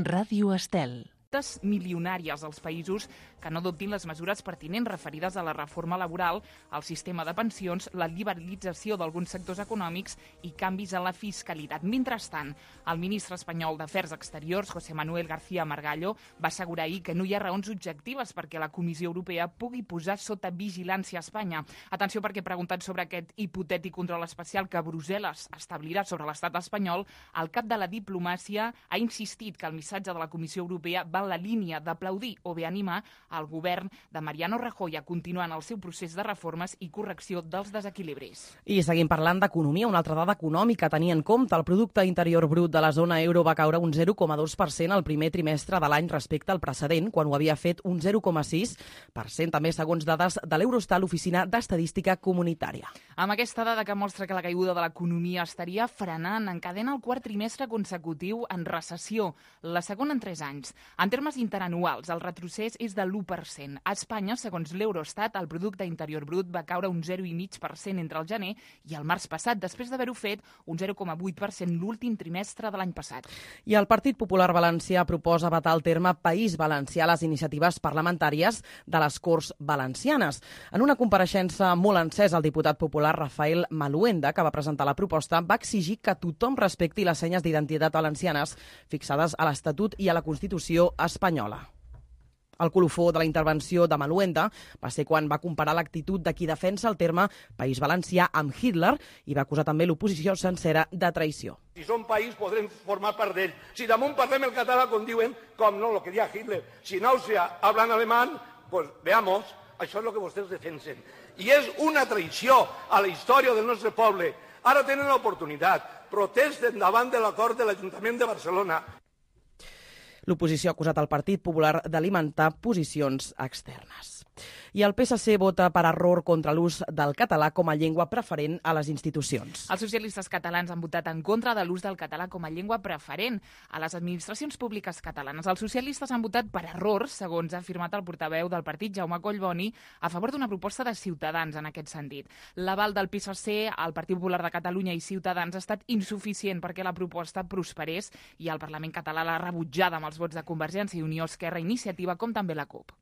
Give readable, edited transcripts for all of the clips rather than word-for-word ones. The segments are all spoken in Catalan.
Ràdio Estel. Milionàries als països que no adoptin les mesures pertinents referides a la reforma laboral, al sistema de pensions, la liberalització d'alguns sectors econòmics i canvis en la fiscalitat. Mentrestant, el ministre espanyol d'Afers Exteriors, José Manuel García Margallo, va assegurar ahir que no hi ha raons objectives perquè la Comissió Europea pugui posar sota vigilància a Espanya. Atenció, perquè preguntat sobre aquest hipotètic control especial que Brussel·les establirà sobre l'estat espanyol, el cap de la diplomàcia ha insistit que el missatge de la Comissió Europea va en la línia d'aplaudir o bé animar el govern de Mariano Rajoy a continuar en el seu procés de reformes i correcció dels desequilibris. I seguim parlant d'economia. Una altra dada econòmica a tenir en compte. El producte interior brut de la zona euro va caure un 0,2% al primer trimestre de l'any respecte al precedent, quan ho havia fet un 0,6%, també segons dades de l'Eurostat, l'Oficina d'Estadística Comunitària. Amb aquesta dada que mostra que la caiguda de l'economia estaria frenant, encadena el quart trimestre consecutiu en recessió, la segona en 3 anys. En termes interanuals, el retrocés és de l'1%. A Espanya, segons l'Eurostat, el producte interior brut va caure un 0,5% entre el gener i el març passat, després d'haver-ho fet un 0,8% l'últim trimestre de l'any passat. I el Partit Popular Valencià proposa vetar el terme País Valencià a les iniciatives parlamentàries de les Corts Valencianes. En una compareixença molt encesa, el diputat popular Rafael Maluenda, que va presentar la proposta, va exigir que tothom respecti les senyes d'identitat valencianes fixades a l'Estatut i a la Constitució espanyola. El colofó de la intervenció de Maluenda va ser quan va comparar l'actitud de qui defensa el terme País Valencià amb Hitler i va acusar també l'oposició sencera de traïció. Si som país podrem formar part d'ell. Si damunt parlem el català com diuen, com no, lo que deia Hitler. Si en Àustria hablan alemán, pues veamos, això és el que vostès defensen. I és una traïció a la història del nostre poble. Ara tenen l'oportunitat. Protesten davant de l'acord de l'Ajuntament de Barcelona. L'oposició ha acusat el Partit Popular d'alimentar posicions externes. I el PSC vota per error contra l'ús del català com a llengua preferent a les institucions. Els socialistes catalans han votat en contra de l'ús del català com a llengua preferent a les administracions públiques catalanes. Els socialistes han votat per error, segons ha afirmat el portaveu del partit, Jaume Collboni, a favor d'una proposta de Ciutadans en aquest sentit. L'aval del PSC, el Partit Popular de Catalunya i Ciutadans ha estat insuficient perquè la proposta prosperés i el Parlament català l'ha rebutjada amb els vots de Convergència i Unió, Esquerra, Iniciativa, com també la CUP.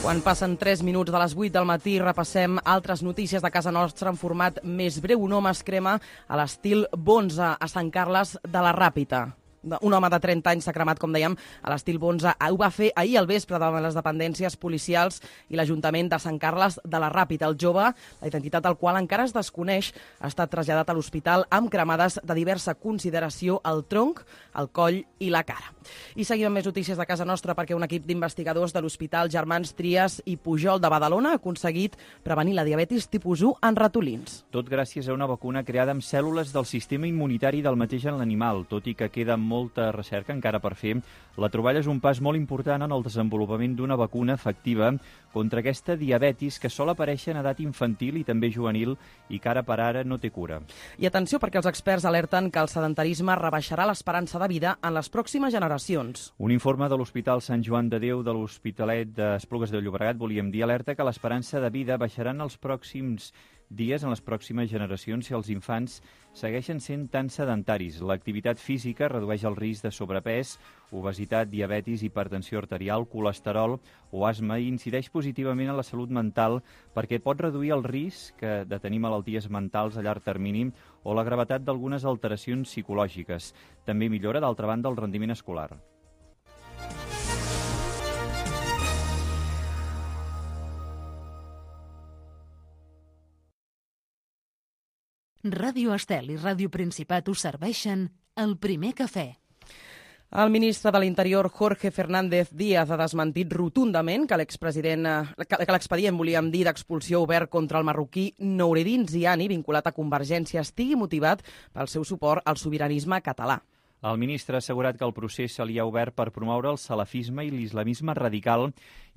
Quan passen 3 minuts de les 8 del matí, repassem altres notícies de casa nostra en format més breu. Un home es crema a l'estil Bonze a Sant Carles de la Ràpita. Un home de 30 anys s'ha cremat, com dèiem, a l'estil Bonze. Ho va fer ahir al vespre davant les dependències policials i l'Ajuntament de Sant Carles de la Ràpita. El jove, la identitat del qual encara es desconeix, ha estat traslladat a l'hospital amb cremades de diversa consideració al tronc, al coll i la cara. I seguim amb més notícies de casa nostra perquè un equip d'investigadors de l'Hospital Germans Trias i Pujol de Badalona ha aconseguit prevenir la diabetis tipus 1 en ratolins. Tot gràcies a una vacuna creada amb cèl·lules del sistema immunitari del mateix en l'animal. Tot i que queda molta recerca encara per fer, la troballa és un pas molt important en el desenvolupament d'una vacuna efectiva contra aquesta diabetis que sol aparèixer en edat infantil i també juvenil i que ara per ara no té cura. I atenció, perquè els experts alerten que el sedentarisme rebaixarà l'esperança de vida en les pròximes generacions. Un informe de l'Hospital Sant Joan de Déu de l'Hospitalet d'Esplugues de Llobregat, volíem dir, alerta que l'esperança de vida baixarà en els pròxims dies, en les pròximes generacions, si els infants segueixen sent tan sedentaris. L'activitat física redueix el risc de sobrepès, obesitat, diabetis, hipertensió arterial, colesterol o asma i incideix positivament en la salut mental perquè pot reduir el risc de tenir malalties mentals a llarg termini o la gravetat d'algunes alteracions psicològiques. També millora, d'altra banda, el rendiment escolar. Ràdio Estel i Ràdio Principat us serveixen el primer cafè. El ministre de l'Interior, Jorge Fernández Díaz, ha desmentit rotundament que l'expedient, volíem dir, d'expulsió obert contra el marroquí Noureddin Ziani, vinculat a Convergència, estigui motivat pel seu suport al sobiranisme català. El ministre ha assegurat que el procés se li ha obert per promoure el salafisme i l'islamisme radical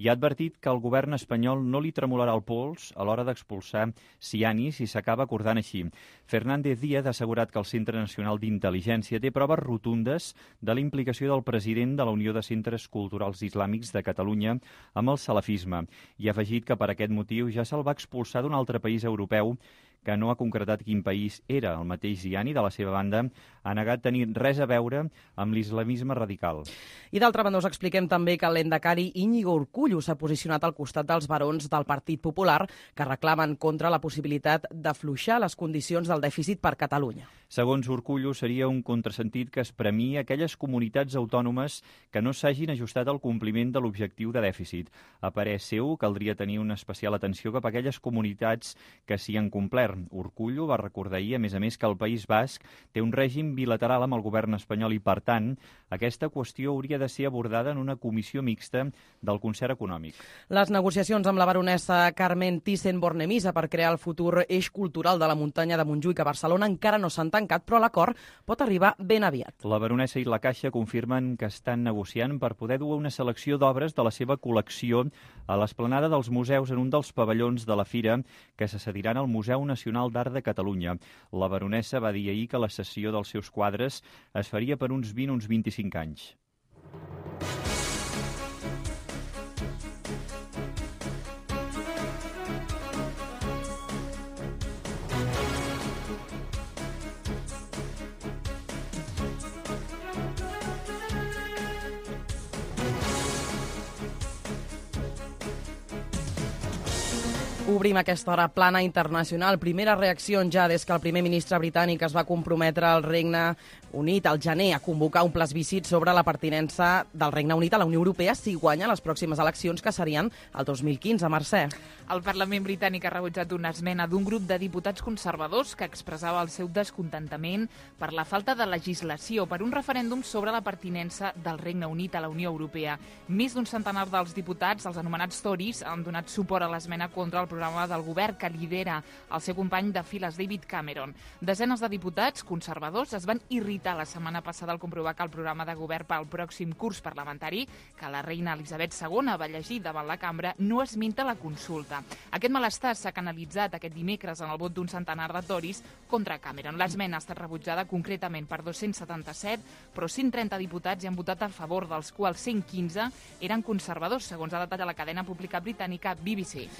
i ha advertit que el govern espanyol no li tremolarà el pols a l'hora d'expulsar Siani si s'acaba acordant així. Fernández Díaz ha assegurat que el Centre Nacional d'Intel·ligència té proves rotundes de la implicació del president de la Unió de Centres Culturals Islàmics de Catalunya amb el salafisme i ha afegit que per aquest motiu ja se'l va expulsar d'un altre país europeu que no ha concretat quin país era. El mateix Siani, de la seva banda, ha negat tenir res a veure amb l'islamisme radical. I d'altra banda us expliquem també que l'endacari Íñigo Urkullu s'ha posicionat al costat dels barons del Partit Popular que reclamen contra la possibilitat d'afluixar les condicions del dèficit per Catalunya. Segons Urkullu, seria un contrasentit que es premia aquelles comunitats autònomes que no s'hagin ajustat al compliment de l'objectiu de dèficit. A parer seu, caldria tenir una especial atenció cap a aquelles comunitats que s'hi han complert. Urkullu va recordar ahir, a més, que el País Basc té un règim bilateral amb el govern espanyol i, per tant, aquesta qüestió hauria de ser abordada en una comissió mixta del concert econòmic. Les negociacions amb la baronessa Carmen Thyssen-Bornemisza per crear el futur eix cultural de la muntanya de Montjuïc a Barcelona encara no s'han tancat, però l'acord pot arribar ben aviat. La baronessa i la Caixa confirmen que estan negociant per poder dur una selecció d'obres de la seva col·lecció a l'esplanada dels museus en un dels pavellons de la fira que se cediran al Museu Nacional d'Art de Catalunya. La baronessa va dir ahir que la cessió dels seus quadres es faria per uns 20 o uns 25 anys. Obrim aquesta hora plana internacional. Primera reacció ja des que el primer ministre britànic es va comprometre al Regne Unit al gener a convocar un plebiscit sobre la pertinença del Regne Unit a la Unió Europea si guanya les pròximes eleccions que serien el 2015 a Mercè. El Parlament britànic ha rebutjat una esmena d'un grup de diputats conservadors que expressava el seu descontentament per la falta de legislació per un referèndum sobre la pertinença del Regne Unit a la Unió Europea. Més d'un centenar dels diputats, els anomenats Tories, han donat suport a l'esmena contra el programa del govern que lidera el seu company de files David Cameron. Desenes de diputats conservadors es van irritar la setmana passada al comprovar que el programa de govern pel pròxim curs parlamentari que la reina Elisabet II va llegir davant la cambra no esmenta la consulta. Aquest malestar s'ha canalitzat aquest dimecres en el vot d'un centenar de Tories contra Cameron. L'esmena ha estat rebutjada concretament per 277, però 130 diputats hi han votat a favor, dels quals 115 eren conservadors, segons ha detallat la cadena pública britànica BBC.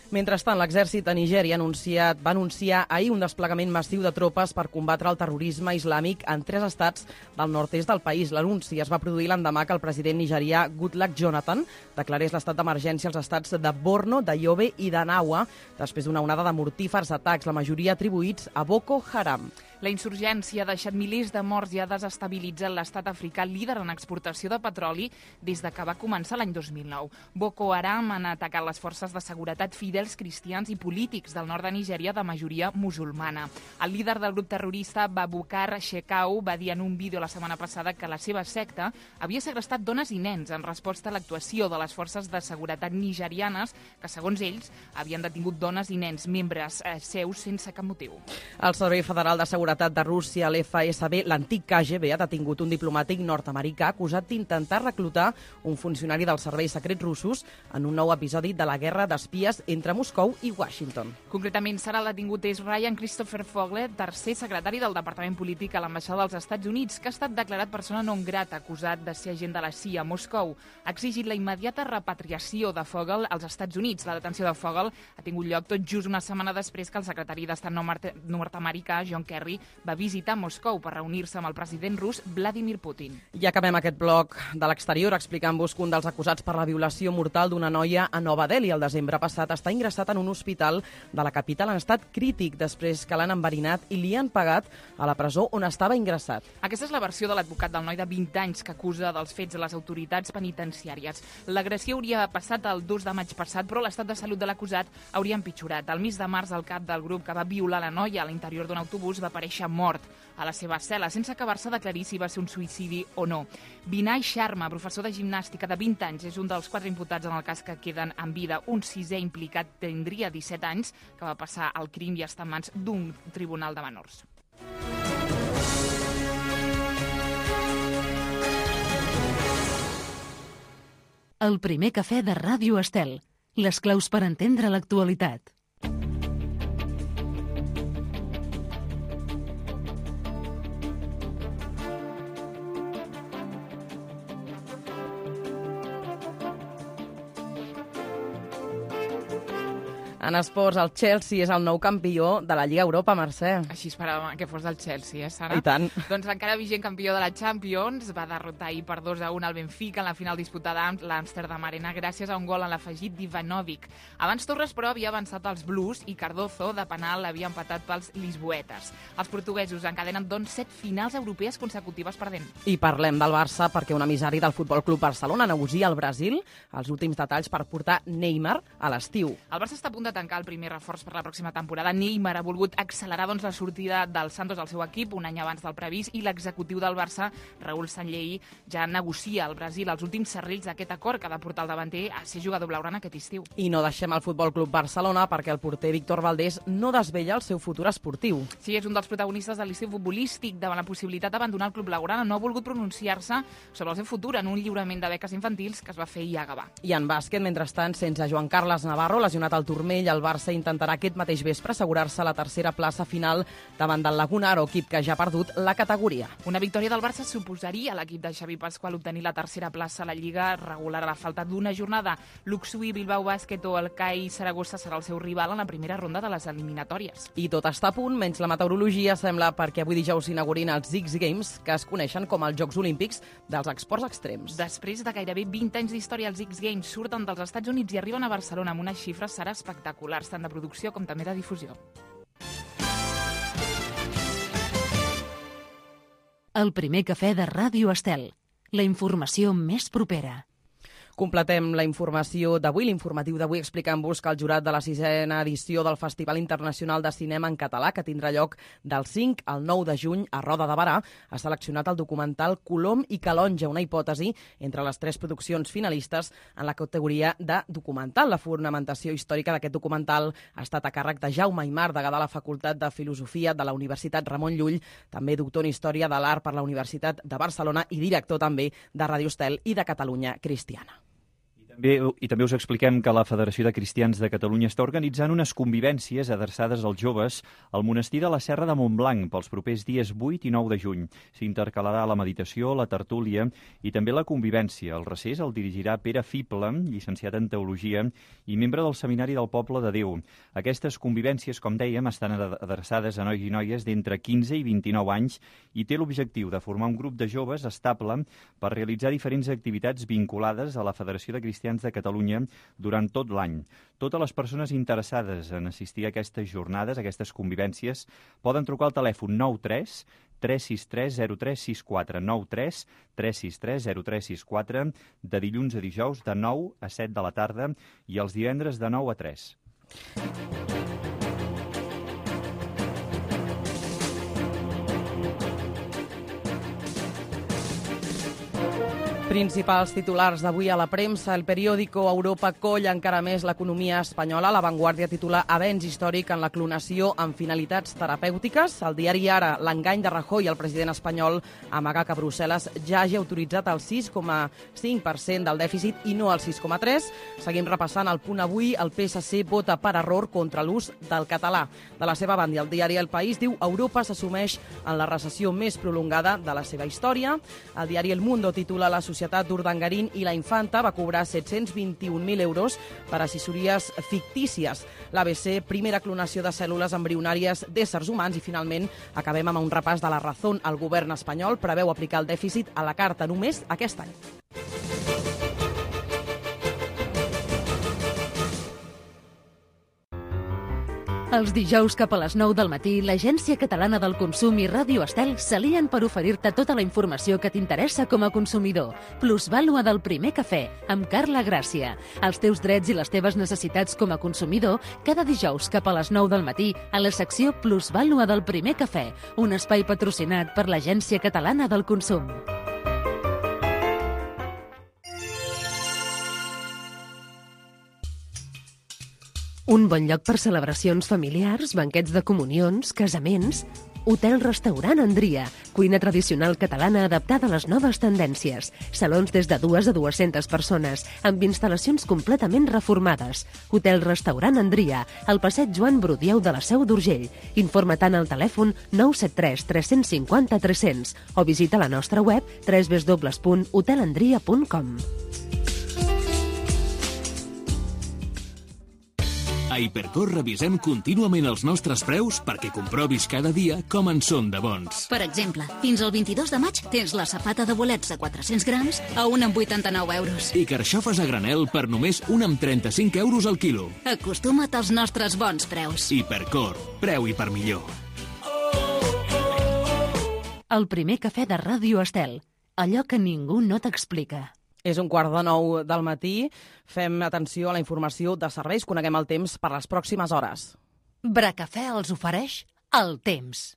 Mentrestant, l'exèrcit de Nigèria va anunciar ahir un desplegament massiu de tropes per combatre el terrorisme islàmic en 3 estats del nord-est del país. L'anunci es va produir l'endemà que el president nigerià Goodluck Jonathan declarés l'estat d'emergència als estats de Borno, de Yobe i de Nawa després d'una onada de mortífers atacs, la majoria atribuïts a Boko Haram. La insurgència ha deixat milers de morts i ha desestabilitzat l'estat africà líder en exportació de petroli des de que va començar l'any 2009. Boko Haram han atacat les forces de seguretat fidels cristians i polítics del nord de Nigèria de majoria musulmana. El líder del grup terrorista Babukar Shekau va dir en un vídeo la setmana passada que la seva secta havia segrestat dones i nens en resposta a l'actuació de les forces de seguretat nigerianes que, segons ells, havien detingut dones i nens membres seus sense cap motiu. El Servei Federal de Seguretat de Rússia, l'FSB, l'antic KGB, ha detingut un diplomàtic nord-americà acusat d'intentar reclutar un funcionari dels serveis secrets russos en un nou episodi de la guerra d'espies entre Moscou i Washington. Concretament, serà detingut és Ryan Christopher Fogler, tercer secretari del Departament Polític a l'ambaixada dels Estats Units, que ha estat declarat persona non grata acusat de ser agent de la CIA a Moscou. Ha exigit la immediata repatriació de Fogel als Estats Units. La detenció de Fogel ha tingut lloc tot just una setmana després que el secretari d'Estat nord-americà, John Kerry, va visitar Moscou per reunir-se amb el president rus Vladimir Putin. I acabem aquest bloc de l'exterior explicant-vos que un dels acusats per la violació mortal d'una noia a Nova Delhi el desembre passat està ingressat en un hospital de la capital en estat crític després que l'han enverinat i li han pagat a la presó on estava ingressat. Aquesta és la versió de l'advocat del noi de 20 anys que acusa dels fets a les autoritats penitenciàries. L'agressió hauria passat el 2 de maig passat, però l'estat de salut de l'acusat hauria empitjorat. El mes de març, el cap del grup que va violar la noia a l'interior d'un autobús va aparèixer mort a la seva cel·la, sense acabar-se d'aclarir si va ser un suïcidi o no. Vinay Sharma, professor de gimnàstica de 20 anys, és un dels 4 imputats en el cas que queden en vida. Un 6è implicat tindria 17 anys, que va passar el crim i està en mans d'un tribunal de menors. El primer cafè de Ràdio Estel. Les claus per entendre l'actualitat. En esports, el Chelsea és el nou campió de la Lliga Europa, Mercè. Així esperàvem que fos el Chelsea, Sara? I tant. Doncs l'encara vigent campió de la Champions va derrotar ahir per 2-1 al Benfica en la final disputada amb l'Amsterdam Arena gràcies a un gol en l'afegit d'Ivanovic. Abans Torres, però, havia avançat als Blues i Cardozo, de penal, havia empatat pels lisboetes. Els portuguesos encadenen, doncs, 7 finals europees consecutives perdent. I parlem del Barça perquè un emissari del Futbol Club Barcelona negocia al Brasil els últims detalls per portar Neymar a l'estiu. El Barça està a punt de tancar el primer reforç per la pròxima temporada. Neymar ha volgut accelerar la sortida del Santos al seu equip un any abans del previst i l'executiu del Barça, Raúl Sanllehy, ja negocia al Brasil els últims serrells d'aquest acord que ha de portar el davanter a ser jugador blaugrana aquest estiu. I no deixem el Futbol Club Barcelona perquè el porter Víctor Valdés no desvella el seu futur esportiu. Sí, és un dels protagonistes de l'estiu futbolístic. Davant la possibilitat d'abandonar el club blaugrana, no ha volgut pronunciar-se sobre el seu futur en un lliurament de beques infantils que es va fer ahir a Gavà. I en bàsquet, mentrestant, sense Joan Carles Navarro, lesionat al turmell, el Barça intentarà aquest mateix vespre assegurar-se la tercera plaça final davant del Lagunaro, equip que ja ha perdut la categoria. Una victòria del Barça suposaria a l'equip de Xavi Pascual obtenir la tercera plaça a la Lliga regular a la falta d'una jornada. L'Uxui, Bilbao Bàsquet o el CAI Saragossa serà el seu rival en la primera ronda de les eliminatòries. I tot està a punt, menys la meteorologia, sembla, perquè avui dijous s'inaugurin els X Games, que es coneixen com els Jocs Olímpics dels esports extrems. Després de gairebé 20 anys d'història, els X Games surten dels Estats Units i arriben a Barcelona amb unes xifres serà espectaculars, tant de producció com també de difusió. El primer cafè de Ràdio Estel. La informació més propera. Completem la informació d'avui, l'informatiu d'avui, explicant-vos que el jurat de la 6a edició del Festival Internacional de Cinema en Català, que tindrà lloc del 5 al 9 de juny a Roda de Barà, ha seleccionat el documental Colom i Calonge, una hipòtesi entre les 3 produccions finalistes en la categoria de documental. La fonamentació històrica d'aquest documental ha estat a càrrec de Jaume Aymar, degà de la Facultat de Filosofia de la Universitat Ramon Llull, també doctor en Història de l'Art per la Universitat de Barcelona i director també de Ràdio Estel i de Catalunya Cristiana. I també us expliquem que la Federació de Cristians de Catalunya està organitzant unes convivències adreçades als joves al monestir de la Serra de Montblanc pels propers dies 8 i 9 de juny. S'intercalarà la meditació, la tertúlia i també la convivència. El recés el dirigirà Pere Fible, llicenciat en Teologia i membre del Seminari del Poble de Déu. Aquestes convivències, com dèiem, estan adreçades a nois i noies d'entre 15 i 29 anys i té l'objectiu de formar un grup de joves estable per realitzar diferents activitats vinculades a la Federació de Cristians de Catalunya durant tot l'any. Totes les persones interessades en assistir a aquestes jornades, a aquestes convivències, poden trucar al telèfon 93 363 0364, 93 363 0364, de dilluns a dijous de 9 a 7 de la tarda i els divendres de 9 a 3. Principals titulars d'avui a la premsa. El periòdico Europa colla encara més l'economia espanyola. La Vanguardia titula Avenç històric en la clonació amb finalitats terapèutiques. El diari Ara, l'engany de Rajoy, el president espanyol, amaga que Brussel·les ja hagi autoritzat el 6,5% del dèficit i no el 6,3%. Seguim repassant el punt avui. El PSC vota per error contra l'ús del català. De la seva banda, el diari El País diu Europa s'assumeix en la recessió més prolongada de la seva història. El diari El Mundo titula La societat d'Urdangarín i la Infanta va cobrar 721.000 euros per assessories fictícies. L'ABC, primera clonació de cèl·lules embrionàries d'éssers humans. I finalment acabem amb un repàs de La Razón. El govern espanyol preveu aplicar el dèficit a la carta només aquest any. Els dijous cap a les 9 del matí, l'Agència Catalana del Consum i Ràdio Estel s'alien per oferir-te tota la informació que t'interessa com a consumidor. Plusvàlua del primer cafè, amb Carla Gràcia. Els teus drets i les teves necessitats com a consumidor, cada dijous cap a les 9 del matí, a la secció Plusvàlua del primer cafè, un espai patrocinat per l'Agència Catalana del Consum. Un bon lloc per celebracions familiars, banquets de comunions, casaments. Hotel-restaurant Andria, cuina tradicional catalana adaptada a les noves tendències. Salons des de 2 a 200 persones, amb instal·lacions completament reformades. Hotel-restaurant Andria, al passeig Joan Brudieu de la Seu d'Urgell. Informa-te'n al telèfon 973 350 300 o visita la nostra web www.hotelandria.com. A Hipercor revisem contínuament els nostres preus perquè comprovis cada dia com en són de bons. Per exemple, fins al 22 de maig tens la safata de bolets de 400 grams a 1,89 euros. I carxofes a granel per només 1,35 euros al quilo. Acostuma't als nostres bons preus. Hipercor, preu i per millor. El primer cafè de Ràdio Estel. Allò que ningú no t'explica. És 8:45 del matí. Fem atenció a la informació de serveis. Coneguem el temps per les pròximes hores. Bracafè els ofereix el temps.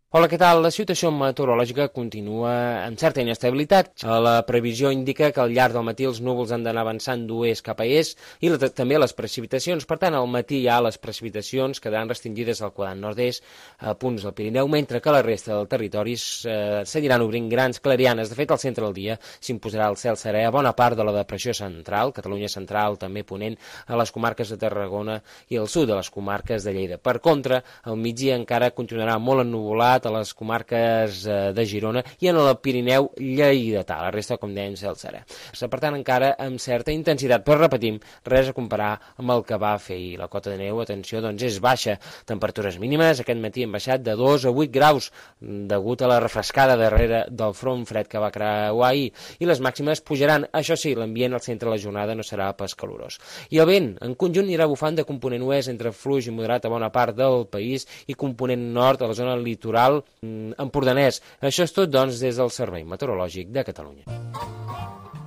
Hola, què tal? La situació meteorològica continua amb certa inestabilitat. La previsió indica que al llarg del matí els núvols han d'anar avançant d'oest cap a est i també les precipitacions. Per tant, al matí ja les precipitacions quedaran restringides al quadrant nord-est a punts del Pirineu, mentre que la resta del territori seguiran obrint grans clarianes. De fet, al centre del dia s'imposarà el cel serè a bona part de la depressió central, Catalunya central, també ponent a les comarques de Tarragona i al sud de les comarques de Lleida. Per contra, al migdia encara continuarà molt ennuvolat a les comarques de Girona i en el Pirineu lleidatà, la resta, com dèiem, cel serè. Per tant, encara amb certa intensitat, però repetim, res a comparar amb el que va fer ahir. La cota de neu, atenció, doncs és baixa. Temperatures mínimes aquest matí han baixat de 2 a 8 graus, degut a la refrescada darrere del front fred que va creuar ahir, i les màximes pujaran. Això sí, l'ambient al centre de la jornada no serà pas calorós. I el vent, en conjunt, anirà bufant de component oest entre fluix i moderat a bona part del país i component nord a la zona litoral empordanès. Això és tot, doncs, des del Servei Meteorològic de Catalunya.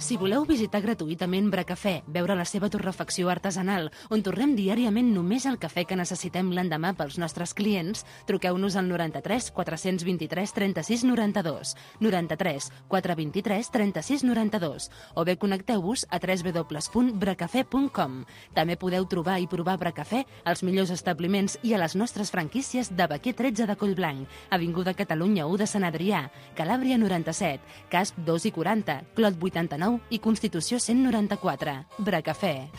Si voleu visitar gratuïtament Bracafè, veure la seva torrefacció artesanal, on torrem diàriament només el cafè que necessitem l'endemà pels nostres clients, truqueu-nos al 93 423 36 92, 93 423 36 92, o bé connecteu-vos a www.bracafè.com. També podeu trobar i provar Bracafè als millors establiments i a les nostres franquícies de Baquer 13 de Collblanc, Avinguda Catalunya 1 de Sant Adrià, Calàbria 97, Casp 2 i 40, Clot 89 i Constitució 194. Bracafè.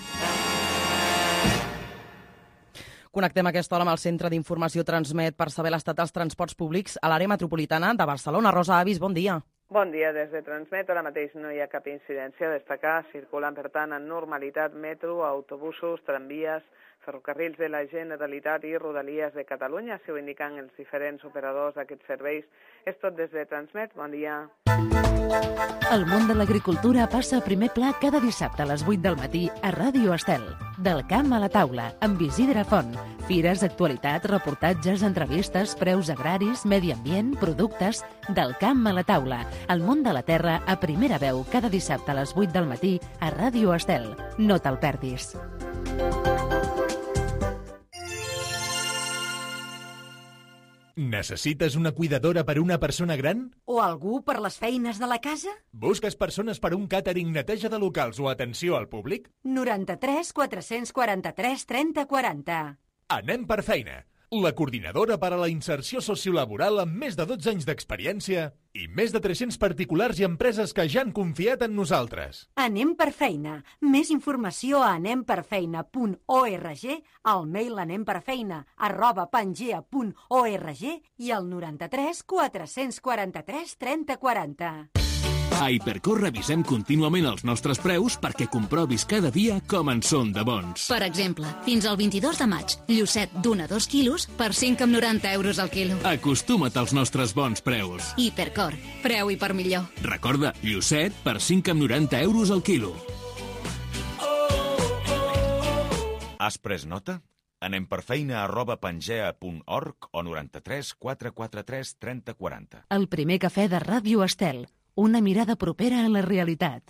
Connectem a aquesta hora amb el Centre d'Informació Transmet per saber l'estat dels transports públics a l'àrea metropolitana de Barcelona. Rosa Avis, bon dia. Bon dia, des de Transmet. Ara mateix no hi ha cap incidència a destacar. Circulen, per tant, en normalitat metro, autobusos, tramvies, ferrocarrils de la Generalitat i Rodalies de Catalunya, si ho indiquen els diferents operadors d'aquests serveis. És tot des de Transmet. Bon dia. El món de l'agricultura passa a primer pla cada dissabte a les 8 del matí a Ràdio Estel. Del camp a la taula, amb Isidre Font. Fires, actualitat, reportatges, entrevistes, preus agraris, medi ambient, productes... Del camp a la taula. El món de la terra a primera veu cada dissabte a les 8 del matí a Ràdio Estel. No te'l perdis. Necessites una cuidadora per a una persona gran? O algú per les feines de la casa? Busques persones per a un càtering, neteja de locals o atenció al públic? 93 443 30 40. Anem per feina. La coordinadora per a la inserció sociolaboral amb més de 12 anys d'experiència i més de 300 particulars i empreses que ja han confiat en nosaltres. Anem per feina. Més informació a anemperfeina.org, al mail anemperfeina@pangea.org i al 93 443 30 40. A Hipercor revisem contínuament els nostres preus perquè comprovis cada dia com en són de bons. Per exemple, fins al 22 de maig, llucet d'1 a 2 quilos per 5,90 euros al quilo. Acostuma't als nostres bons preus. Hipercor, preu i per millor. Recorda, llucet per 5,90 euros al quilo. Has pres nota? Anem per feina@pangea.org o 93 443 30 40. El primer cafè de Ràdio Estel. Una mirada propera a la realitat.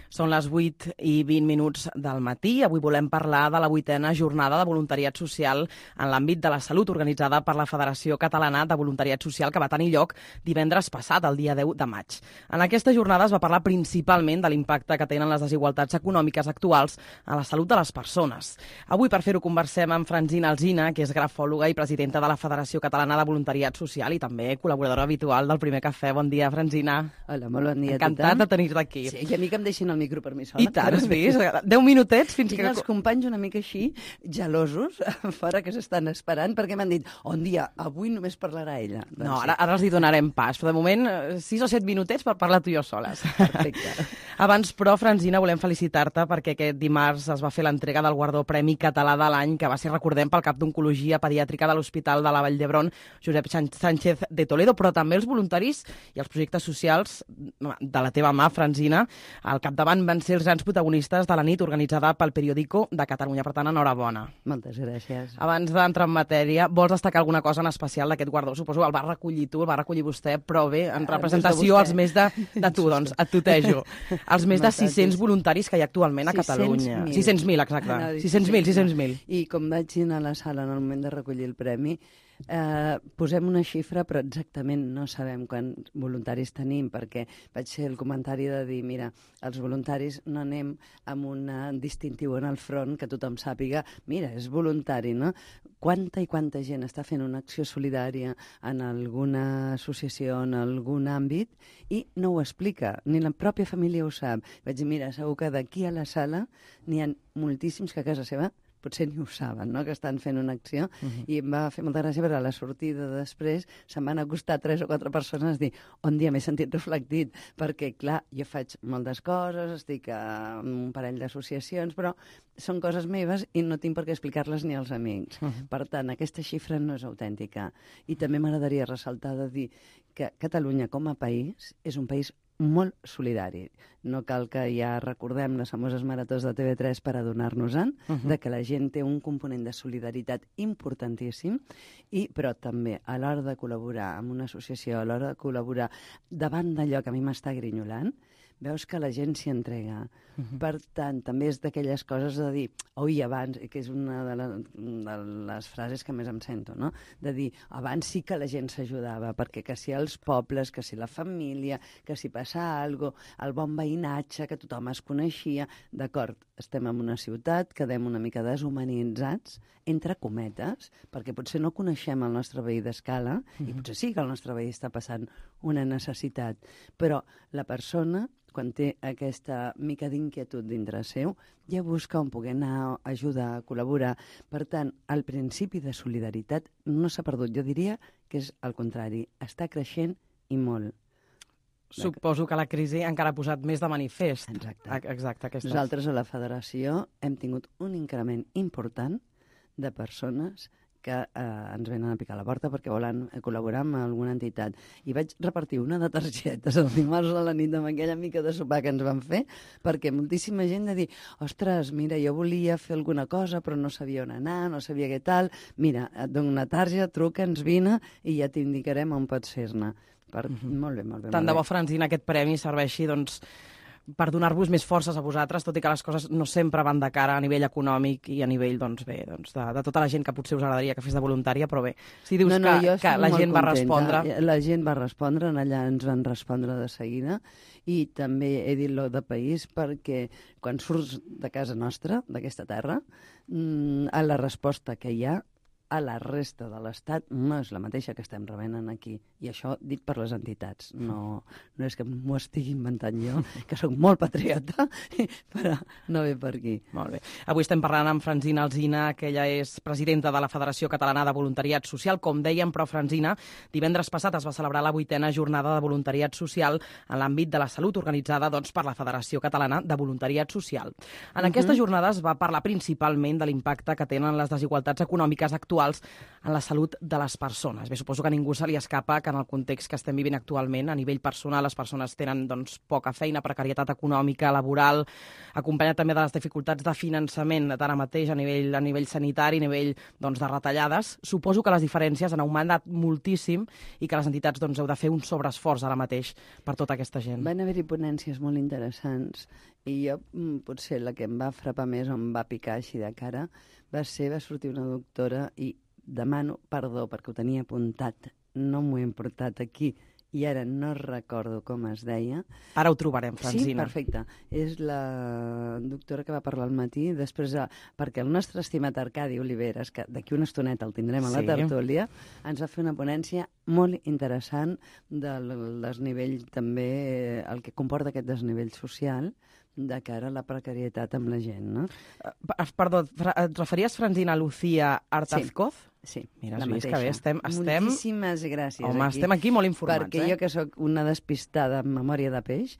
Són les 8:20 del matí. Avui volem parlar de la 8a jornada de voluntariat social en l'àmbit de la salut organitzada per la Federació Catalana de Voluntariat Social que va tenir lloc divendres passat, el dia 10 de maig. En aquesta jornada es va parlar principalment de l'impacte que tenen les desigualtats econòmiques actuals a la salut de les persones. Avui, per fer-ho, conversem amb Francina Alsina, que és grafòloga i presidenta de la Federació Catalana de Voluntariat Social i també col·laboradora habitual del Primer Cafè. Bon dia, Francina. Hola, molt bon dia a tothom. Encantat de tenir-te aquí. Sí, i a mi que em deixin el micro per mi sola. I tant, has vist? 10 minutets fins Tinc que... els companys una mica així, gelosos, fora, que s'estan esperant, perquè m'han dit, un dia, avui només parlarà ella. Doncs no, ara els hi donarem pas, però de moment 6 o 7 minutets per parlar tu i jo soles. Perfecte. Abans, però, Francina, volem felicitar-te perquè aquest dimarts es va fer l'entrega del guardó Premi Català de l'any, que va ser, recordem, pel cap d'Oncologia Pediàtrica de l'Hospital de la Vall d'Hebron, Josep Sánchez de Toledo, però també els voluntaris i els projectes socials de la teva mà, Francina, al capdavant van ser els grans protagonistes de la nit organitzada pel Periódico de Catalunya. Per tant, enhorabona. Moltes gràcies. Abans d'entrar en matèria, vols destacar alguna cosa en especial d'aquest guardó? Suposo que el va recollir tu, el va recollir vostè, però bé, en representació als més de tu, doncs, et tutejo. Els més de 600 voluntaris que hi ha actualment a Catalunya. 600.000, exacte. 600.000. I com vaig anar a la sala en el moment de recollir el premi, posem una xifra, però exactament no sabem quants voluntaris tenim, perquè vaig fer el comentari de dir, mira, els voluntaris no anem amb un distintiu en el front que tothom sàpiga, mira, és voluntari, no? Quanta gent està fent una acció solidària en alguna associació, en algun àmbit, i no ho explica, ni la pròpia família ho sap. Vaig dir, mira, segur que d'aquí a la sala n'hi ha moltíssims que a casa seva potser ni ho saben, no?, que estan fent una acció, i em va fer molta gràcia perquè a la sortida després se'm van acostar 3 o 4 persones a dir, un dia m'he sentit reflectit, perquè, clar, jo faig moltes coses, estic en un parell d'associacions, però són coses meves i no tinc per què explicar-les ni als amics. Per tant, aquesta xifra no és autèntica. I també m'agradaria ressaltar de dir que Catalunya com a país és un país molt solidari. No cal que ja recordem les famoses maratons de TV3 per adonar-nos-en de que la gent té un component de solidaritat importantíssim, però també a l'hora de col·laborar amb una associació, a l'hora de col·laborar davant d'allò que a mi m'està grinyolant, veus que la gent s'hi entrega. Per tant, també és d'aquelles coses de dir, oi, abans, que és una de les frases que més em sento, no?, de dir, abans sí que la gent s'ajudava, perquè que si els pobles, que si la família, que si passa alguna cosa, el bon veïnatge, que tothom es coneixia, d'acord, estem en una ciutat, quedem una mica deshumanitzats, entre cometes, perquè potser no coneixem el nostre veí d'escala, i potser sí que el nostre veí està passant una necessitat, però la persona, quan té aquesta mica d'inquietud dintre seu, ja busca on poder anar, ajudar, a col·laborar. Per tant, el principi de solidaritat no s'ha perdut. Jo diria que és el contrari, està creixent i molt. Suposo que la crisi encara ha posat més de manifest. Exacte. Nosaltres a la Federació hem tingut un increment important de persones que ens venen a picar la porta perquè volen col·laborar amb alguna entitat. I vaig repartir una de targetes el dimarts a la nit amb aquella mica de sopar que ens van fer, perquè moltíssima gent de dir, ostres, mira, jo volia fer alguna cosa però no sabia on anar, no sabia què tal, mira, et dono una targeta, truca'ns, vine i ja t'indicarem on pots fer-ne. Molt bé. Tant de bo, Francina, aquest premi serveixi, doncs, per donar-vos més forces a vosaltres, tot i que les coses no sempre van de cara a nivell econòmic i a nivell, doncs bé, de tota la gent que potser us agradaria que fes de voluntària, però bé, si dius que la gent va respondre... La gent va respondre, allà ens van respondre de seguida, i també he dit lo de país perquè quan surts de casa nostra, d'aquesta terra, a la resposta que hi ha, a la resta de l'Estat no és la mateixa que estem rebent aquí. I això dit per les entitats. No és que m'ho estigui inventant jo, que sóc molt patriota, però no ve per aquí. Molt bé. Avui estem parlant amb Francina Alsina, que ella és presidenta de la Federació Catalana de Voluntariat Social. Com dèiem, però, Francina, divendres passat es va celebrar la 8a jornada de voluntariat social en l'àmbit de la salut organitzada per la Federació Catalana de Voluntariat Social. En aquesta jornada es va parlar principalment de l'impacte que tenen les desigualtats econòmiques actuals en la salut de les persones. Bé, suposo que a ningú se li escapa que en el context que estem vivint actualment, a nivell personal, les persones tenen poca feina, precarietat econòmica, laboral, acompanyat també de les dificultats de finançament d'ara mateix a nivell sanitari, a nivell de retallades. Suposo que les diferències han augmentat moltíssim i que les entitats heu de fer un sobreesforç ara mateix per tota aquesta gent. Van haver-hi ponències molt interessants I jo, potser la que em va frapar més o em va picar així de cara va sortir una doctora i demano perdó perquè ho tenia apuntat, no m'ho he portat aquí i ara no recordo com es deia. Ara ho trobarem, Francina. Sí, perfecte. És la doctora que va parlar al matí, després, perquè el nostre estimat Arcadi Oliveres, que d'aquí una estoneta el tindrem a la tertúlia, ens va fer una ponència molt interessant del desnivell també, el que comporta aquest desnivell social de cara a la precarietat amb la gent, no? Perdó, et referies, Francina, a Lucía Artazcoz? Sí, mira, la mateixa. mateixa. Que bé, estem... Moltíssimes gràcies. Home, estem aquí molt informats, perquè jo, que sóc una despistada amb memòria de peix,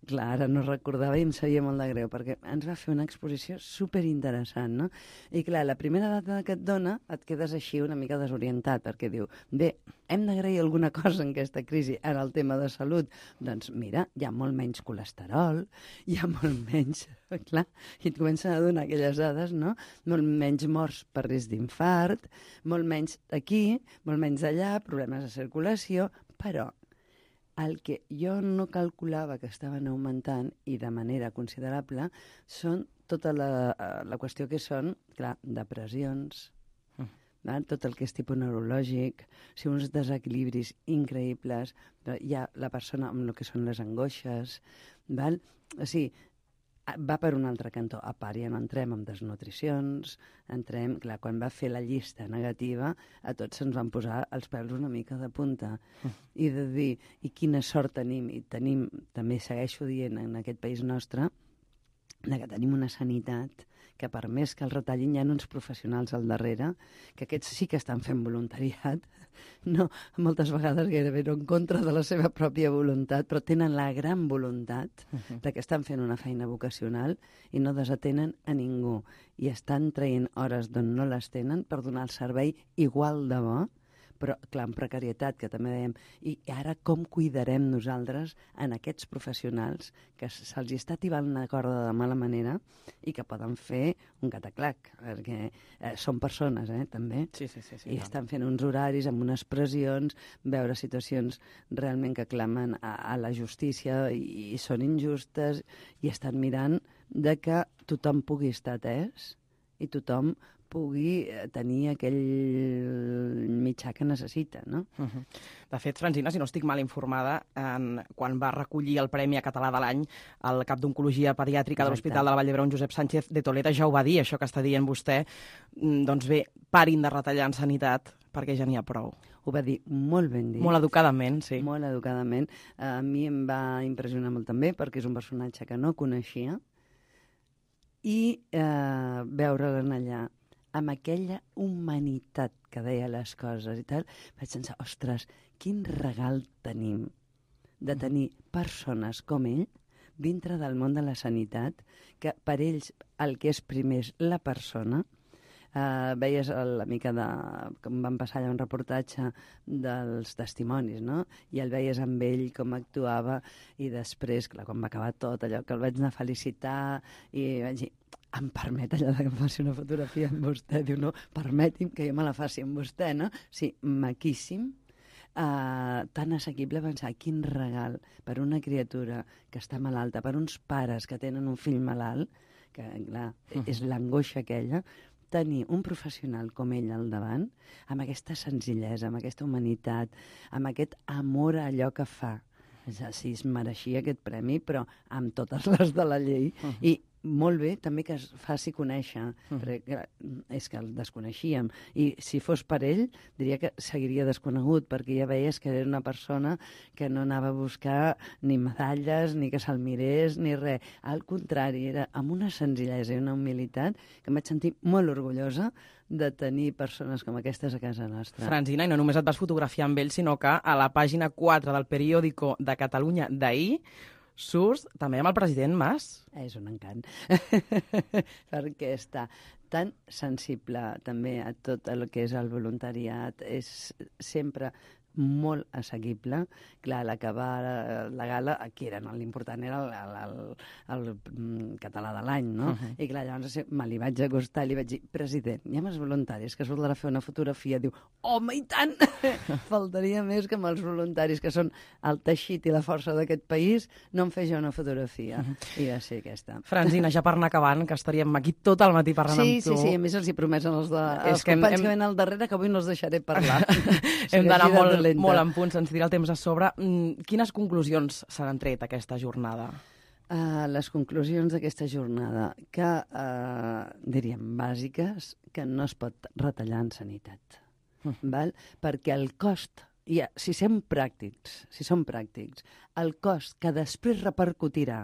clar, ara no recordava i em sabia molt de greu, perquè ens va fer una exposició superinteressant, no? I clar, la primera data que et dona et quedes així una mica desorientat, perquè diu, bé, hem d'agrair alguna cosa en aquesta crisi en el tema de salut. Doncs mira, hi ha molt menys colesterol, hi ha molt menys... Clar, i et comencen a donar aquelles dades, no? Molt menys morts per risc d'infart, molt menys aquí, molt menys allà, problemes de circulació, però el que jo no calculava que estaven augmentant i de manera considerable són tota la qüestió que són, clar, depressions, tot el que és tipus neurològic, uns desequilibris increïbles, hi ha la persona amb el que són les angoixes, val? O sigui, va per un altre cantó. A part, ja no entrem en desnutricions, entrem... Clar, quan va fer la llista negativa, a tots se'ns van posar els pèls una mica de punta. I de dir, i quina sort tenim, i tenim, també segueixo dient en aquest país nostre, que tenim una sanitat que per més que el retallin hi ha uns professionals al darrere, que aquests sí que estan fent voluntariat, no, moltes vegades gairebé no en contra de la seva pròpia voluntat, però tenen la gran voluntat de que estan fent una feina vocacional i no desatenen a ningú. I estan traient hores d'on no les tenen per donar el servei igual de bo, però, clar, en precarietat, que també dèiem, i ara com cuidarem nosaltres en aquests professionals que se'ls està tibant la corda de mala manera i que poden fer un cataclac, perquè són persones, també, sí, i estan fent uns horaris amb unes pressions, veure situacions realment que clamen a la justícia i són injustes, i estan mirant de que tothom pugui estar atès i tothom pugui tenir aquell mitjà que necessita, no? De fet, Francina, si no estic mal informada, quan va recollir el Premi Català de l'Any, el cap d'Oncologia Pediàtrica de l'Hospital de la Vall d'Hebron, Josep Sánchez de Toleda, ja ho va dir, això que està dient vostè. Doncs bé, parin de retallar en sanitat, perquè ja n'hi ha prou. Ho va dir molt ben dit. Molt educadament, sí. Molt educadament. A mi em va impressionar molt també, perquè és un personatge que no coneixia, i veure-la allà amb aquella humanitat que deia les coses i tal, vaig pensar, ostres, quin regal tenim de tenir persones com ell dintre del món de la sanitat, que per ells el que és primer és la persona. Veies la mica de... com van passar allà un reportatge dels testimonis, no? I el veies amb ell, com actuava, i després, clar, quan va acabar tot allò, que el vaig anar a felicitar, i vaig dir, em permet allò que em faci una fotografia amb vostè? Diu, no, permeti'm que jo me la faci amb vostè, no? Sí, maquíssim, tan assequible pensar quin regal per una criatura que està malalta, per uns pares que tenen un fill malalt, que, clar, és l'angoixa aquella, tenir un professional com ell al davant, amb aquesta senzillesa, amb aquesta humanitat, amb aquest amor a allò que fa. Sí, es mereixia aquest premi, però amb totes les de la llei. I molt bé també que es faci conèixer, perquè és que el desconeixíem. I si fos per ell, diria que seguiria desconegut, perquè ja veies que era una persona que no anava a buscar ni medalles, ni que se'l mirés, ni res. Al contrari, era amb una senzillesa i una humilitat que em vaig sentir molt orgullosa de tenir persones com aquestes a casa nostra. Francina, i no només et vas fotografiar amb ell, sinó que a la pàgina 4 del periòdico de Catalunya d'ahir surts també amb el president Mas. És un encant, perquè està tan sensible també a tot el que és el voluntariat, és sempre molt assequible. Clar, l'acabar la gala, aquí era, no? L'important era el català de l'any, no? I clar, llavors me li vaig acostar i li vaig dir, president, hi ha més voluntaris que surten a fer una fotografia. Diu, home, i tant! Faltaria més que amb els voluntaris, que són el teixit i la força d'aquest país, no em fes jo una fotografia. I va ser aquesta. Francina, ja per anar acabant, que estaríem aquí tot el matí parlant amb tu. Sí, a més els hi promesen els companys que venen al darrere que avui no els deixaré parlar. Hem d'anar molt en punt, se'ns tira el temps a sobre. Quines conclusions se n'han tret aquesta jornada? Les conclusions d'aquesta jornada, que diríem bàsiques, que no es pot retallar en sanitat. Val? Perquè el cost, si som pràctics, el cost que després repercutirà,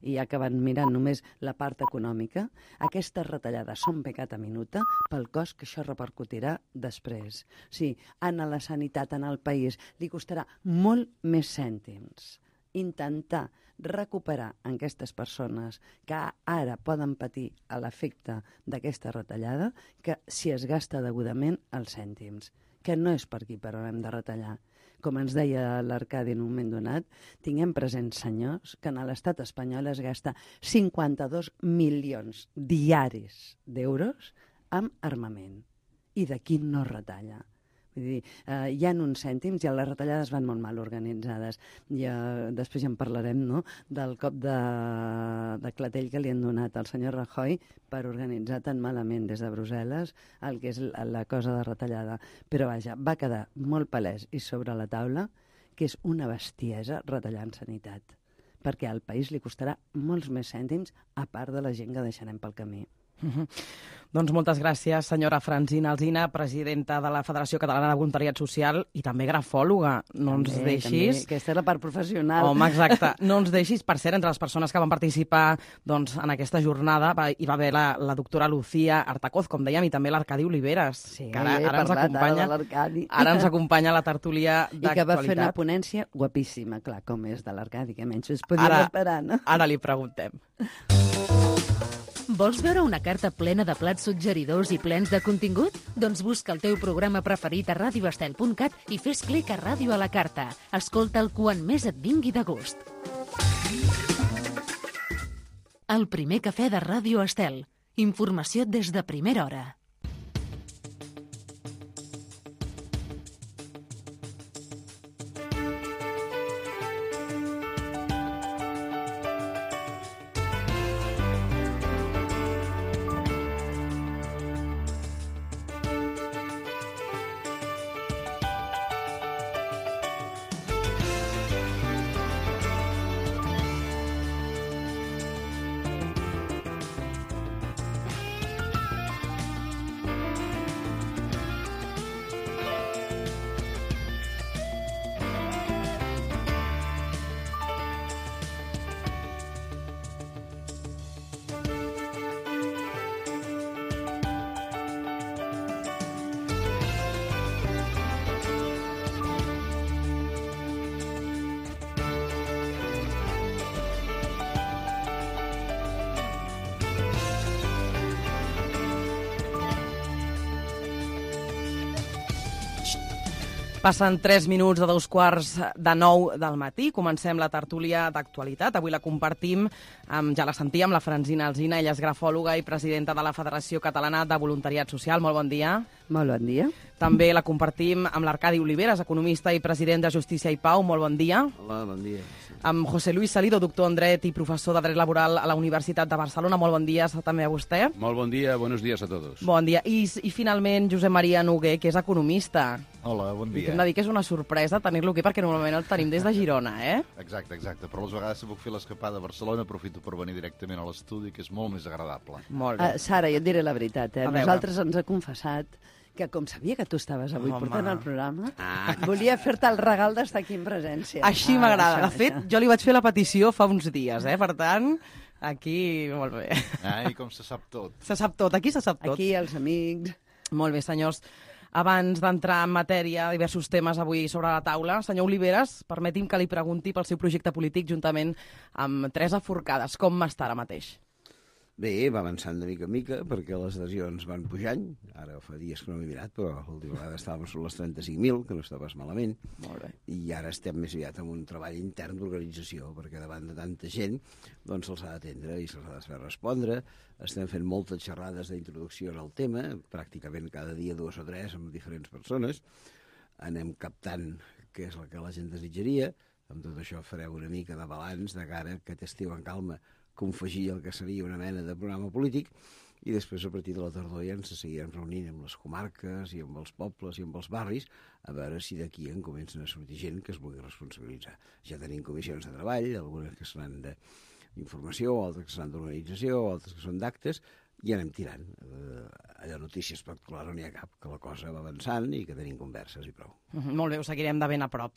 i acabant mirant només la part econòmica, aquestes retallades són pecata minuta pel cost que això repercutirà després. Sí, a la sanitat, en el país, li costarà molt més cèntims intentar recuperar aquestes persones que ara poden patir l'efecte d'aquesta retallada que si es gasta degudament els cèntims, que no és per aquí per on hem de retallar. Com ens deia l'Arcadi en un moment donat, tinguem presents, senyors, que en l'estat espanyol es gasta 52 milions diaris d'euros amb armament. I d'aquí no retalla. Vull dir, hi ha uns cèntims i les retallades van molt mal organitzades. Després ja en parlarem, no?, del cop de clatell que li han donat al senyor Rajoy per organitzar tan malament des de Brussel·les el que és la cosa de retallada. Però vaja, va quedar molt palès i sobre la taula que és una bestiesa retallar en sanitat, perquè al país li costarà molts més cèntims a part de la gent que deixarem pel camí. Doncs moltes gràcies, senyora Francina Alsina, presidenta de la Federació Catalana de Voluntariat Social i també grafòloga. No ens deixis... Aquesta és la part professional. Home, exacte. No ens deixis, per cert, entre les persones que van participar doncs, en aquesta jornada hi va haver la doctora Lucía Artacoz, com dèiem, i també l'Arcadi Oliveres, sí, que ara ens acompanya a la tertúlia d'actualitat. I que va fer una ponència guapíssima, clar, com és de l'Arcadi, que menys es podia esperar, no? Ara li preguntem. Vols veure una carta plena de plats suggeridors i plens de contingut? Doncs busca el teu programa preferit a radioestel.cat i fes clic a Ràdio a la Carta. Escolta'l quan més et vingui de gust. El primer cafè de Ràdio Estel. Informació des de primera hora. Passen 3 minuts de 8:45 del matí. Comencem la tertúlia d'actualitat. Avui la compartim, ja la sentíem, la Francina Alsina. Ella és grafòloga i presidenta de la Federació Catalana de Voluntariat Social. Molt bon dia. Molt bon dia. També la compartim amb l'Arcadi Oliveres, economista i president de Justícia i Pau. Molt bon dia. Hola, bon dia. Amb José Luis Salido, doctor en Dret i professor de Dret Laboral a la Universitat de Barcelona. Molt bon dia també a vostè. Molt bon dia, buenos días a todos. Bon dia. I finalment, Josep Maria Noguer, que és economista. Hola, bon dia. I hem de dir que és una sorpresa tenir-lo aquí, perquè normalment el tenim des de Girona, eh? Exacte. Però les vegades que puc fer l'escapada a Barcelona aprofito per venir directament a l'estudi, que és molt més agradable. Molt bé. Sara, jo et diré la veritat, Nosaltres ens ha confessat que com sabia que tu estaves avui portant el programa, volia fer-te el regal d'estar aquí en presència. Així m'agrada. De fet, jo li vaig fer la petició fa uns dies, Per tant, aquí, molt bé. I com se sap tot. Se sap tot, aquí se sap tot. Aquí, els amics. Molt bé, senyors. Abans d'entrar en matèria, diversos temes avui sobre la taula. Senyor Oliveres, permeti'm que li pregunti pel seu projecte polític juntament amb Teresa Forcades. Com està ara mateix? Bé, va avançant de mica en mica, perquè les adhesions van pujant. Ara fa dies que no m'he mirat, però l'última vegada estàvem sobre les 35.000, que no estava malament. Molt bé. I ara estem més aviat en un treball intern d'organització, perquè davant de tanta gent doncs se'ls ha d'atendre i se'ls ha de fer respondre. Estem fent moltes xerrades d'introducció en el tema, pràcticament cada dia 2 o 3 amb diferents persones. Anem captant què és el que la gent desitjaria. Amb tot això farem una mica de balanç de cara que aquest estiu en calma confegir el que seria una mena de programa polític i després a partir de la tardor ja ens seguirem reunint amb les comarques i amb els pobles i amb els barris a veure si d'aquí en comencen a sortir gent que es vulgui responsabilitzar. Ja tenim comissions de treball, algunes que seran d'informació, altres que seran d'organització, altres que són d'actes, i anem tirant. Allò notícia espectacular no n'hi ha cap, que la cosa va avançant i que tenim converses i prou. Molt bé, ho seguirem de ben a prop.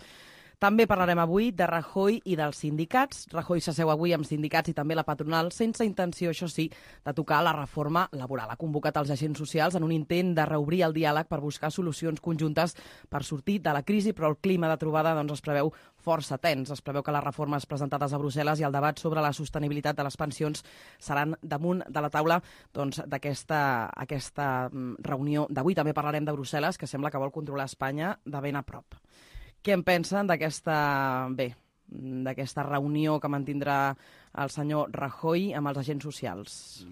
També parlarem avui de Rajoy i dels sindicats. Rajoy s'asseu avui amb sindicats i també la patronal, sense intenció, això sí, de tocar la reforma laboral. Ha convocat els agents socials en un intent de reobrir el diàleg per buscar solucions conjuntes per sortir de la crisi, però el clima de trobada es preveu força tens. Es preveu que les reformes presentades a Brussel·les i el debat sobre la sostenibilitat de les pensions seran damunt de la taula d'aquesta reunió d'avui. També parlarem de Brussel·les, que sembla que vol controlar Espanya de ben a prop. Què en pensen d'aquesta reunió que mantindrà el senyor Rajoy amb els agents socials?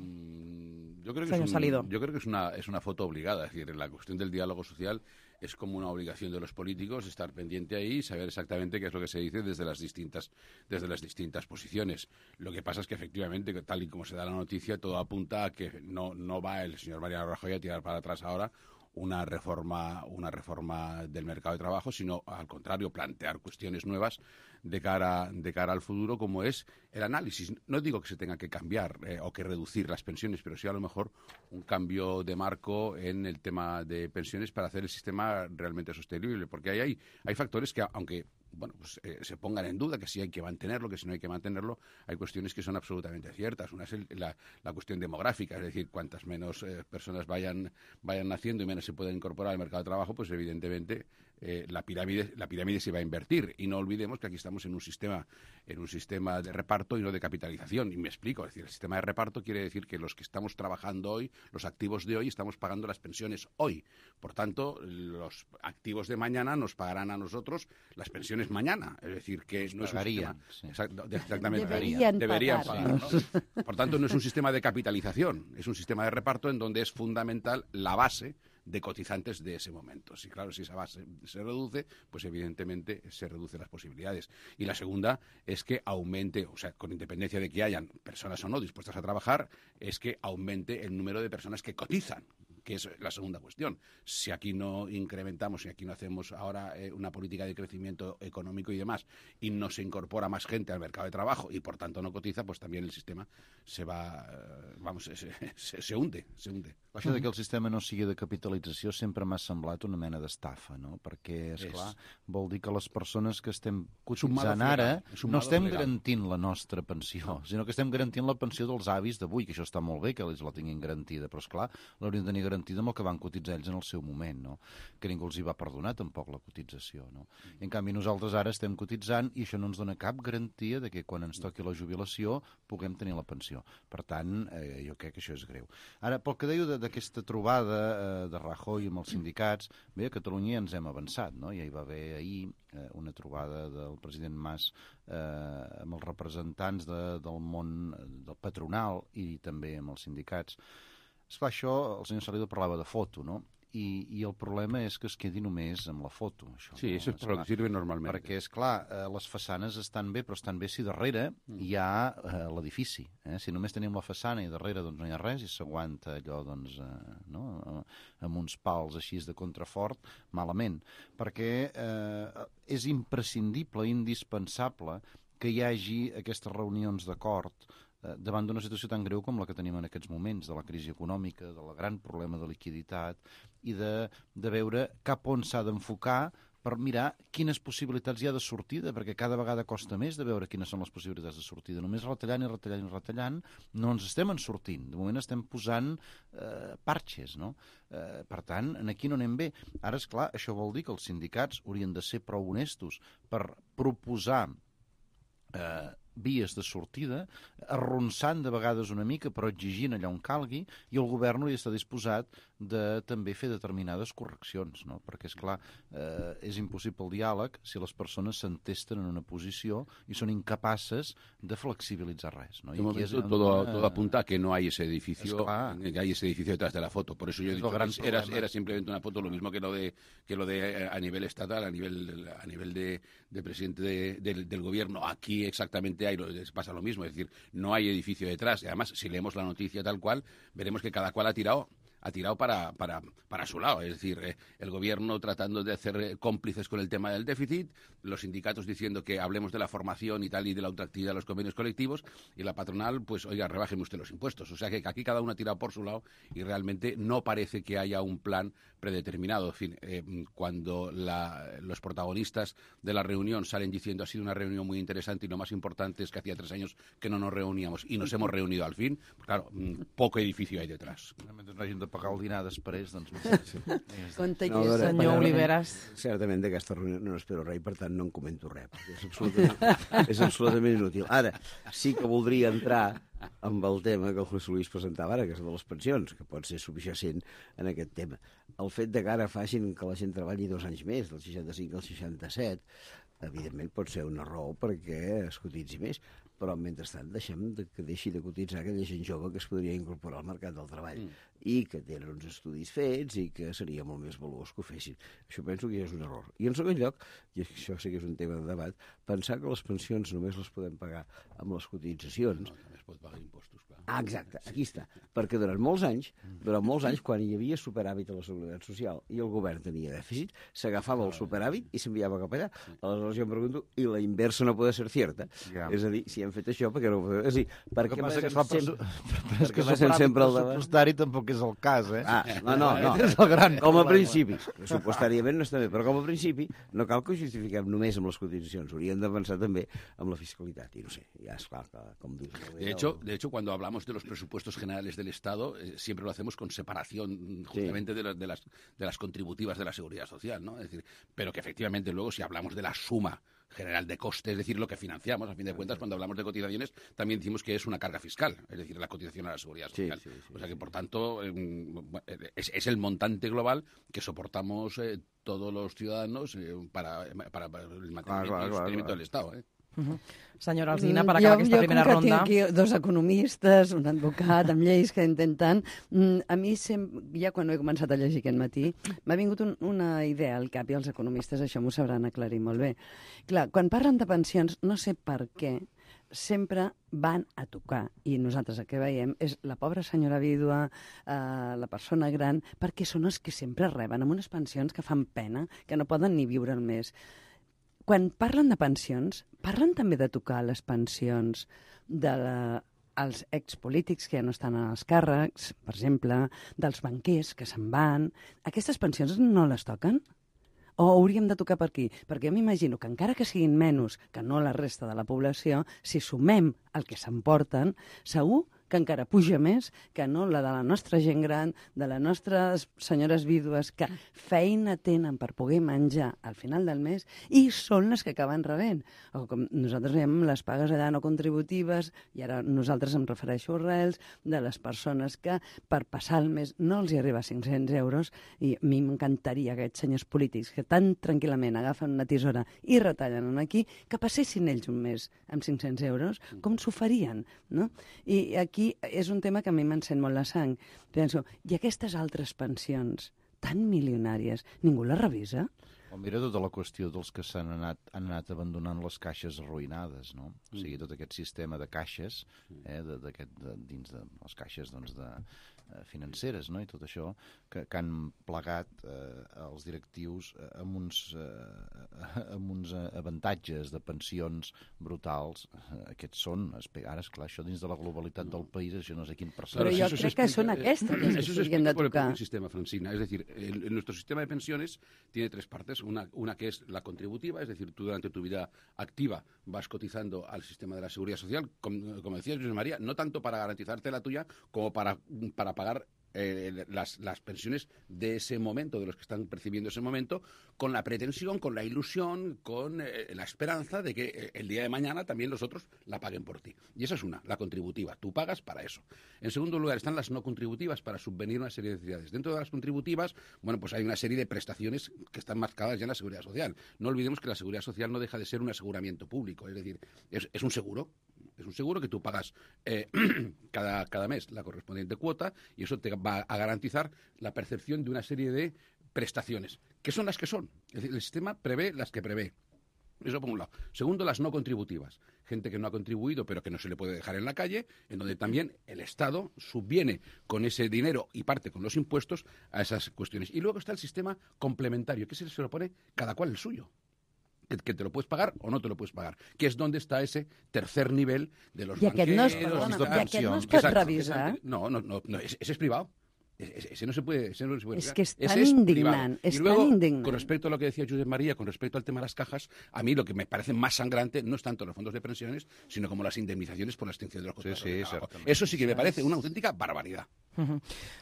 Yo creo que es una foto obligada. Es decir, la cuestión del diálogo social es como una obligación de los políticos estar pendiente ahí y saber exactamente qué es lo que se dice desde las distintas posiciones. Lo que pasa es que efectivamente, tal y como se da la noticia, todo apunta a que no va el señor Mariano Rajoy a tirar para atrás ahora una reforma del mercado de trabajo, sino al contrario, plantear cuestiones nuevas de cara al futuro, como es el análisis. No digo que se tenga que cambiar o que reducir las pensiones, pero sí a lo mejor un cambio de marco en el tema de pensiones para hacer el sistema realmente sostenible, porque hay factores que, aunque se pongan en duda, que si hay que mantenerlo, que si no hay que mantenerlo, hay cuestiones que son absolutamente ciertas. Una es la cuestión demográfica, es decir, cuantas menos personas vayan naciendo y menos se pueden incorporar al mercado de trabajo, pues evidentemente la pirámide se va a invertir. Y no olvidemos que aquí estamos en un sistema de reparto y no de capitalización. Y me explico, es decir, el sistema de reparto quiere decir que los que estamos trabajando hoy, los activos de hoy, estamos pagando las pensiones hoy. Por tanto, los activos de mañana nos pagarán a nosotros las pensiones mañana. Es decir, que no es un sistema... Sí. Exactamente. Deberían pagar, ¿no? Por tanto, no es un sistema de capitalización, es un sistema de reparto en donde es fundamental la base de cotizantes de ese momento. Sí, claro, si esa base se reduce, pues evidentemente se reducen las posibilidades. Y la segunda es que aumente, o sea, con independencia de que hayan personas o no dispuestas a trabajar, es que aumente el número de personas que cotizan, que es la segunda cuestión. Si aquí no incrementamos, si aquí no hacemos ahora una política de crecimiento económico y demás, y no se incorpora más gente al mercado de trabajo y por tanto no cotiza, pues también el sistema se va, se hunde. Això de que el sistema no sigui de capitalització sempre m'ha semblat una mena d'estafa, no? Perquè, esclar, vol dir que les persones que estem cotitzant ara no estem garantint la nostra pensió, sinó que estem garantint la pensió dels avis d'avui, que això està molt bé que ells la tinguin garantida, però, esclar, l'haurien de tenir garantida amb el que van cotitzar ells en el seu moment, no? Que ningú els hi va perdonar tampoc la cotització, no? I en canvi nosaltres ara estem cotitzant i això no ens dona cap garantia de que quan ens toqui la jubilació puguem tenir la pensió. Per tant, jo crec que això és greu. Ara, pel que deia d'aquesta trobada de Rajoy amb els sindicats, bé, a Catalunya ja ens hem avançat, no? Ja hi va haver ahir una trobada del president Mas amb els representants del món del patronal i també amb els sindicats. Esclar, això, el senyor Salido parlava de foto, no? I el problema és que es quedi només amb la foto. Això, sí, això és per lo que sirve normalment. Perquè, esclar, les façanes estan bé, però estan bé si darrere hi ha l'edifici. Si només tenim la façana i darrere doncs, no hi ha res i s'aguanta allò doncs, amb uns pals així de contrafort, malament. Perquè és imprescindible, indispensable que hi hagi aquestes reunions d'acord davant d'una situació tan greu com la que tenim en aquests moments, de la crisi econòmica, del gran problema de liquiditat, i de veure cap on s'ha d'enfocar per mirar quines possibilitats hi ha de sortida, perquè cada vegada costa més de veure quines són les possibilitats de sortida. Només retallant i retallant i retallant no ens estem en sortint. De moment estem posant parxes, no? Per tant, aquí no anem bé. Ara, esclar, això vol dir que els sindicats haurien de ser prou honestos per proposar vies de sortida, arronsant de vegades una mica, però exigint allà on calgui, i el govern hauria d'estar disposat de també fer determinades correccions, no? Perquè, esclar, és impossible el diàleg si les persones s'entesten en una posició i són incapaces de flexibilitzar res, ¿no? De momento todo apunta a que no hay ese edificio, que hay ese edificio detrás de la foto. Por eso yo he dicho que era simplemente una foto, lo mismo que lo de a nivel estatal, a nivel de presidente del gobierno. Aquí exactamente pasa lo mismo, es decir, no hay edificio detrás. Y además, si leemos la noticia tal cual, veremos que cada cual ha tirado para su lado. Es decir, el gobierno tratando de hacer cómplices con el tema del déficit, los sindicatos diciendo que hablemos de la formación y tal y de la ultraactividad de los convenios colectivos, y la patronal, pues, oiga, rebájeme usted los impuestos. O sea que aquí cada uno ha tirado por su lado y realmente no parece que haya un plan predeterminado. En fin, cuando los protagonistas de la reunión salen diciendo ha sido una reunión muy interesante y lo más importante es que hacía 3 años que no nos reuníamos y nos hemos reunido al fin, pues claro, poco edificio hay detrás. Pagar el dinar després, doncs... Senyor Oliveras. Certament d'aquesta reunió no espero res i per tant no en comento res, perquè és absolutament inútil. Ara, sí que voldria entrar amb el tema que el José Luis presentava ara, que és de les pensions, que pot ser subjacent en aquest tema. El fet de que ara facin que la gent treballi 2 anys més, del 65 al 67, evidentment pot ser una raó perquè es cotitzi més, però mentrestant que deixi de cotitzar aquella gent jove que es podria incorporar al mercat del treball i que tenen uns estudis fets i que seria molt més valuós que ho fessin. Això penso que ja és un error. I en segon lloc, i això sí que és un tema de debat, pensar que les pensions només les podem pagar amb les cotitzacions. No, també es pot pagar impostos, clar. Ah, exacte, aquí està. Perquè durant molts anys, quan hi havia superàvit a la Seguretat Social i el govern tenia dèficit, s'agafava el superàvit i s'enviava cap allà. Aleshores jo em pregunto, i la inversa no pot ser cierta? És a dir, si hem fet això, perquè no ho podem... És a dir, per què passem sempre al debat? Pressupostari tampoc és el cas, eh? No. És el gran com a principi. Pressupostàriament no està bé, però com a principi no cal que ho justifiquem només amb les cotitzacions. Hauríem de pensar també amb la fiscalitat. I no sé, ja és clar que, com dius... De hecho, cuando hablamos de los presupuestos generales del Estado, siempre lo hacemos con separación justamente de las contributivas de la Seguridad Social, ¿no? Es decir, pero que efectivamente luego si hablamos de la suma general de costes, es decir, lo que financiamos, a fin de cuentas, cuando hablamos de cotizaciones, también decimos que es una carga fiscal, es decir, la cotización a la Seguridad Social. Sí. O sea que, por tanto, es el montante global que soportamos todos los ciudadanos para el mantenimiento y sostenimiento del Estado, Senyora Alsina, per acabar aquesta primera ronda... Jo, com que tinc aquí 2 economistes, un advocat amb lleis que intenten... A mi, ja quan ho he començat a llegir aquest matí, m'ha vingut una idea al cap, i els economistes això m'ho sabran aclarir molt bé. Clar, quan parlen de pensions, no sé per què, sempre van a tocar, i nosaltres el que veiem és la pobra senyora vídua, la persona gran, perquè són els que sempre reben amb unes pensions que fan pena, que no poden ni viure el mes. Quan parlen de pensions, parlen també de tocar les pensions dels expolítics que ja no estan en els càrrecs, per exemple, dels banquers que se'n van. Aquestes pensions no les toquen? O hauríem de tocar per aquí? Perquè jo m'imagino que encara que siguin menys que no la resta de la població, si sumem el que s'emporten, segur que encara puja més que no la de la nostra gent gran, de les nostres senyores vídues, que feina tenen per poder menjar al final del mes i són les que acaben rebent. O com nosaltres veiem les pagues allà no contributives, i ara nosaltres em refereixo a arrels, de les persones que per passar el mes no els hi arriba a 500 euros, i a mi m'encantaria aquests senyors polítics que tan tranquil·lament agafen una tisora i retallen aquí, que passessin ells un mes amb 500 euros, com s'ho farien, no? I aquí és un tema que a mi m'encén molt la sang. Penso, i aquestes altres pensions tan milionàries, ningú les revisa? O mira tota la qüestió dels que han anat abandonant les caixes arruïnades, no? O sigui, tot aquest sistema de caixes, dins de les caixes financeres, no? I tot això, que han plegat els directius amb uns avantatges de pensions brutals. Aquests són, ara, esclar, això dins de la globalitat del país, això no sé quin percentatge. Però jo crec que són aquestes que s'haurien de tocar. El sistema, Francina. Es decir, nuestro sistema de pensiones tiene 3 partes. Una que es la contributiva, es decir, tú durante tu vida activa vas cotizando al sistema de la Seguridad Social, como decía José María, no tanto para garantizarte la tuya como para pagar las pensiones de ese momento, de los que están percibiendo ese momento, con la pretensión, con la ilusión, con la esperanza de que el día de mañana también los otros la paguen por ti. Y esa es una, la contributiva. Tú pagas para eso. En segundo lugar están las no contributivas, para subvenir una serie de necesidades. Dentro de las contributivas, bueno, pues hay una serie de prestaciones que están marcadas ya en la Seguridad Social. No olvidemos que la Seguridad Social no deja de ser un aseguramiento público, es decir, es un seguro. Es un seguro que tú pagas cada mes la correspondiente cuota y eso te va a garantizar la percepción de una serie de prestaciones, que son las que son. Es decir, el sistema prevé las que prevé. Eso por un lado. Segundo, las no contributivas. Gente que no ha contribuido pero que no se le puede dejar en la calle, en donde también el Estado subviene con ese dinero y parte con los impuestos a esas cuestiones. Y luego está el sistema complementario, que se lo pone cada cual el suyo. Que te lo puedes pagar o no te lo puedes pagar, que es donde está ese tercer nivel de los banqueros. I aquest no es pot revisar? No, ese es privado. Ese no se puede. Es que es tan indignant. Y luego, con respecto a lo que decía Josep María, con respecto al tema de las cajas, a mí lo que me parece más sangrante no es tanto los fondos de pensiones, sino como las indemnizaciones por la extinción de los contratos de trabajo. Eso sí que me parece una auténtica barbaridad.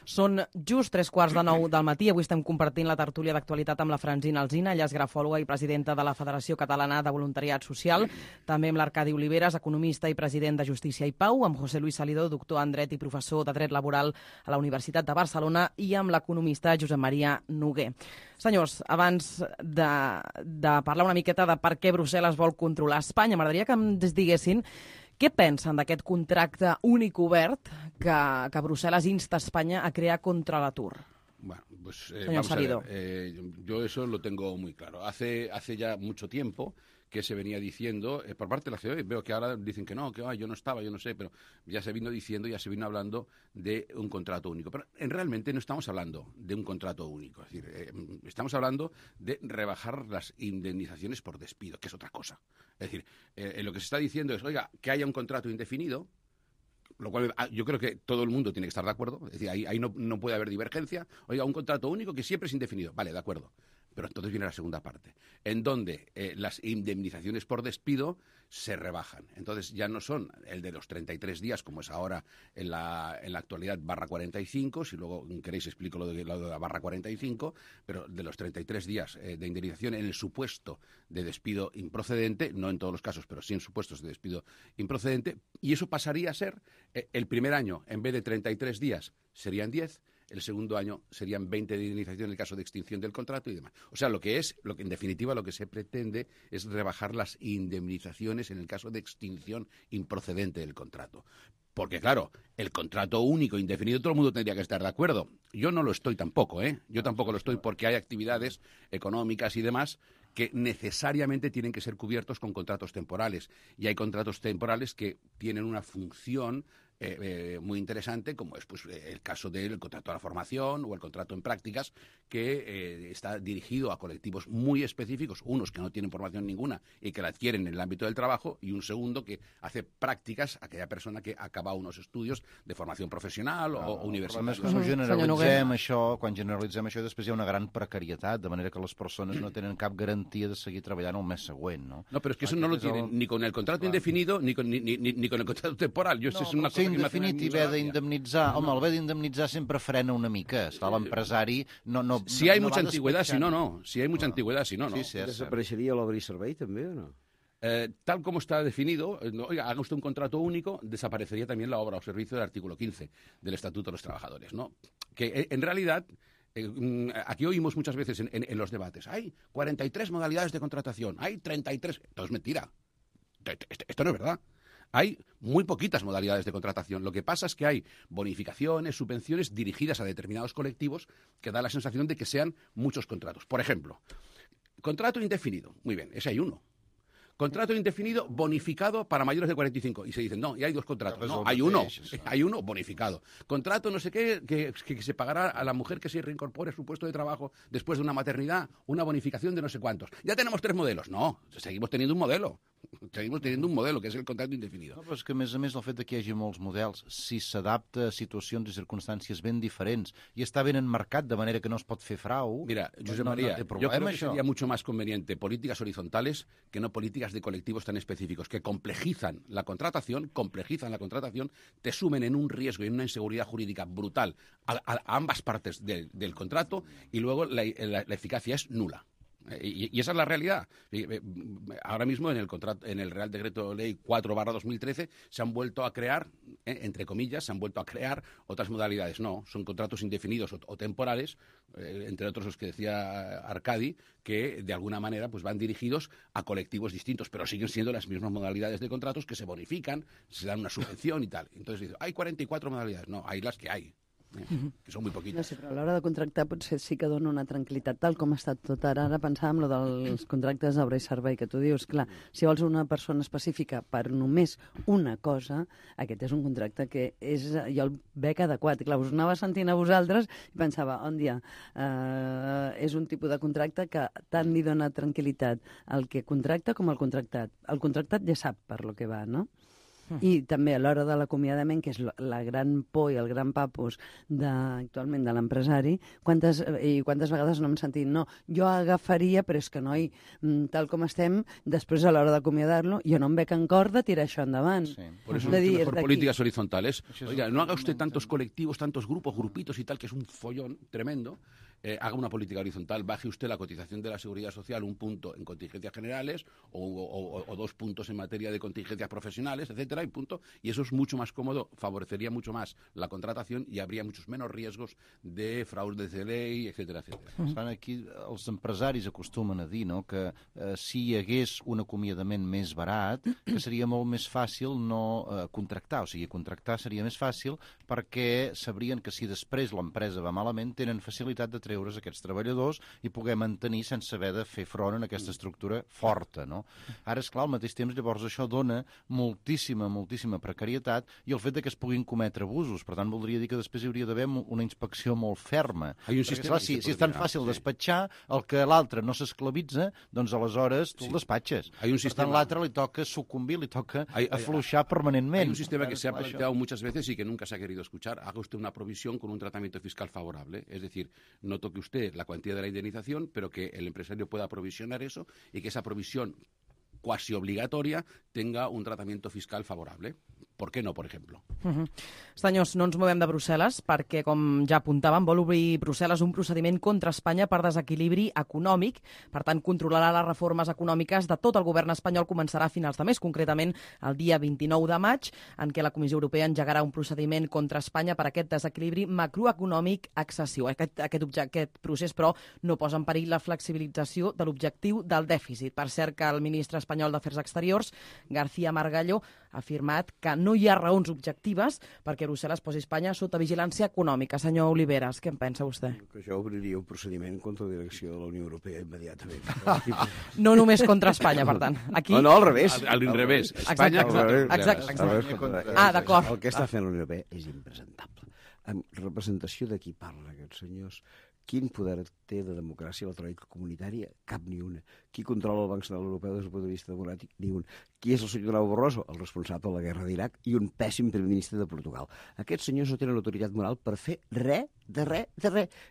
Són just 3:15 del matí. Avui estem compartint la tertúlia d'actualitat amb la Francina Alsina, ella és grafòloga i presidenta de la Federació Catalana de Voluntariat Social, també amb l'Arcadi Oliveres, economista i president de Justícia i Pau, amb José Luis Salidó, doctor en dret i professor de dret laboral a la Universitat de Barcelona, i amb l'economista Josep Maria Noguer. Senyors, abans de parlar una miqueta de per què Brussel·les vol controlar Espanya, m'agradaria que ens diguessin què pensen d'aquest contracte únic obert que Brussel·les insta a Espanya a crear contra l'atur? Bueno, pues vamos a ver, yo eso lo tengo muy claro. Hace ya mucho tiempo que se venía diciendo por parte de la COE, veo que ahora dicen que no, que yo no estaba, yo no sé, pero ya se vino diciendo, ya se vino hablando de un contrato único. Pero realmente no estamos hablando de un contrato único, es decir, estamos hablando de rebajar las indemnizaciones por despido, que es otra cosa. Es decir, lo que se está diciendo es, oiga, que haya un contrato indefinido, lo cual yo creo que todo el mundo tiene que estar de acuerdo, es decir, ahí no puede haber divergencia. Oiga, un contrato único que siempre es indefinido, vale, de acuerdo. Pero entonces viene la segunda parte, en donde las indemnizaciones por despido se rebajan. Entonces ya no son el de los 33 días, como es ahora en la actualidad, /45, si luego queréis explico lo de la /45, pero de los 33 días de indemnización en el supuesto de despido improcedente, no en todos los casos, pero sí en supuestos de despido improcedente, y eso pasaría a ser, el primer año, en vez de 33 días, serían 10, el segundo año serían 20 de indemnización en el caso de extinción del contrato y demás. O sea, en definitiva, lo que se pretende es rebajar las indemnizaciones en el caso de extinción improcedente del contrato. Porque, claro, el contrato único indefinido, todo el mundo tendría que estar de acuerdo. Yo no lo estoy tampoco, ¿eh? Yo tampoco lo estoy porque hay actividades económicas y demás que necesariamente tienen que ser cubiertos con contratos temporales. Y hay contratos temporales que tienen una función muy interesante, como es pues el caso del contrato de la formación o el contrato en prácticas, que está dirigido a colectivos muy específicos, unos que no tienen formación ninguna y que la adquieren en el ámbito del trabajo, y un segundo que hace prácticas a aquella persona que acaba unos estudios de formación professional o universitaria. Quan generalitzem això, després hi ha una gran precarietat, de manera que les persones no tenen cap garantia de seguir treballant el mes següent, no? No, pero es que eso no lo tienen ni con el contrato indefinido ni con el contrato temporal. Yo es una cosa indefinit i haver d'indemnitzar. Home, el haver d'indemnitzar sempre frena una mica. Està l'empresari... Si hay mucha antigüedad, si no. Si hay mucha antigüedad, si no. ¿Desaparecería l'obra i servei també o no? Tal como está definido, oiga, haga usted un contrato único, desaparecería también la obra o servicio del artículo 15 del Estatuto de los Trabajadores, ¿no? Que en realidad... aquí oímos muchas veces en los debates, hay 43 modalidades de contratación, hay 33... Esto es mentira. Esto no es verdad. Hay muy poquitas modalidades de contratación. Lo que pasa es que hay bonificaciones, subvenciones dirigidas a determinados colectivos que da la sensación de que sean muchos contratos. Por ejemplo, contrato indefinido. Muy bien, ese hay uno. Contrato indefinido bonificado para mayores de 45. Y se dicen, no, y hay dos contratos. No, hay uno bonificado. Contrato no sé qué, que se pagará a la mujer que se reincorpore a su puesto de trabajo después de una maternidad, una bonificación de no sé cuántos. Ya tenemos 3 modelos. No, seguimos teniendo un modelo. Seguimos teniendo un modelo, que es el contrato indefinido. No, però és que, a més, el fet que hi hagi molts models, si s'adapta a situacions i circumstàncies ben diferents i està ben enmarcat de manera que no es pot fer frau... Mira, Josep María, yo creo que sería mucho más conveniente políticas horizontales que no políticas de colectivos tan específicos, que complejizan la contratación, te sumen en un riesgo y en una inseguridad jurídica brutal a ambas partes del contrato y luego la eficacia es nula. Y esa es la realidad. Ahora mismo en el Real Decreto Ley 4/2013 se han vuelto a crear, entre comillas, se han vuelto a crear otras modalidades. No, son contratos indefinidos o temporales, entre otros los que decía Arcadi, que de alguna manera pues van dirigidos a colectivos distintos, pero siguen siendo las mismas modalidades de contratos que se bonifican, se dan una subvención y tal. Entonces hay 44 modalidades. No, hay las que hay. Que són molt poquites. No sé, però a l'hora de contractar potser sí que dona una tranquil·litat, tal com ha estat tot ara. Ara pensàvem lo dels contractes d'obra i servei, que tu dius, clar, si vols una persona específica per només una cosa, aquest és un contracte que és, jo el veig adequat. Clar, us anava sentint a vosaltres i pensava, on dia, és un tipus de contracte que tant li dona tranquil·litat al que contracta com al contractat. El contractat ja sap per lo que va, no? I també a l'hora de l'acomiadament, que és la gran por i el gran papus actualment de l'empresari, quantes vegades no hem sentit, no, jo agafaria, però és que noi, tal com estem, després a l'hora d'acomiadar-lo, jo no em veig en cor de tirar això endavant. Sí. Por eso es mejor políticas horizontales. Oiga, no haga usted tantos colectivos, tantos grupos, grupitos y tal, que es un follón tremendo. Haga una política horizontal, baje usted la cotización de la seguridad social un punto en contingencias generales o 2 puntos en materia de contingencias profesionales, etcétera, y punto. Y eso es mucho más cómodo, favorecería mucho más la contratación y habría muchos menos riesgos de fraudes de ley, etcétera, etcétera. Aquí els empresaris acostumen a dir, no?, que si hi hagués un acomiadament més barat, que seria molt més fàcil no contractar. O sigui, contractar seria més fàcil perquè sabrien que si després l'empresa va malament tenen facilitat de treure's aquests treballadors i poder mantenir sense haver de fer front en aquesta estructura forta, no? Ara, esclar, al mateix temps, llavors això dona moltíssima precarietat i el fet que es puguin cometre abusos. Per tant, voldria dir que després hi hauria d'haver una inspecció molt ferma. Perquè, esclar, si és tan fàcil despatxar, el que l'altre no s'esclavitza, doncs aleshores tu el despatxes. Per tant, l'altre li toca sucumbir, li toca afluixar permanentment. Hay un sistema que se ha planteado muchas veces y que nunca se ha querido escuchar. Haga usted una provisión con un tratamiento fiscal favorable. Es decir, no toque usted la cuantía de la indemnización, pero que el empresario pueda provisionar eso y que esa provisión cuasi obligatoria tenga un tratamiento fiscal favorable. ¿Por qué no, por ejemplo? Senyors, no ens movem de Brussel·les perquè, com ja apuntàvem, vol obrir Brussel·les un procediment contra Espanya per desequilibri econòmic. Per tant, controlarà les reformes econòmiques de tot el govern espanyol. Començarà a finals de mes, concretament el dia 29 de maig, en què la Comissió Europea engegarà un procediment contra Espanya per aquest desequilibri macroeconòmic excessiu. Aquest procés, però, no posa en perill la flexibilització de l'objectiu del dèficit. Per cert, que el ministre espanyol d'Afers Exteriors, García Margallo, ha afirmat que no hi ha raons objectives perquè Brussel·les posi Espanya sota vigilància econòmica. Senyor Oliveras, què en pensa vostè? Que jo obriria un procediment contra la direcció de la Unió Europea immediatament. No només contra Espanya, per tant. Aquí... No, al revés. A l'inrevés. Espanya... Exacte. D'acord. El que està fent la Unió Europea és impresentable. En representació de qui parla, aquests senyors, quin poder té de democràcia la tròica comunitària? Cap ni una. Qui controla el Banc Central Europeu des del punt de vista democràtic? Ni un. Qui és el senyor Durão Barroso? El responsable de la guerra d'Iraq i un pèssim primer ministre de Portugal. Aquests senyors no tenen autoritat moral per fer res.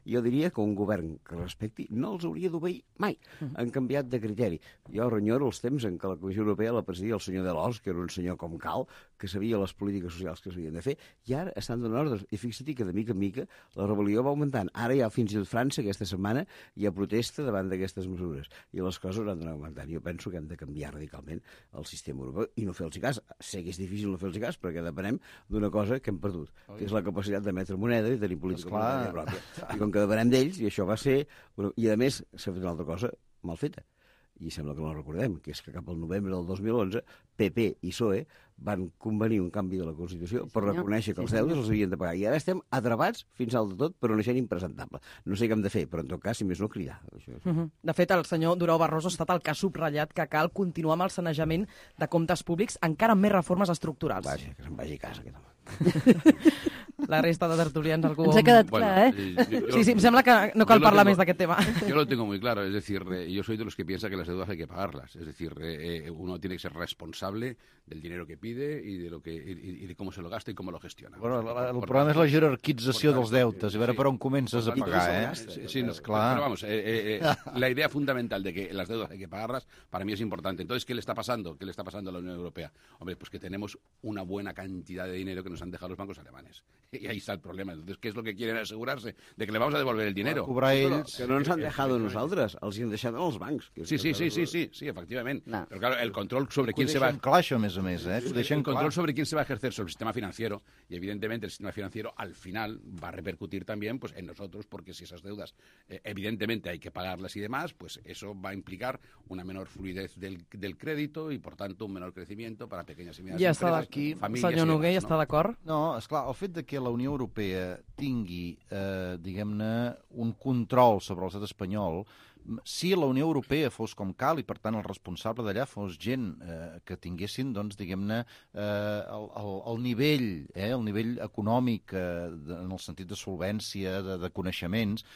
Jo diria que un govern que respecti no els hauria d'obeir mai. Han canviat de criteri. Jo renyoro els temps en què la Comissió Europea la presidia el senyor Delors, que era un senyor com cal, que sabia les polítiques socials que s'havien de fer, i ara estan donant ordres. I fixa't que de mica en mica la rebel·lió va augmentant. Ara ja fins i tot França, aquesta setmana, hi ha protesta davant d'aquestes mesures. I les coses han d'anar augmentant. Jo penso que hem de canviar radicalment el sistema europeu i no fer-los cas. Sé que és difícil no fer-los cas perquè depenem d'una cosa que hem perdut, que és la capacitat d'emetre moneda i tenir política monetària pròpia. I com que depenem d'ells, i això va ser... I a més, s'ha fet una altra cosa mal feta. I sembla que no la recordem, que és que cap al novembre del 2011 PP i PSOE van convenir un canvi de la Constitució per reconèixer que els deutes els havien de pagar. I ara estem atrapats fins al de tot per una gent impresentable. No sé què hem de fer, però en tot cas, si més no, cridar. De fet, el senyor Durão Barroso ha estat el que ha subratllat que cal continuar amb el sanejament de comptes públics encara amb més reformes estructurals. Vaja, que se'n vagi a casa, aquest home. La resta de tertulians, algú... Ens ha quedat clar, Sí, em sembla que no cal parlar més d'aquest tema. Yo lo tengo muy claro, es decir, yo soy de los que piensa que las deudas hay que pagarlas. Es decir, uno tiene que ser responsable del dinero que pide y de cómo se lo gasta y cómo lo gestiona. Bueno, el problema és la jerarquització dels deutes, a veure per on comences a pagar, Sí, no, claro. Pero vamos, la idea fundamental de que las deudas hay que pagarlas, para mí es importante. Entonces, ¿qué le está pasando? ¿Qué le está pasando a la Unión Europea? Hombre, pues que tenemos una buena cantidad de dinero que nos han dejado los bancos alemanes. Y ahí está el problema. Entonces, ¿qué es lo que quieren asegurarse? De que le vamos a devolver el dinero. Que no ens han dejado nosaltres, els han deixat als bancs. Sí, efectivamente. No. Pero claro, el control sobre quién se va... El control sobre quién se va a ejercer sobre el sistema financiero, y evidentemente el sistema financiero al final va a repercutir también pues en nosotros, porque si esas deudas evidentemente hay que pagarlas y demás, pues eso va a implicar una menor fluidez del crédito y por tanto un menor crecimiento para pequeñas y medianes empresas, famílies... Senyor Noguer, està d'acord? No, esclar, el fet de que la Unió Europea tingui, diguem-ne, un control sobre l'estat espanyol, si la Unió Europea fos com cal i, per tant, el responsable d'allà fos gent que tinguessin, doncs, diguem-ne, el nivell econòmic en el sentit de solvència, de coneixements,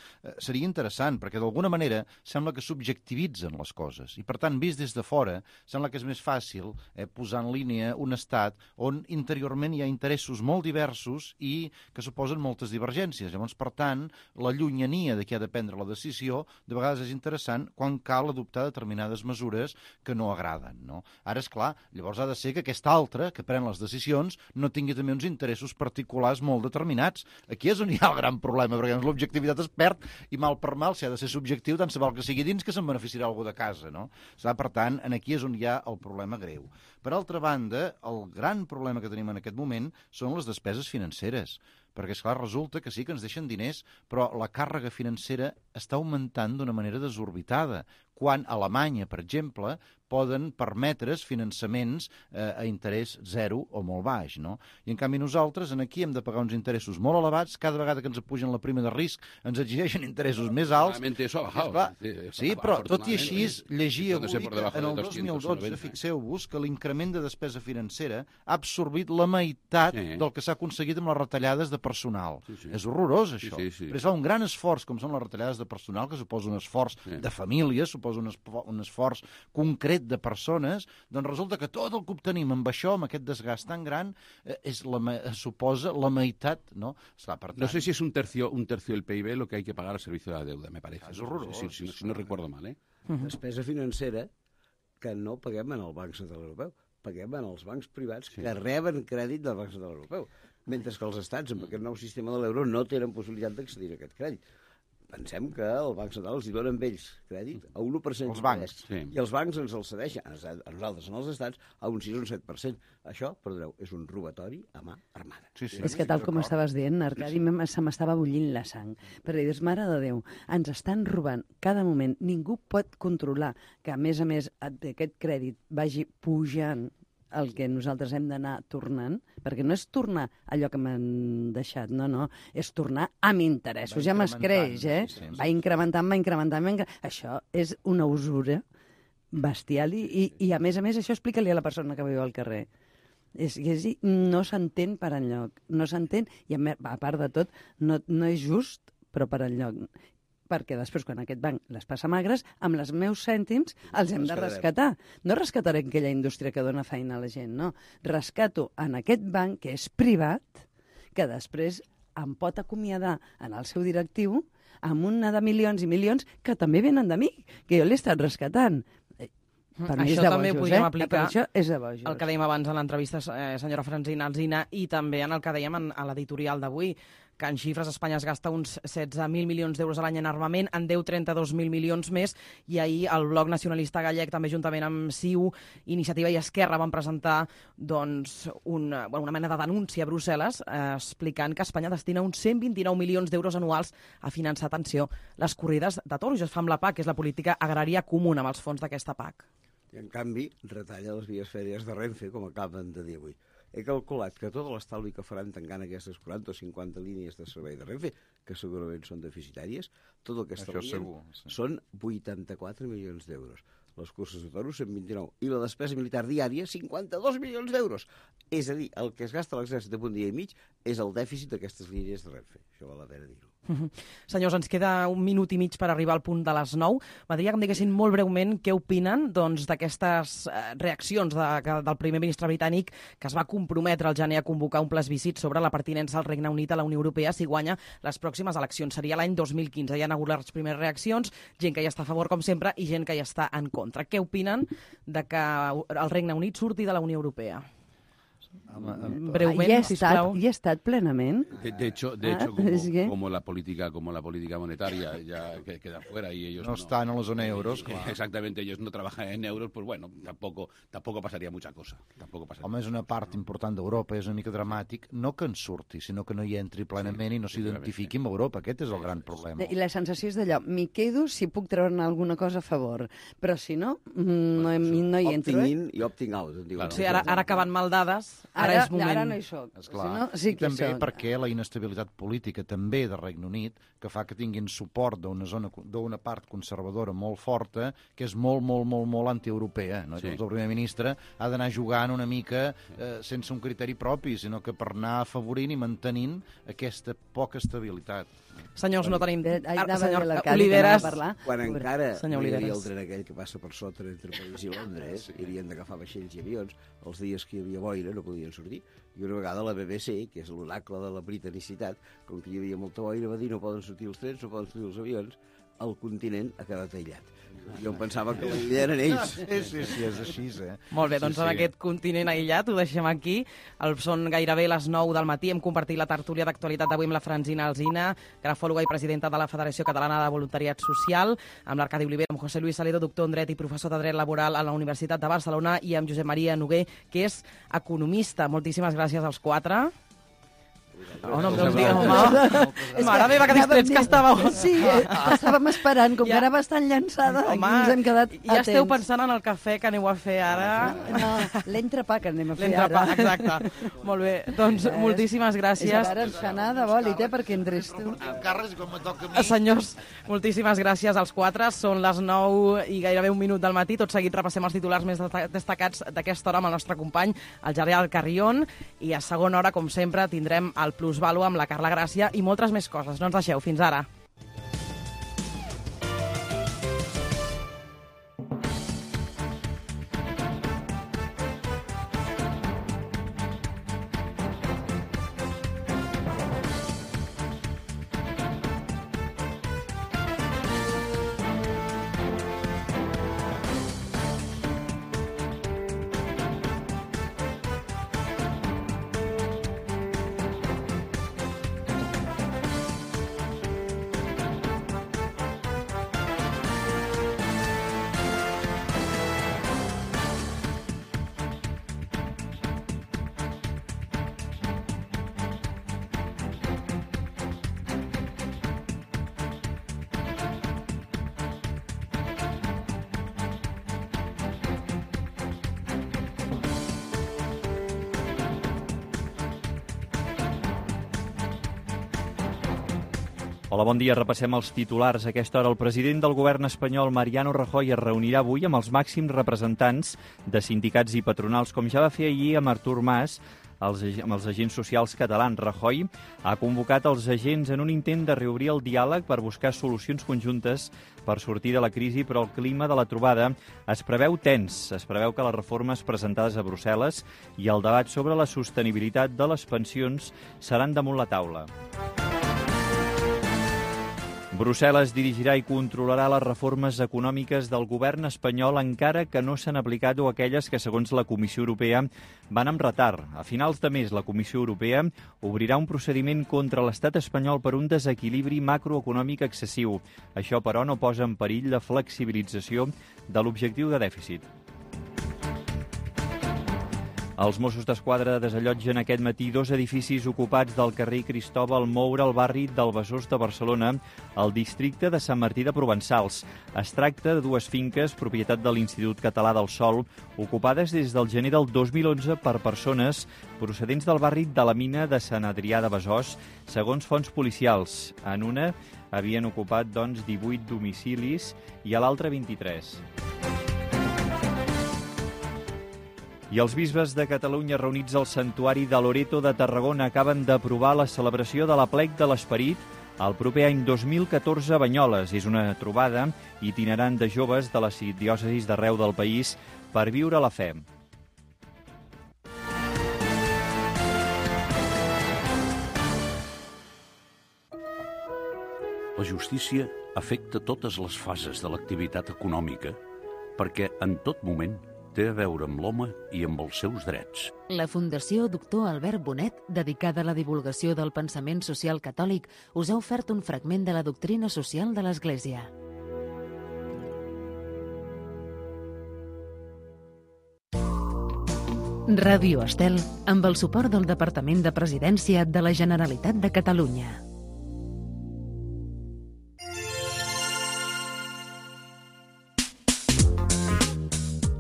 seria interessant, perquè d'alguna manera sembla que subjectivitzen les coses. I, per tant, vist des de fora, sembla que és més fàcil posar en línia un estat on interiorment hi ha interessos molt diversos i que suposen moltes divergències. Llavors, per tant, la llunyania de qui ha de prendre la decisió de vegades és interessant quan cal adoptar determinades mesures que no agraden, no? Ara, és clar, llavors ha de ser que aquest altre, que pren les decisions, no tingui també uns interessos particulars molt determinats. Aquí és on hi ha el gran problema, perquè l'objectivitat es perd i mal per mal, si ha de ser subjectiu, tant se val que sigui dins que se'n beneficiarà algú de casa, no? Per tant, aquí és on hi ha el problema greu. Per altra banda, el gran problema que tenim en aquest moment són les despeses financeres, perquè, esclar, resulta que sí que ens deixen diners, però la càrrega financera està augmentant d'una manera desorbitada, quan a Alemanya, per exemple, poden permetre's finançaments a interès zero o molt baix, no? I, en canvi, nosaltres aquí hem de pagar uns interessos molt elevats, cada vegada que ens apugen la prima de risc ens exigeixen interessos més alts. Sí, però tot i així, llegia avui que en el 2012, fixeu-vos que l'increment de despesa financera ha absorbit la meitat del que s'ha aconseguit amb les retallades de personal. És horrorós, això. Però es fa un gran esforç, com són les retallades de personal, que suposa un esforç de famílies, suposa un esforç concret de persones, doncs resulta que tot el que obtenim amb això, amb aquest desgast tan gran, suposa la meitat, ¿no? No sé si es un tercio del PIB lo que hay que pagar al servicio de la deuda, me parece. És horrorós. Si no recuerdo mal, Despesa financera que no paguem en el Banc Central Europeu, paguem en els bancs privats que reben crèdit del Banc Central Europeu, mentre que els estats, amb aquest nou sistema de l'euro, no tenen possibilitat d'accedir a aquest crèdit. Pensem que el Banc Central els hi dona amb ells crèdit a un 1% els bancs, i els bancs ens els cedeixen a nosaltres, en els estats, a un 6 o un 7%. Això, perdoneu, és un robatori a mà armada. És que tal com estaves dient, Arcadi, se m'estava bullint la sang. Perquè dius, mare de Déu, ens estan robant cada moment. Ningú pot controlar que, a més, aquest crèdit vagi pujant el que nosaltres hem d'anar tornant, perquè no és tornar allò que m'han deixat, no, és tornar amb interessos, ja m'escreix, va incrementant. Això és una usura bestial i a més, això explica-li a la persona que viu al carrer. No s'entén per enlloc, no s'entén, i a part de tot, no és just, però per enlloc. Perquè després, quan aquest banc les passa magres, amb els meus cèntims els hem de rescatar. No rescataré aquella indústria que dona feina a la gent, no. Rescato en aquest banc, que és privat, que després em pot acomiadar en el seu directiu amb una de milions i milions que també venen de mi, que jo l'he estat rescatant. Això també ho podríem aplicar això és de bojos. El que dèiem abans en l'entrevista, senyora Francina Alsina, i també en el que dèiem a l'editorial d'avui, que en xifres Espanya es gasta uns 16.000 milions d'euros a l'any en armament, en deu 32.000 milions més, i ahir el Bloc Nacionalista Gallec, també juntament amb CiU, Iniciativa i Esquerra, van presentar una mena de denúncia a Brussel·les explicant que Espanya destina uns 129 milions d'euros anuals a finançar, atenció, les corrides de toros. Es fa amb la PAC, que és la política agrària comuna, amb els fons d'aquesta PAC. I, en canvi, retalla les vies fèries de Renfe, com acaben de dir avui. He calculat que tot l'estalvi que faran tancant aquestes 40 o 50 línies de servei de Renfe, que segurament són deficitàries, tot el que estalvien són 84 milions d'euros. les curses de toros 129, i la despesa militar diària 52 milions d'euros. És a dir, el que es gasta l'exèrcit en un dia i mig és el dèficit d'aquestes línies de Renfe. Això val la pena dir-ho. Senyors, ens queda 1 minut i mig per arribar al punt de les 9. M'agradaria que em diguessin molt breument què opinen d'aquestes reaccions del primer ministre britànic que es va comprometre al gener a convocar un plebiscit sobre la pertinença del Regne Unit a la Unió Europea si guanya les pròximes eleccions. Seria l'any 2015. Hi ha hagut les primeres reaccions, gent que hi està a favor, com sempre, i gent que hi està en contra. Què opinen de que el Regne Unit surti de la Unió Europea? Breument, sisplau. ¿Y ha estat plenament? De hecho como la política monetaria ya queda fuera y ellos no están en la zona euros, claro. Exactamente, ellos no trabajan en euros, pues bueno, tampoco pasaría mucha cosa. Home, és una part important d'Europa, és una mica dramàtic, no que en surti, sinó que no hi entri plenament i no s'identifiqui amb Europa. Aquest és el gran problema. I la sensació és d'allò, m'hi quedo si puc treure alguna cosa a favor, però si no, no hi entro. Opting in i opting out. Claro. Sí, ara que van mal dades, ara és moment. Ara no hi soc. Esclar. Si no, sí que també perquè la inestabilitat política també de Regne Unit, que fa que tinguin suport d'una part conservadora molt forta, que és molt antieuropea. No? Sí. El primer ministre ha d'anar jugant una mica sense un criteri propi, sinó que per anar afavorint i mantenint aquesta poca estabilitat. Senyors, no tenim... Senyor Oliveres... Quan encara hi havia el tren aquell que passa per sota entre París i Londres, i havien d'agafar vaixells i avions, els dies que hi havia boira no podien sortir. I una vegada la BBC, que és l'oracle de la britanicitat, com que hi havia molta boira, va dir no poden sortir els trens, no poden sortir els avions, el continent ha quedat aïllat. Jo em pensava que l'illa eren ells. Sí, és així, Molt bé, doncs en aquest continent aïllat ho deixem aquí. Són gairebé les 9 del matí. Hem compartit la tertúlia d'actualitat d'avui amb la Francina Alsina, grafòloga i presidenta de la Federació Catalana de Voluntariat Social, amb l'Arcadi Oliver, amb José Luis Saledo, doctor en dret i professor de dret laboral a la Universitat de Barcelona, i amb Josep Maria Noguer, que és economista. Moltíssimes gràcies als 4. No em deus dir, home. Mare meva, que distrets que estàveu. Sí, estàvem esperant, com que ara va estar llançada, aquí ens hem quedat atents. Ja esteu pensant en el cafè que aneu a fer ara. No, l'entrepà que anem a fer ara. Exacte. Molt bé, doncs moltíssimes gràcies. És ara ens anar de bòlit, perquè entres tu. Senyors, moltíssimes gràcies als 4. Són les 9 i gairebé 1 minut del matí. Tot seguit repassem els titulars més destacats d'aquesta hora amb el nostre company, el Gerard Carrion, i a segona hora, com sempre, tindrem el Plusvàlua amb la Carla Gràcia i moltes més coses. No ens deixeu. Fins ara. Hola, bon dia. Repassem els titulars. A aquesta hora el president del govern espanyol, Mariano Rajoy, es reunirà avui amb els màxims representants de sindicats i patronals, com ja va fer ahir amb Artur Mas, amb els agents socials catalans. Rajoy ha convocat els agents en un intent de reobrir el diàleg per buscar solucions conjuntes per sortir de la crisi, però el clima de la trobada es preveu tens. Es preveu que les reformes presentades a Brussel·les i el debat sobre la sostenibilitat de les pensions seran damunt la taula. Brussel·les dirigirà i controlarà les reformes econòmiques del govern espanyol, encara que no s'han aplicat o aquelles que, segons la Comissió Europea, van amb retard. A finals de mes, la Comissió Europea obrirà un procediment contra l'estat espanyol per un desequilibri macroeconòmic excessiu. Això, però, no posa en perill la flexibilització de l'objectiu de dèficit. Els Mossos d'Esquadra desallotgen aquest matí 2 edificis ocupats del carrer Cristòbal Moura al barri del Besòs de Barcelona, al districte de Sant Martí de Provençals. Es tracta de 2 finques, propietat de l'Institut Català del Sòl, ocupades des del gener del 2011 per persones procedents del barri de la Mina de Sant Adrià de Besòs, segons fonts policials. En una havien ocupat, doncs, 18 domicilis i a l'altra 23. I els bisbes de Catalunya reunits al Santuari de Loreto de Tarragona acaben d'aprovar la celebració de l'Aplec de l'Esperit el proper any 2014 a Banyoles. És una trobada itinerant de joves de les diòcesis d'arreu del país per viure la fe. La justícia afecta totes les fases de l'activitat econòmica perquè en tot moment té a veure amb l'home i amb els seus drets. La Fundació Doctor Albert Bonet, dedicada a la divulgació del pensament social catòlic, us ha ofert un fragment de la doctrina social de l'Església. Ràdio Estel, amb el suport del Departament de Presidència de la Generalitat de Catalunya.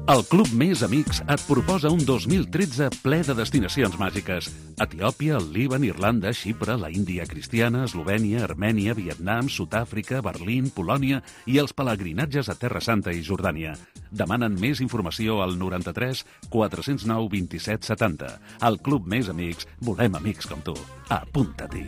El Club Més Amics et proposa un 2013 ple de destinacions màgiques. Etiòpia, el Líban, Irlanda, Xipre, la Índia cristiana, Eslovènia, Armènia, Vietnam, Sud-àfrica, Berlín, Polònia i els pelegrinatges a Terra Santa i Jordània. Demanen més informació al 93 409 27 70. Al Club Més Amics volem amics com tu. Apunta-t'hi.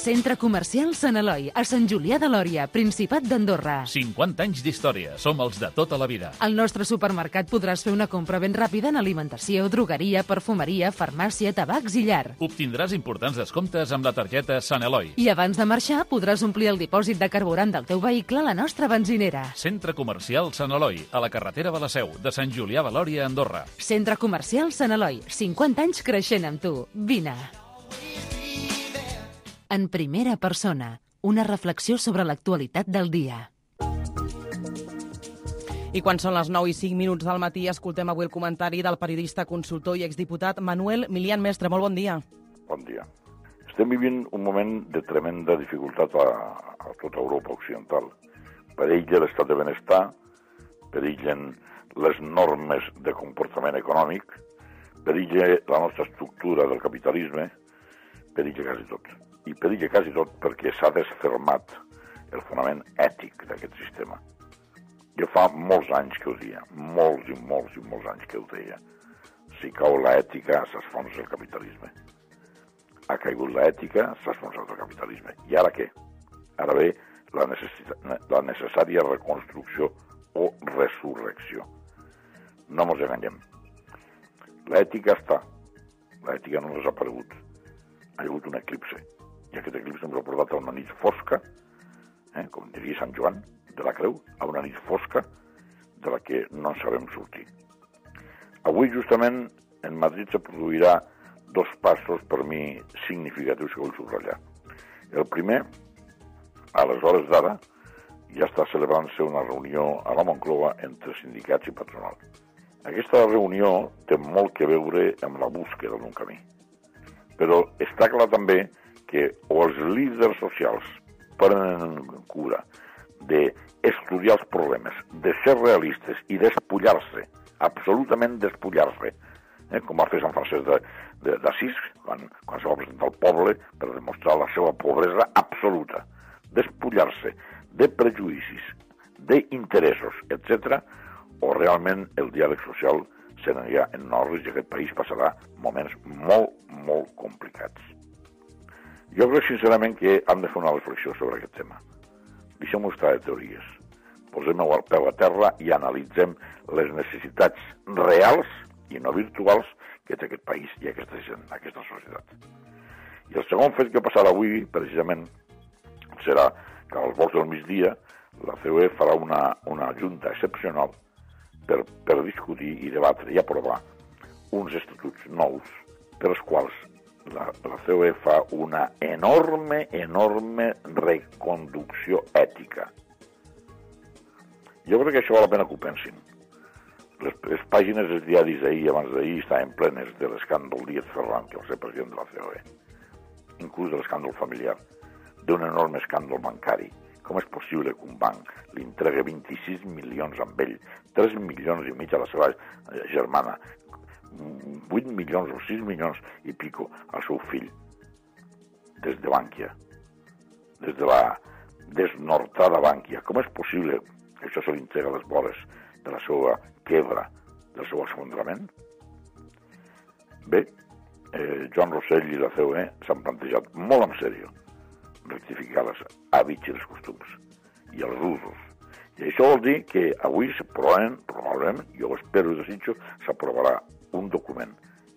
Centre Comercial Sant Eloi, a Sant Julià de Lòria, Principat d'Andorra. 50 anys d'història, som els de tota la vida. Al nostre supermercat podràs fer una compra ben ràpida en alimentació, drogueria, perfumeria, farmàcia, tabacs i llar. Obtindràs importants descomptes amb la targeta Sant Eloi. I abans de marxar podràs omplir el dipòsit de carburant del teu vehicle a la nostra benzinera. Centre Comercial Sant Eloi, a la carretera de la Seu, de Sant Julià de Lòria, Andorra. Centre Comercial Sant Eloi, 50 anys creixent amb tu. Vine. En primera persona, una reflexió sobre l'actualitat del dia. I quan són les 9 i 5 minuts del matí, escoltem avui el comentari del periodista, consultor i exdiputat Manuel Milian Mestre. Molt bon dia. Bon dia. Estem vivint un moment de tremenda dificultat a tota Europa occidental. Perilla l'estat de benestar, perillen les normes de comportament econòmic, perilla la nostra estructura del capitalisme, perilla quasi tot. I perilla quasi tot perquè s'ha desfermat el fonament ètic d'aquest sistema. Jo fa molts anys que ho deia, molts i molts anys que ho deia. Si cau l'ètica, s'esfonsa el capitalisme. Ha caigut l'ètica, s'ha esfonsat el capitalisme. I ara què? Ara ve la necessària reconstrucció o resurrecció. No ens enganyem. L'ètica està. L'ètica no ha desaparegut. Ha hagut un eclipse. I aquest eclipse ens ha portat a una nit fosca, com diria Sant Joan de la Creu, a una nit fosca de la que no en sabem sortir. Avui, justament, en Madrid se produirà 2 passos per mi significatius que vull subratllar. El primer, a les hores d'ara, ja està celebrant-se una reunió a la Moncloa entre sindicats i patronal. Aquesta reunió té molt que veure amb la búsqueda d'un camí. Però està clar també que o els líders socials prenen cura d'estudiar els problemes, de ser realistes i despullar-se, absolutament despullar-se, com va fer Sant Francesc d'Assís quan se va presentar al poble per demostrar la seva pobresa absoluta, despullar-se de prejudicis, d'interessos, etc., o realment el diàleg social se n'anirà en orris i aquest país passarà moments molt complicats. Jo crec sincerament que hem de fer una reflexió sobre aquest tema. Deixem-ho estar de teories. Posem el peu a terra i analitzem les necessitats reals i no virtuals que té aquest país i aquesta gent, aquesta societat. I el segon fet que passarà avui, precisament, serà que als volts del migdia la COE farà una junta excepcional per discutir i debatre i aprovar uns estatuts nous per als quals la COE fa una enorme reconducció ètica. Jo crec que això val la pena que ho pensin. Les pàgines dels diaris d'ahir i abans d'ahir estaven plenes de l'escàndol Díaz Ferran, que va ser president de la COE, inclús de l'escàndol familiar, d'un enorme escàndol bancari. Com és possible que un banc li entregui 26 milions amb ell, 3 milions i mig a la seva germana, 8 milions o 6 milions i pico al seu fill, des de Bànquia, des de la desnortada Bànquia. Com és possible que això se li entrega a les vores de la seva quebra, del seu esfondrament? Bé, Joan Rossell i la COE s'han plantejat molt en sèrio rectificar els hàbits i els costums i els usos. I això vol dir que avui probablement, jo ho espero i desitjo, s'aprovarà un document,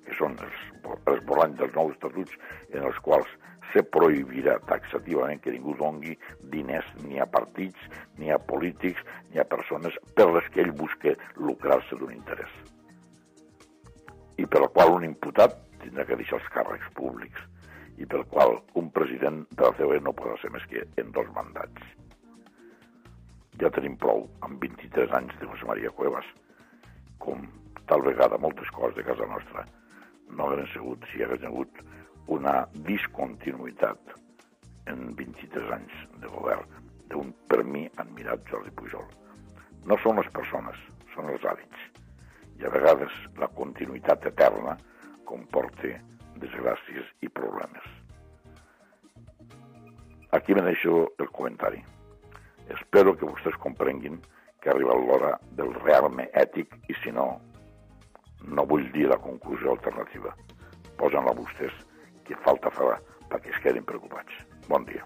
que són els volanys dels nous estatuts, en els quals se prohibirà taxativament que ningú dongui diners ni a partits, ni a polítics, ni a persones per les que ell busca lucrar-se d'un interès. I per el qual un imputat tindrà que deixar els càrrecs públics i pel qual un president de la COE no podrà ser més que en 2 mandats. Ja tenim prou, amb 23 anys de José María Cuevas, com tal vegada moltes coses de casa nostra no hagueren sigut si hi hagués hagut una discontinuïtat en 23 anys de govern d'un, per mi, admirat Jordi Pujol. No són les persones, són els hàbits. I a vegades la continuïtat eterna comporta desgràcies i problemes. Aquí me deixo el comentari. Espero que vostès comprenguin que ha arribat l'hora del rearme ètic i, si no, no vull dir la conclusió alternativa. Posen-la vostès, que falta farà perquè es quedin preocupats. Bon dia.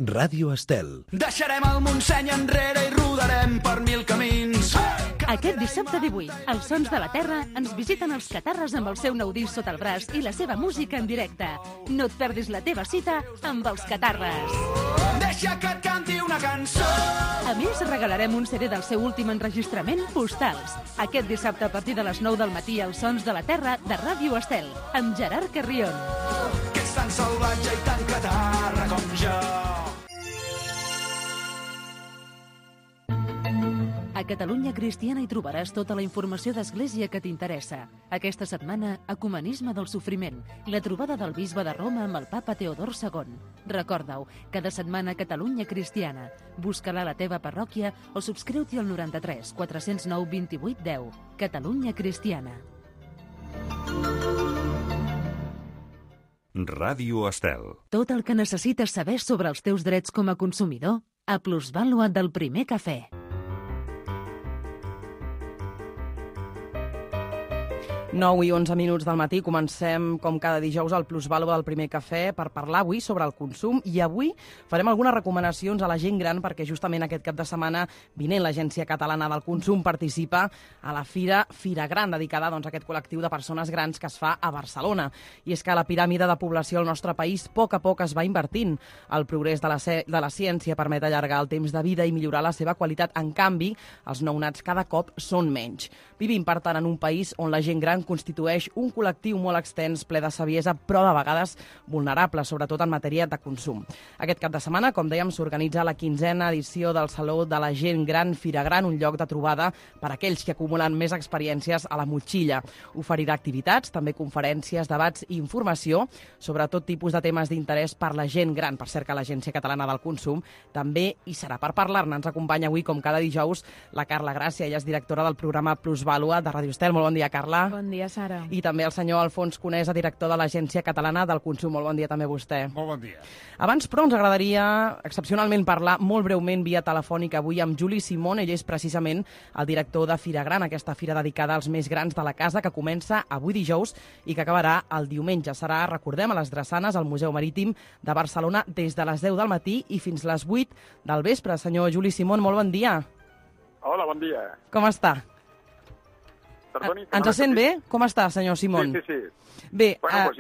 Ràdio Estel. Deixarem el Montseny enrere i rodarem per 1000 camins. Aquest dissabte 18, els Sons de la Terra ens visiten els Catarres amb el seu nou disc sota el braç i la seva música en directe. No et perdis la teva cita amb els Catarres. Deixa que et canti una cançó. A més, regalarem un CD del seu últim enregistrament, Postals. Aquest dissabte a partir de les 9 del matí, els Sons de la Terra de Ràdio Estel, amb Gerard Carrion. Que és tan salvatge i tan catarra com jo. A Catalunya Cristiana hi trobaràs tota la informació d'Església que t'interessa. Aquesta setmana, Ecumenisme del Sofriment, la trobada del bisbe de Roma amb el papa Teodor II. Recorda-ho, cada setmana Catalunya Cristiana. Busca-la a la teva parròquia o subscriu-t'hi al 93 409 28 10. Catalunya Cristiana. Ràdio Estel. Tot el que necessites saber sobre els teus drets com a consumidor a Plusvàlua del Primer Cafè. 9 i 11 minuts del matí, comencem com cada dijous al Plusvàlua del Primer Cafè per parlar avui sobre el consum i avui farem algunes recomanacions a la gent gran perquè justament aquest cap de setmana vinent l'Agència Catalana del Consum participa a la Fira Gran, dedicada a aquest col·lectiu de persones grans que es fa a Barcelona. I és que la piràmide de població al nostre país a poc es va invertint. El progrés de la ciència permet allargar el temps de vida i millorar la seva qualitat. En canvi, els nounats cada cop són menys. Vivim, per tant, en un país on la gent gran constitueix un col·lectiu molt extens, ple de saviesa, però de vegades vulnerable, sobretot en matèria de consum. Aquest cap de setmana, com dèiem, s'organitza la 15a edició del Saló de la Gent Gran Fira Gran, un lloc de trobada per a aquells que acumulen més experiències a la motxilla. Oferirà activitats, també conferències, debats i informació sobre tot tipus de temes d'interès per la gent gran. Per cert que l'Agència Catalana del Consum també hi serà. Per parlar-ne ens acompanya avui, com cada dijous, la Carla Gràcia. Ella és directora del programa Plusvàlua de Ràdio Estel. Molt bon dia, Carla. Bon dia, Sara. I també el senyor Alfons Conesa, director de l'Agència Catalana del Consum. Molt bon dia també a vostè. Molt bon dia. Abans, però, ens agradaria excepcionalment parlar molt breument via telefònica avui amb Juli Simón. Ell és precisament el director de Fira Gran, aquesta fira dedicada als més grans de la casa, que comença avui dijous i que acabarà el diumenge. Serà, recordem, a les Drassanes, al Museu Marítim de Barcelona, des de les 10 del matí i fins les 8 del vespre. Senyor Juli Simón, molt bon dia. Hola, bon dia. Com està? Perdoni, ens sent bé? Com està, senyor Simón? Sí. Bé, bueno, doncs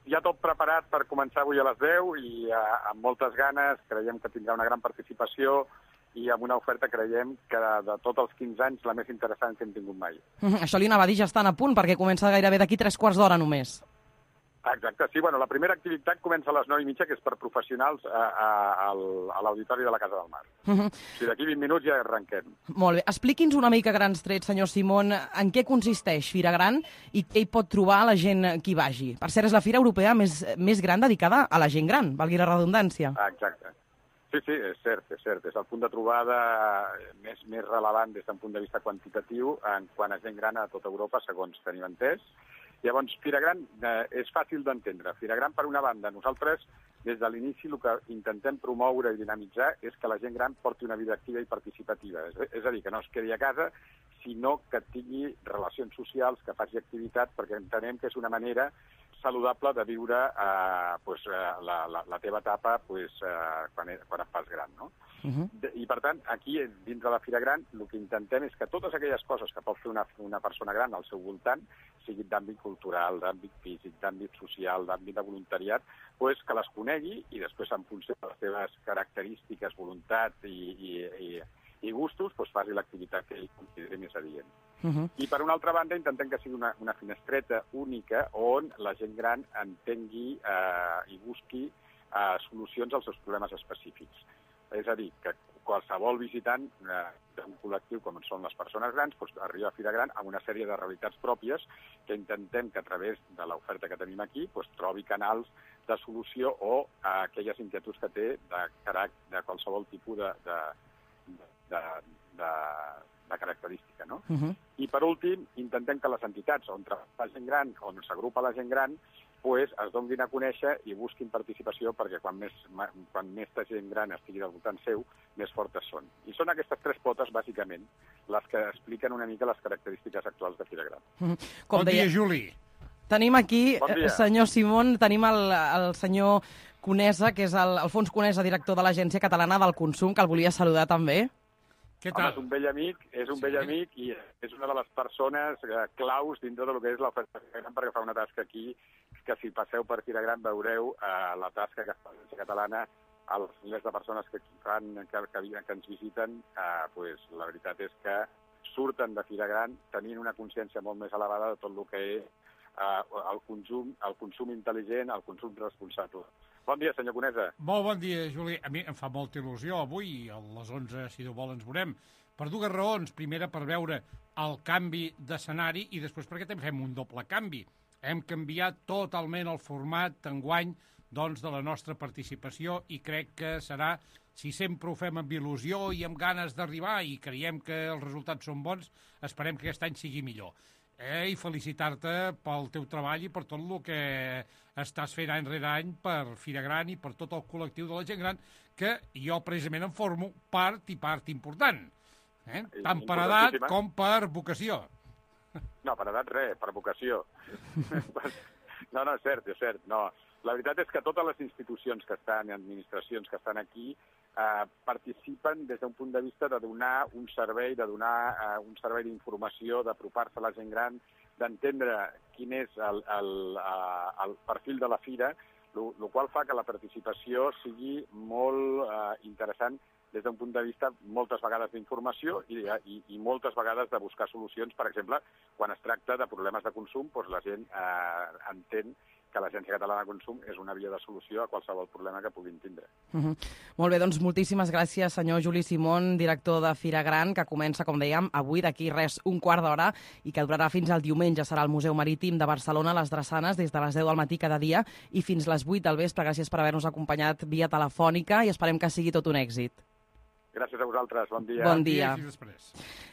ja tot preparat per començar avui a les 10 i amb moltes ganes, creiem que tindrà una gran participació i amb una oferta, creiem, que de tots els 15 anys la més interessant que hem tingut mai. Això li anava a dir, ja estan a punt, perquè comença gairebé d'aquí 3/4 d'hora només. Exacte, sí. Bueno, la primera activitat comença a les 9:30, que és per professionals a l'Auditori de la Casa del Mar. O sigui, d'aquí 20 minuts ja arrenquem. Molt bé. Expliqui'ns una mica grans trets, senyor Simón, en què consisteix Fira Gran i què hi pot trobar la gent que hi vagi. Per cert, és la fira europea més gran dedicada a la gent gran, valgui la redundància. Exacte. Sí, és cert. És el punt de trobada més rellevant des d'un punt de vista quantitatiu quan a gent gran a tota Europa, segons tenim entès. Llavors, Fira Gran és fàcil d'entendre. Fira Gran, per una banda, nosaltres des de l'inici el que intentem promoure i dinamitzar és que la gent gran porti una vida activa i participativa. És a dir, que no es quedi a casa, sinó que tingui relacions socials, que faci activitat, perquè entenem que és una manera saludable de viure la teva etapa quan et fas gran, no? I, per tant, aquí, dintre de la Fira Gran, el que intentem és que totes aquelles coses que pot fer una persona gran al seu voltant, siguin d'àmbit cultural, d'àmbit físic, d'àmbit social, d'àmbit de voluntariat, que les conegui i després, en funció de les seves característiques, voluntat i gustos, faci l'activitat que ell consideri més adient. I, per una altra banda, intentem que sigui una finestreta única on la gent gran entengui i busqui solucions als seus problemes específics. És a dir, que qualsevol visitant d'un col·lectiu com són les persones grans arriba a Fira Gran amb una sèrie de realitats pròpies que intentem que a través de l'oferta que tenim aquí trobi canals de solució o aquelles inquietuds que té de qualsevol tipus de característica, no? I, per últim, intentem que les entitats on treballa la gent gran, on s'agrupa la gent gran, es donguin a conèixer i busquin participació perquè quan més gent gran estigui al voltant seu, més fortes són. I són aquestes tres potes, bàsicament, les que expliquen una mica les característiques actuals de Fira Gran. Bon dia, Juli. Tenim aquí, senyor Simón, tenim el senyor Conesa, que és Alfons Conesa, director de l'Agència Catalana del Consum, que el volia saludar també. Home, és un vell amic i és una de les persones claus dintre del que és l'oferta de Fira Gran, perquè fa una tasca aquí que si passeu per Fira Gran veureu la tasca que fa l'Agència Catalana, els milers de persones que ens visiten, la veritat és que surten de Fira Gran tenint una consciència molt més elevada de tot el que és el consum intel·ligent, el consum responsable. Bon dia, senyor Conesa. Molt bon dia, Juli. A mi em fa molta il·lusió avui, a les 11, si Déu vol, ens veurem. Per dues raons. Primera, per veure el canvi d'escenari i després perquè també fem un doble canvi. Hem canviat totalment el format d'enguany de la nostra participació i crec que serà, si sempre ho fem amb il·lusió i amb ganes d'arribar i creiem que els resultats són bons, esperem que aquest any sigui millor. I felicitar-te pel teu treball i per tot el que estàs fent any rere any per Fira Gran i per tot el col·lectiu de la gent gran, que jo precisament en formo part important, tant per edat com per vocació. No, per edat res, per vocació. No, és cert. No. La veritat és que totes les institucions que estan, administracions que estan aquí, participen des d'un punt de vista de donar un servei, d'informació, d'apropar-se a la gent gran, d'entendre quin és el perfil de la fira, el qual fa que la participació sigui molt interessant des d'un punt de vista moltes vegades d'informació i moltes vegades de buscar solucions. Per exemple, quan es tracta de problemes de consum, la gent entén que l'Agència Catalana de Consum és una via de solució a qualsevol problema que puguin tindre. Molt bé, doncs moltíssimes gràcies, senyor Juli Simón, director de Fira Gran, que comença, com dèiem, avui, d'aquí res, un quart d'hora, i que durarà fins al diumenge. Serà al Museu Marítim de Barcelona, a les Drassanes, des de les 10 del matí cada dia i fins les 8 del vespre. Gràcies per haver-nos acompanyat via telefònica i esperem que sigui tot un èxit. Gràcies a vosaltres, bon dia. Bon dia.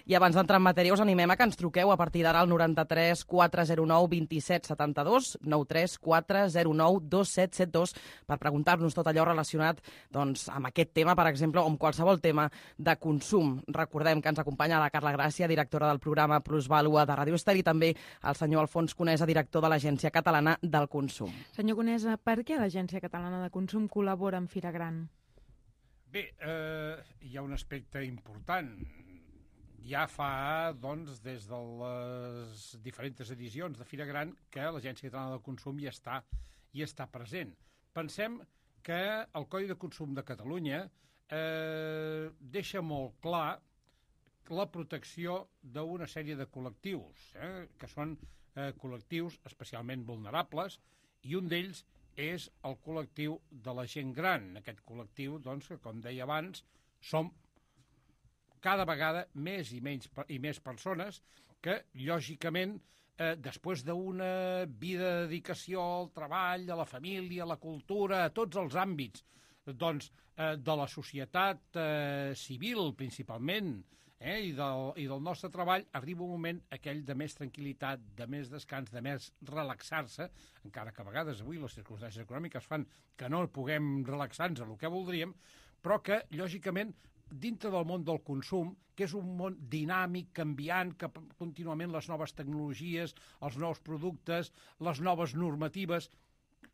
I abans d'entrar en matèria us animem a que ens truqueu a partir d'ara al 93 409 27 72, 93 409 2772, per preguntar-nos tot allò relacionat amb aquest tema, per exemple, o amb qualsevol tema de consum. Recordem que ens acompanya la Carla Gràcia, directora del programa Plusvàlua de Ràdio Estel, i també el senyor Alfons Conesa, director de l'Agència Catalana del Consum. Senyor Conesa, per què l'Agència Catalana de Consum col·labora amb Fira Gran? Bé, hi ha un aspecte important. Ja fa, des de les diferents edicions de Fira Gran que l'Agència Catalana del Consum hi està present. Pensem que el Codi de Consum de Catalunya deixa molt clar la protecció d'una sèrie de col·lectius, que són col·lectius especialment vulnerables, i un d'ells és el col·lectiu de la gent gran. Aquest col·lectiu, que, com deia abans, som cada vegada més i més persones que, lògicament, després d'una vida de dedicació al treball, a la família, a la cultura, a tots els àmbits de la societat civil, principalment, i del nostre treball, arriba un moment aquell de més tranquil·litat, de més descans, de més relaxar-se, encara que a vegades avui les circumstàncies econòmiques fan que no puguem relaxar-nos el que voldríem, però que, lògicament, dintre del món del consum, que és un món dinàmic, canviant, que contínuament les noves tecnologies, els nous productes, les noves normatives,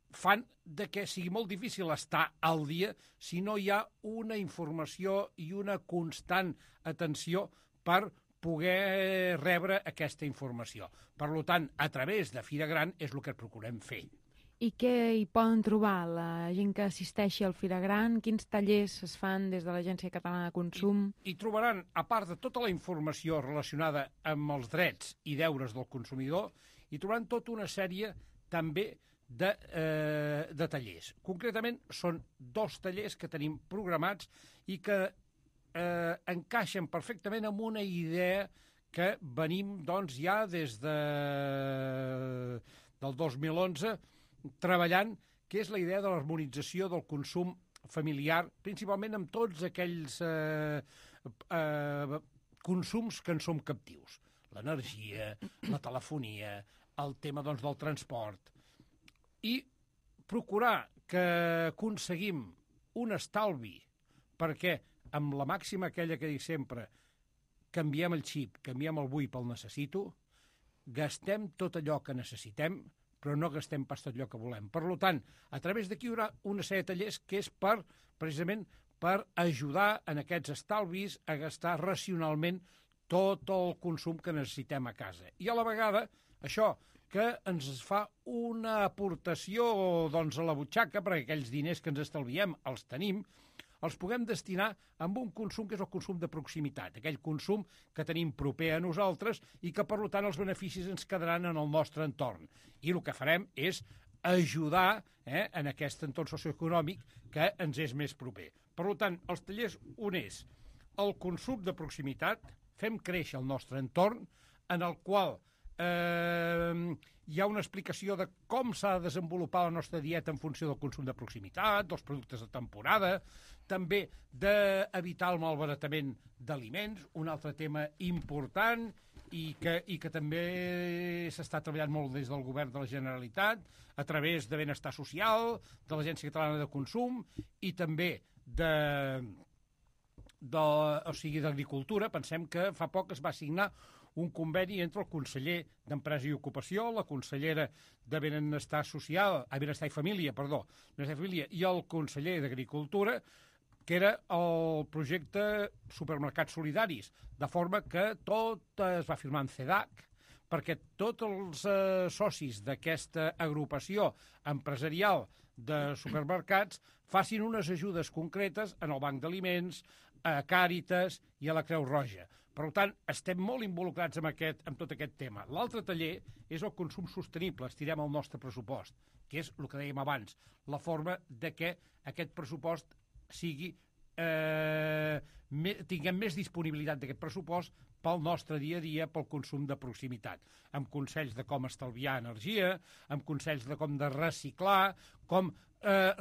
fan de que sigui molt difícil estar al dia si no hi ha una informació i una constant atenció per poder rebre aquesta informació. Per tant, a través de Fira Gran és el que procurem fer. I què hi poden trobar la gent que assisteixi al Fira Gran? Quins tallers es fan des de l'Agència Catalana de Consum? I trobaran, a part de tota la informació relacionada amb els drets i deures del consumidor, hi trobaran tota una sèrie també de tallers. Concretament, són 2 tallers que tenim programats i que encaixen perfectament amb una idea que venim doncs, ja des del 2011 treballant, que és la idea de l'harmonització del consum familiar, principalment amb tots aquells consums que en som captius. L'energia, la telefonia, el tema doncs, del transport, i procurar que aconseguim un estalvi, perquè amb la màxima aquella que dic sempre, canviem el xip, canviem el vull pel necessito, gastem tot allò que necessitem, però no gastem pas tot allò que volem. Per tant, a través d'aquí hi haurà una sèrie de tallers que és precisament per ajudar en aquests estalvis a gastar racionalment tot el consum que necessitem a casa. I a la vegada, això que ens fa una aportació doncs, a la butxaca, perquè aquells diners que ens estalviem els tenim, els puguem destinar a un consum que és el consum de proximitat, aquell consum que tenim proper a nosaltres i que, per tant, els beneficis ens quedaran en el nostre entorn. I el que farem és ajudar en aquest entorn socioeconòmic que ens és més proper. Per tant, els tallers, un és el consum de proximitat, fem créixer el nostre entorn, en el qual hi ha una explicació de com s'ha de desenvolupar la nostra dieta en funció del consum de proximitat, dels productes de temporada, també d'evitar el malbaratament d'aliments, un altre tema important i que també s'està treballant molt des del govern de la Generalitat, a través de Benestar Social, de l'Agència Catalana de Consum i també d'Agricultura. Pensem que fa poc es va signar un conveni entre el conseller d'Empresa i Ocupació, la consellera de Benestar i Família, i el conseller d'Agricultura, que era el projecte Supermercats Solidaris, de forma que tot es va firmar en CEDAC, perquè tots els socis d'aquesta agrupació empresarial de supermercats facin unes ajudes concretes en el Banc d'Aliments, a Càritas i a la Creu Roja. Per tant, estem molt involucrats en tot aquest tema. L'altre taller és el consum sostenible, estirem el nostre pressupost, que és el que dèiem abans, la forma de que aquest pressupost sigui, tinguem més disponibilitat d'aquest pressupost pel nostre dia a dia, pel consum de proximitat, amb consells de com estalviar energia, amb consells de com de reciclar, com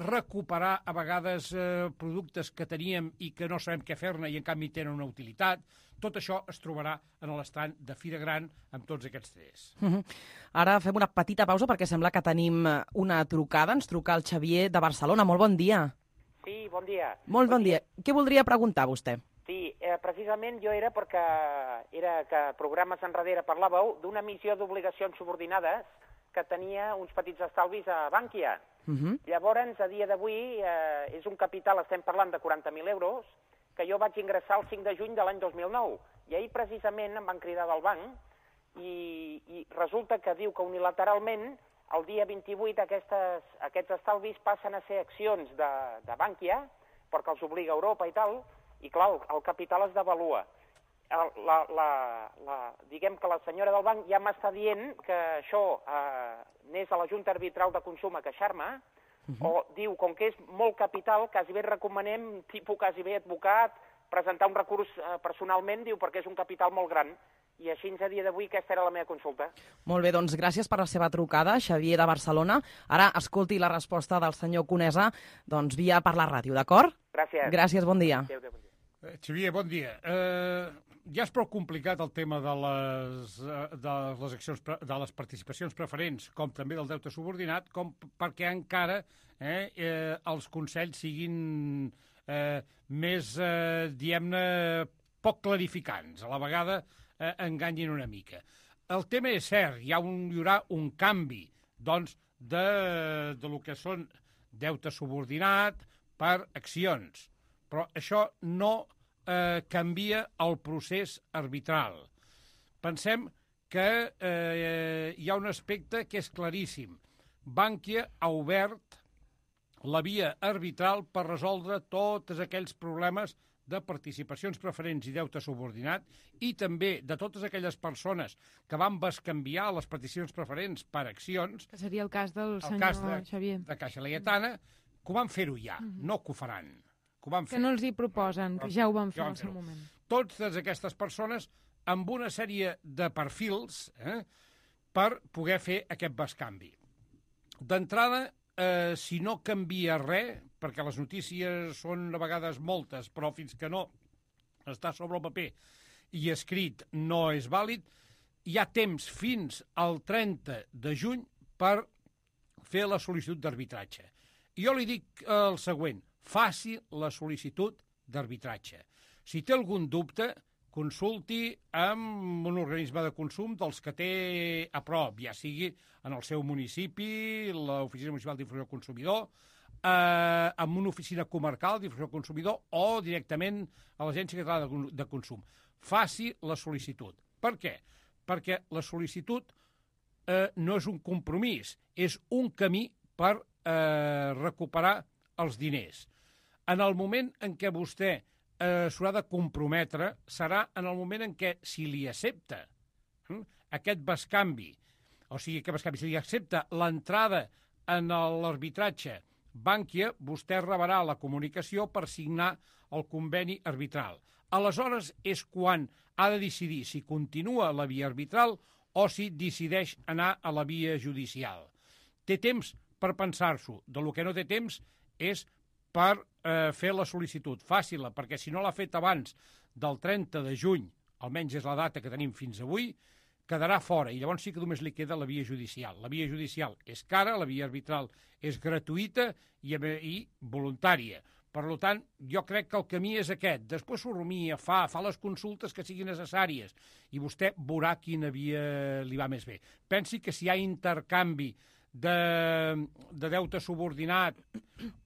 recuperar a vegades productes que teníem i que no sabem què fer-ne i en canvi tenen una utilitat. Tot això es trobarà en l'estand de Fira Gran amb tots aquests tres. Ara fem una petita pausa perquè sembla que tenim una trucada. Ens truca el Xavier de Barcelona. Molt bon dia. Sí, bon dia. Molt bon dia. Què voldria preguntar vostè? Sí, precisament jo era perquè que programes enrere parlàveu d'una emissió d'obligacions subordinades que tenia uns petits estalvis a Bankia. Llavors, a dia d'avui, és un capital, estem parlant de 40.000 euros, que jo vaig ingressar el 5 de juny de l'any 2009. I ahir precisament em van cridar del banc i resulta que diu que unilateralment el dia 28 aquests estalvis passen a ser accions de Bankia, perquè els obliga a Europa i tal, i clar, el capital es devalua. Diguem que la senyora del banc ja m'està dient que això anés a la Junta Arbitral de Consum a queixar-me, o diu, com que és molt capital, quasi bé recomanem, tipus quasi bé advocat, presentar un recurs personalment, diu, perquè és un capital molt gran. I així a dia d'avui aquesta era la meva consulta. Molt bé, doncs gràcies per la seva trucada, Xavier de Barcelona. Ara escolti la resposta del senyor Conesa via per la ràdio, d'acord? Gràcies. Gràcies, bon dia. Adéu, bon dia. Xavier, bon dia. ja és prou complicat el tema de les participacions preferents, com també del deute subordinat, com perquè encara els consells siguin més, diguem-ne, poc clarificants. A la vegada enganyin una mica. El tema és cert, hi haurà un canvi, doncs, de lo que són deute subordinat per accions. Però això no canvia el procés arbitral. Pensem que hi ha un aspecte que és claríssim. Bankia ha obert la via arbitral per resoldre tots aquells problemes de participacions preferents i deute subordinat i també de totes aquelles persones que van bescanviar les participacions preferents per accions. Que seria el cas del senyor Xavier. De Caixa Laietana, que ho van fer-ho ja, no que ho faran. Que no els hi proposen, que ja ho van fer al seu moment. Totes aquestes persones amb una sèrie de perfils per poder fer aquest bescanvi. D'entrada, si no canvia res, perquè les notícies són a vegades moltes, però fins que no està sobre el paper i escrit no és vàlid, hi ha temps fins al 30 de juny per fer la sol·licitud d'arbitratge. I jo li dic el següent, faci la sol·licitud d'arbitratge. Si té algun dubte, consulti amb un organisme de consum dels que té a prop, ja sigui en el seu municipi, l'Oficina Municipal d'Informació del Consumidor, amb una oficina comarcal d'Informació del Consumidor o directament a l'Agència Catalana de Consum. Faci la sol·licitud. Per què? Perquè la sol·licitud no és un compromís, és un camí per recuperar els diners. En el moment en què vostè s'haurà de comprometre serà en el moment en què, si li accepta aquest bescanvi, o sigui, que bescanvi, si li accepta l'entrada en l'arbitratge Bankia, vostè rebrà la comunicació per signar el conveni arbitral. Aleshores és quan ha de decidir si continua la via arbitral o si decideix anar a la via judicial. Té temps per pensar-s'ho. Del que no té temps és per fer la sol·licitud. Fàcil-la, perquè si no l'ha fet abans del 30 de juny, almenys és la data que tenim fins avui, quedarà fora, i llavors sí que només li queda la via judicial. La via judicial és cara, la via arbitral és gratuïta i voluntària. Per tant, jo crec que el camí és aquest. Després s'ho rumia, fa les consultes que siguin necessàries, i vostè veurà quina via li va més bé. Pensi que si hi ha intercanvi de deute subordinat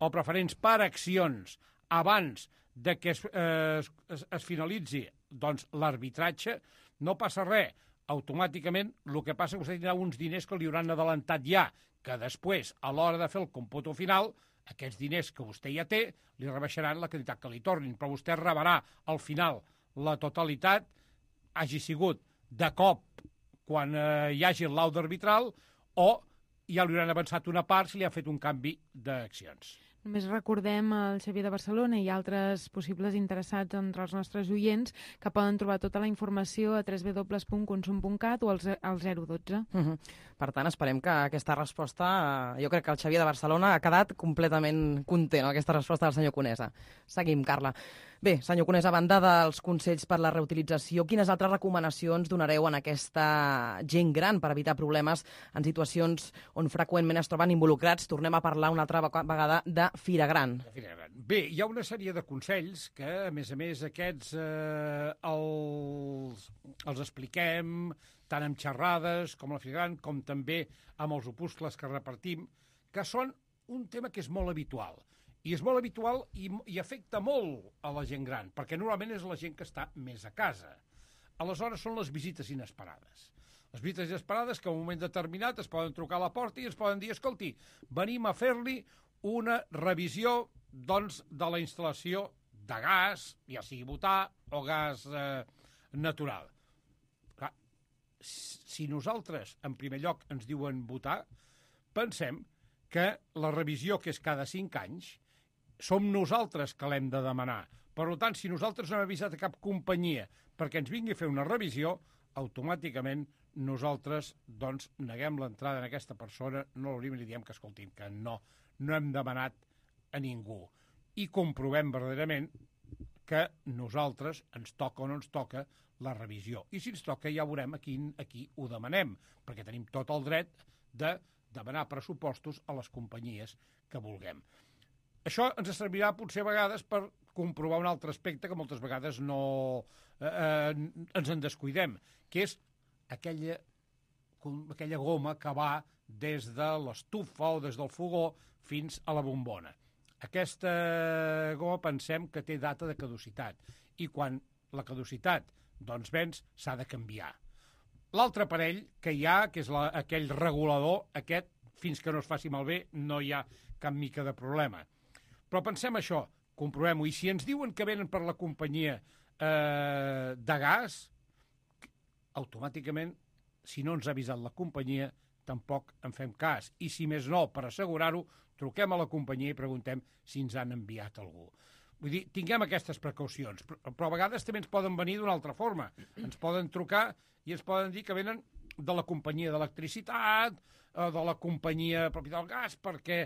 o preferents per accions abans de que es finalitzi l'arbitratge, no passa res. Automàticament el que passa és que vostè tindrà uns diners que li hauran adelantat ja, que després, a l'hora de fer el còmputo final, aquests diners que vostè ja té li rebaixaran la quantitat que li tornin, però vostè rebrà al final la totalitat, hagi sigut de cop quan hi hagi el laude arbitral o ja li hauran avançat una part si li ha fet un canvi d'accions. Només recordem el Xavier de Barcelona i altres possibles interessats entre els nostres oients que poden trobar tota la informació a www.consum.cat o al 012. Per tant, esperem que aquesta resposta... Jo crec que el Xavier de Barcelona ha quedat completament content amb aquesta resposta del senyor Conesa. Seguim, Carla. Bé, senyor Conesa, a banda dels consells per la reutilització, quines altres recomanacions donareu en aquesta gent gran per evitar problemes en situacions on freqüentment es troben involucrats? Tornem a parlar una altra vegada de Fira Gran. Bé, hi ha una sèrie de consells que, a més, aquests els expliquem tant amb xerrades com a la Fira Gran, com també amb els opuscles que repartim, que són un tema que és molt habitual. I és molt habitual i afecta molt a la gent gran, perquè normalment és la gent que està més a casa. Aleshores són les visites inesperades. Les visites inesperades que en un moment determinat es poden trucar a la porta i es poden dir, escolti, venim a fer-li una revisió, doncs, de la instal·lació de gas, ja sigui butà o gas natural. Clar, si nosaltres, en primer lloc, ens diuen butà, pensem que la revisió, que és cada 5 anys, som nosaltres que l'hem de demanar. Per tant, si nosaltres no hem avisat a cap companyia perquè ens vingui a fer una revisió, automàticament nosaltres doncs, neguem l'entrada en aquesta persona, no l'obrim i li diem que, escolti'm, que no hem demanat a ningú. I comprovem verdaderament que nosaltres ens toca o no ens toca la revisió. I si ens toca ja veurem a qui ho demanem, perquè tenim tot el dret de demanar pressupostos a les companyies que vulguem. Això ens servirà potser a vegades per comprovar un altre aspecte que moltes vegades no ens en descuidem, que és aquella goma que va des de l'estufa o des del fogó fins a la bombona. Aquesta goma pensem que té data de caducitat i quan la caducitat doncs venç s'ha de canviar. L'altre aparell que hi ha, que és aquell regulador, aquest, fins que no es faci malbé, no hi ha cap mica de problema. Però pensem això, comprovem-ho, i si ens diuen que venen per la companyia de gas, automàticament, si no ens ha avisat la companyia, tampoc en fem cas. I si més no, per assegurar-ho, truquem a la companyia i preguntem si ens han enviat algú. Vull dir, tinguem aquestes precaucions, però a vegades també ens poden venir d'una altra forma. Ens poden trucar i ens poden dir que venen de la companyia d'electricitat, de la companyia pròpia del gas, perquè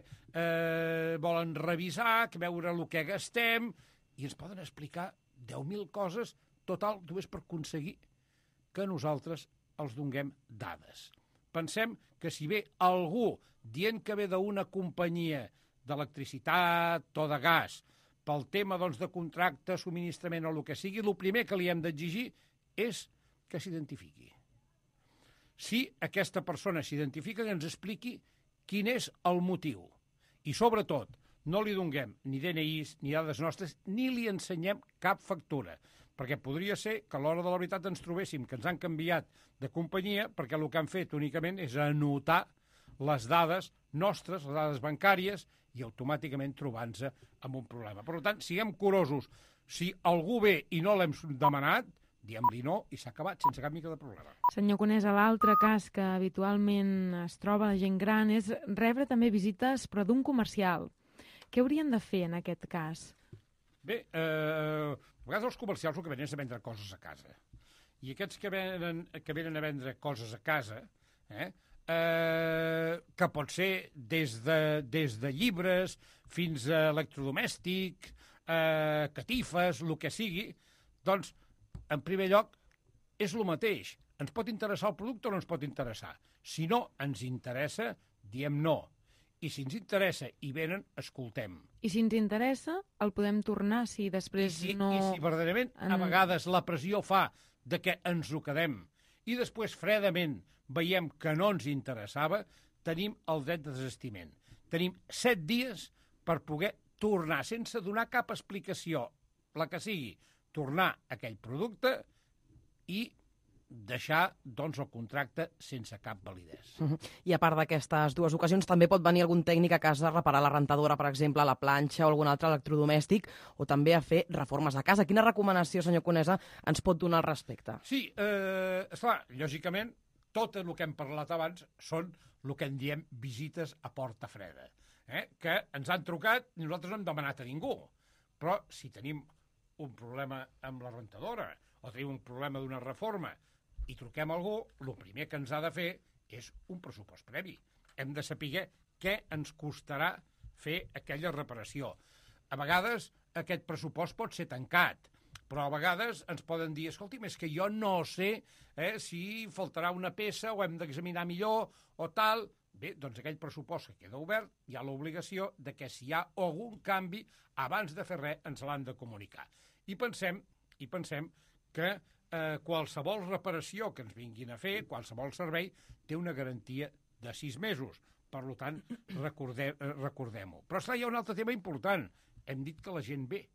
volen revisar, veure el que gastem, i ens poden explicar 10.000 coses, total, només per aconseguir que nosaltres els donem dades. Pensem que si ve algú dient que ve d'una companyia d'electricitat o de gas, pel tema doncs, de contracte, subministrament o el que sigui, el primer que li hem d'exigir és que s'identifiqui. Si aquesta persona s'identifica, que ens expliqui quin és el motiu. I, sobretot, no li donem ni DNIs, ni dades nostres, ni li ensenyem cap factura, perquè podria ser que a l'hora de la veritat ens trobéssim que ens han canviat de companyia perquè el que han fet únicament és anotar les dades nostres, les dades bancàries, i automàticament trobant-nos amb un problema. Per tant, siguem curosos. Si algú ve i no l'hem demanat, diem-li no i s'ha acabat, sense cap mica de problema. Senyor Conesa, l'altre cas que habitualment es troba la gent gran és rebre també visites, però d'un comercial. Què haurien de fer en aquest cas? Bé, a vegades els comercials el que venen és a vendre coses a casa. I aquests que venen a vendre coses a casa, que pot ser des de llibres fins a electrodomèstic, catifes, el que sigui, doncs, en primer lloc, és el mateix. Ens pot interessar el producte o no ens pot interessar? Si no ens interessa, diem no. I si ens interessa i venen, escoltem. I si ens interessa, el podem tornar si després no... I si verdaderament a vegades la pressió fa de que ens ho quedem i després fredament veiem que no ens interessava, tenim el dret de desistiment. Tenim 7 dies per poder tornar, sense donar cap explicació, la que sigui, tornar aquell producte i deixar doncs, el contracte sense cap validesa. I a part d'aquestes dues ocasions, també pot venir algun tècnic a casa a reparar la rentadora, per exemple, la planxa o algun altre electrodomèstic, o també a fer reformes a casa. Quina recomanació, senyor Conesa, ens pot donar al respecte? Sí, esclar, lògicament, tot el que hem parlat abans són el que en diem visites a porta freda, que ens han trucat i nosaltres no hem demanat a ningú. Però si tenim un problema amb la rentadora o tenim un problema d'una reforma i truquem a algú, el primer que ens ha de fer és un pressupost previ. Hem de saber què ens costarà fer aquella reparació. A vegades aquest pressupost pot ser tancat, però a vegades ens poden dir, escolti'm, és que jo no sé si faltarà una peça o hem d'examinar millor o tal. Bé, doncs aquell pressupost que queda obert hi ha l'obligació de que si hi ha algun canvi, abans de fer res, ens l'han de comunicar. I pensem que qualsevol reparació que ens vinguin a fer, qualsevol servei, té una garantia de 6 mesos. Per tant, recordem-ho. Però esclar, hi ha un altre tema important. Hem dit que la gent ve,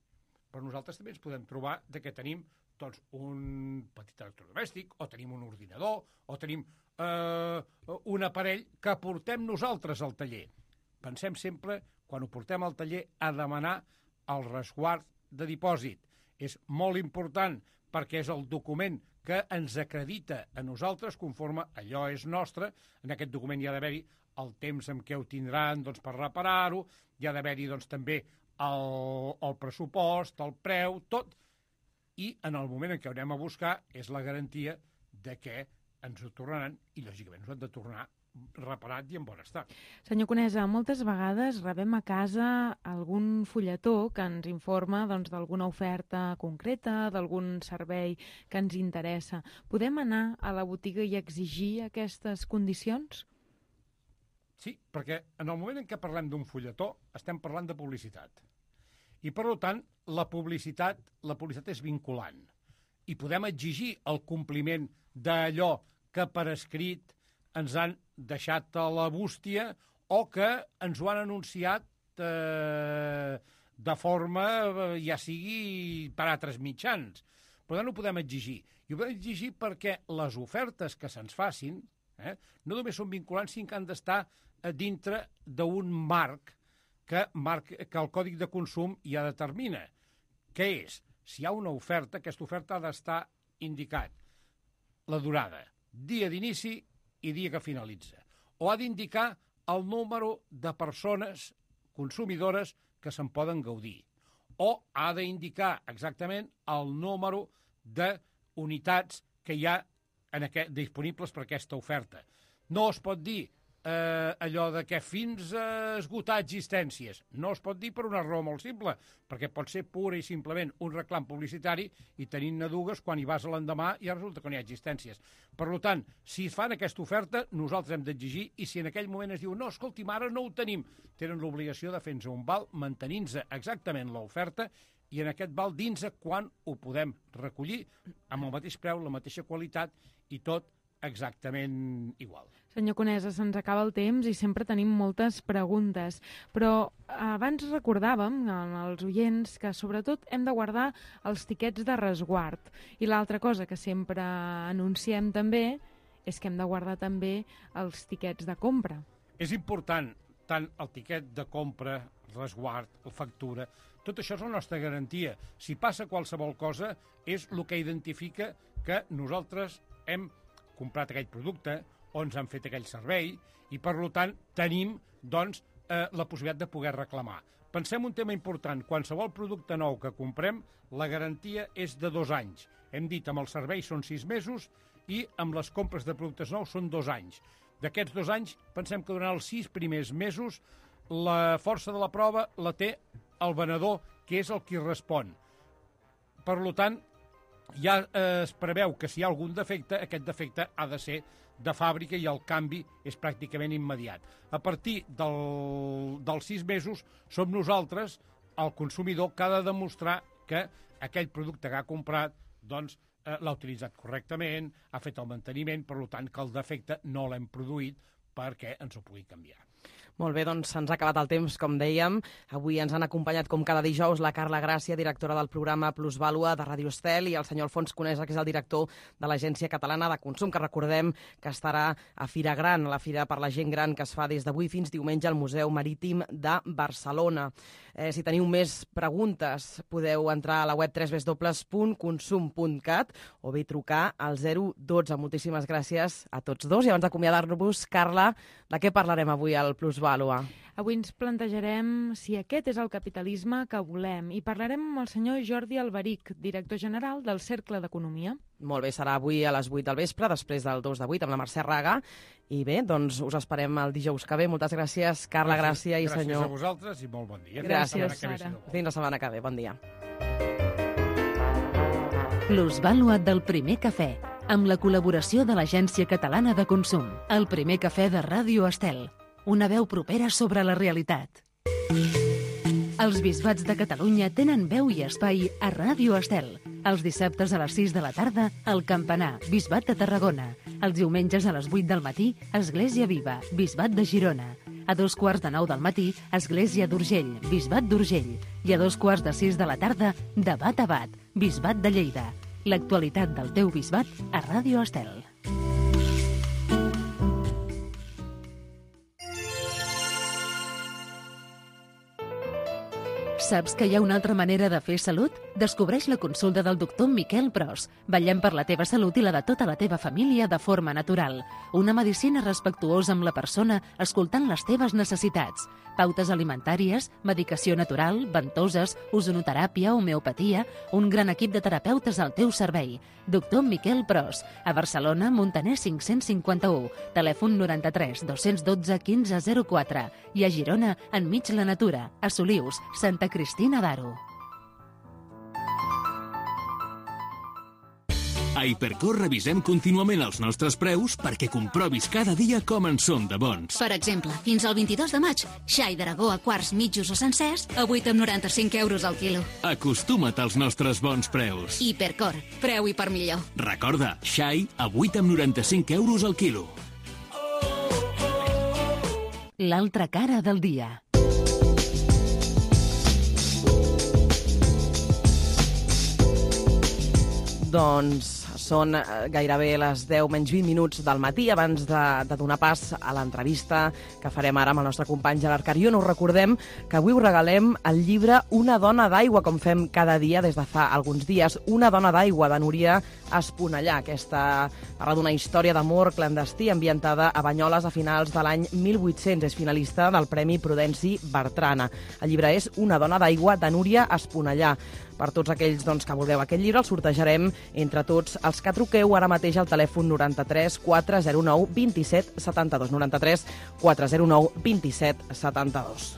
però nosaltres també ens podem trobar que tenim doncs, un petit electrodomèstic, o tenim un ordinador, o tenim un aparell que portem nosaltres al taller. Pensem sempre, quan ho portem al taller, a demanar el resguard de dipòsit. És molt important perquè és el document que ens acredita a nosaltres conforme allò és nostre. En aquest document hi ha d'haver-hi el temps en què ho tindran doncs, per reparar-ho, hi ha d'haver-hi doncs, també el pressupost, el preu, tot. I en el moment en què ho anem a buscar és la garantia de que ens ho tornaran i, lògicament, ens ho han de tornar reparat i en bon estat. Senyor Conesa, moltes vegades rebem a casa algun fulletó que ens informa d'alguna oferta concreta, d'algun servei que ens interessa. Podem anar a la botiga i exigir aquestes condicions? Sí, perquè en el moment en què parlem d'un fulletó estem parlant de publicitat. I, per tant, la publicitat és vinculant. I podem exigir el compliment d'allò que per escrit ens han deixat a la bústia o que ens ho han anunciat de forma, ja sigui per altres mitjans. Per tant, ho podem exigir. I ho podem exigir perquè les ofertes que se'ns facin no només són vinculants, sinó que han d'estar dintre d'un marc que el Còdic de Consum ja determina. Què és? Si hi ha una oferta, aquesta oferta ha d'estar indicat la durada, dia d'inici i dia que finalitza. O ha d'indicar el número de persones consumidores que se'n poden gaudir. O ha d'indicar exactament el número d'unitats que hi ha disponibles per aquesta oferta. No es pot dir allò de que fins a esgotar existències. No es pot dir per una raó molt simple, perquè pot ser pura i simplement un reclam publicitari i tenint-ne dues, quan hi vas a l'endemà ja resulta que no hi ha existències. Per tant, si fan aquesta oferta, nosaltres hem d'exigir, i si en aquell moment es diu no, escolti'm, ara no ho tenim, tenen l'obligació de fer-nos un val mantenint-se exactament l'oferta i en aquest val dins-se quan ho podem recollir amb el mateix preu, la mateixa qualitat i tot exactament igual. Senyor Conesa, se'ns acaba el temps i sempre tenim moltes preguntes, però abans recordàvem als oients que sobretot hem de guardar els tiquets de resguard. I l'altra cosa que sempre anunciem també és que hem de guardar també els tiquets de compra. És important tant el tiquet de compra, resguard, la factura, tot això és la nostra garantia. Si passa qualsevol cosa, és el que identifica que nosaltres hem comprat aquell producte o ens han fet aquell servei i, per tant, tenim la possibilitat de poder reclamar. Pensem un tema important. Qualsevol producte nou que comprem, la garantia és de 2 anys. Hem dit, amb el servei són 6 mesos i amb les compres de productes nous són 2 anys. D'aquests 2 anys, pensem que durant els 6 primers mesos la força de la prova la té el venedor, que és el qui respon. Per tant, ja es preveu que si hi ha algun defecte, aquest defecte ha de ser de fàbrica i el canvi és pràcticament immediat. A partir dels 6 mesos som nosaltres, el consumidor, que ha de demostrar que aquell producte que ha comprat l'ha utilitzat correctament, ha fet el manteniment, per tant que el defecte no l'hem produït perquè ens ho pugui canviar. Molt bé, doncs se'ns ha acabat el temps, com dèiem. Avui ens han acompanyat, com cada dijous, la Carla Gràcia, directora del programa Plusvàlua de Ràdio Estel, i el senyor Alfons Conesa, que és el director de l'Agència Catalana de Consum, que recordem que estarà a Fira Gran, la fira per la gent gran que es fa des d'avui fins diumenge al Museu Marítim de Barcelona. Si teniu més preguntes, podeu entrar a la web www.consum.cat o bé trucar al 012. Moltíssimes gràcies a tots dos. I abans d'acomiadar-vos, Carla, de què parlarem avui al Plusvàlua? Avui ens plantejarem si aquest és el capitalisme que volem i parlarem amb el senyor Jordi Alberic, director general del Cercle d'Economia. Molt bé, serà avui a les 8 del vespre, després del 2 de 8, amb la Mercè Raga. I bé, doncs us esperem el dijous que ve. Moltes gràcies, Carla Gràcia i senyor... Gràcies a vosaltres i molt bon dia. Gràcies, Sara. Fins la setmana que ve. Bon dia. Plusvàlua del Primer Cafè, amb la col·laboració de l'Agència Catalana de Consum. El Primer Cafè de Ràdio Estel. Una veu propera sobre la realitat. Els bisbats de Catalunya tenen veu i espai a Ràdio Estel. Els dissabtes a les 6 de la tarda, al Campanar, Bisbat de Tarragona. Els diumenges a les 8 del matí, Església Viva, Bisbat de Girona. A 2:45 del matí, Església d'Urgell, Bisbat d'Urgell. I a 2:45 de la tarda, Debat a Bat, Bisbat de Lleida. L'actualitat del teu bisbat a Ràdio Estel. Saps que hi ha una altra manera de fer salut? Descobreix la consulta del doctor Miquel Pros. Vetllem per la teva salut i la de tota la teva família de forma natural. Una medicina respectuosa amb la persona, escoltant les teves necessitats. Pautes alimentàries, medicació natural, ventoses, ozonoteràpia, homeopatia... Un gran equip de terapeutes al teu servei. Doctor Miquel Pros. A Barcelona, Montaner 551. Telèfon 93 212 1504. I a Girona, enmig la natura. A Solius, Santa Cristina d'Aro. A Hipercor revisem contínuament els nostres preus perquè comprovis cada dia com en són de bons. Per exemple, fins al 22 de maig, xai d'Aragó a quarts, mitjos o sencers a 8,95 euros al quilo. Acostuma't als nostres bons preus. Hipercor, preu i per millor. Recorda, xai a 8,95 euros al quilo. L'altra cara del dia. Doncs són gairebé les 10 menys 20 minuts del matí abans de donar pas a l'entrevista que farem ara amb el nostre company Gerard Carrion. Us recordem que avui us regalem el llibre Una dona d'aigua, com fem cada dia des de fa alguns dies. Una dona d'aigua, de Núria Esponellà. Aquesta parla d'una història d'amor clandestí ambientada a Banyoles a finals de l'any 1800. És finalista del Premi Prudenci Bertrana. El llibre és Una dona d'aigua, de Núria Esponellà. Per tots aquells que vulgueu aquest llibre, el sortejarem entre tots els que truqueu ara mateix al telèfon 93 409 27 72. 93 409 27 72.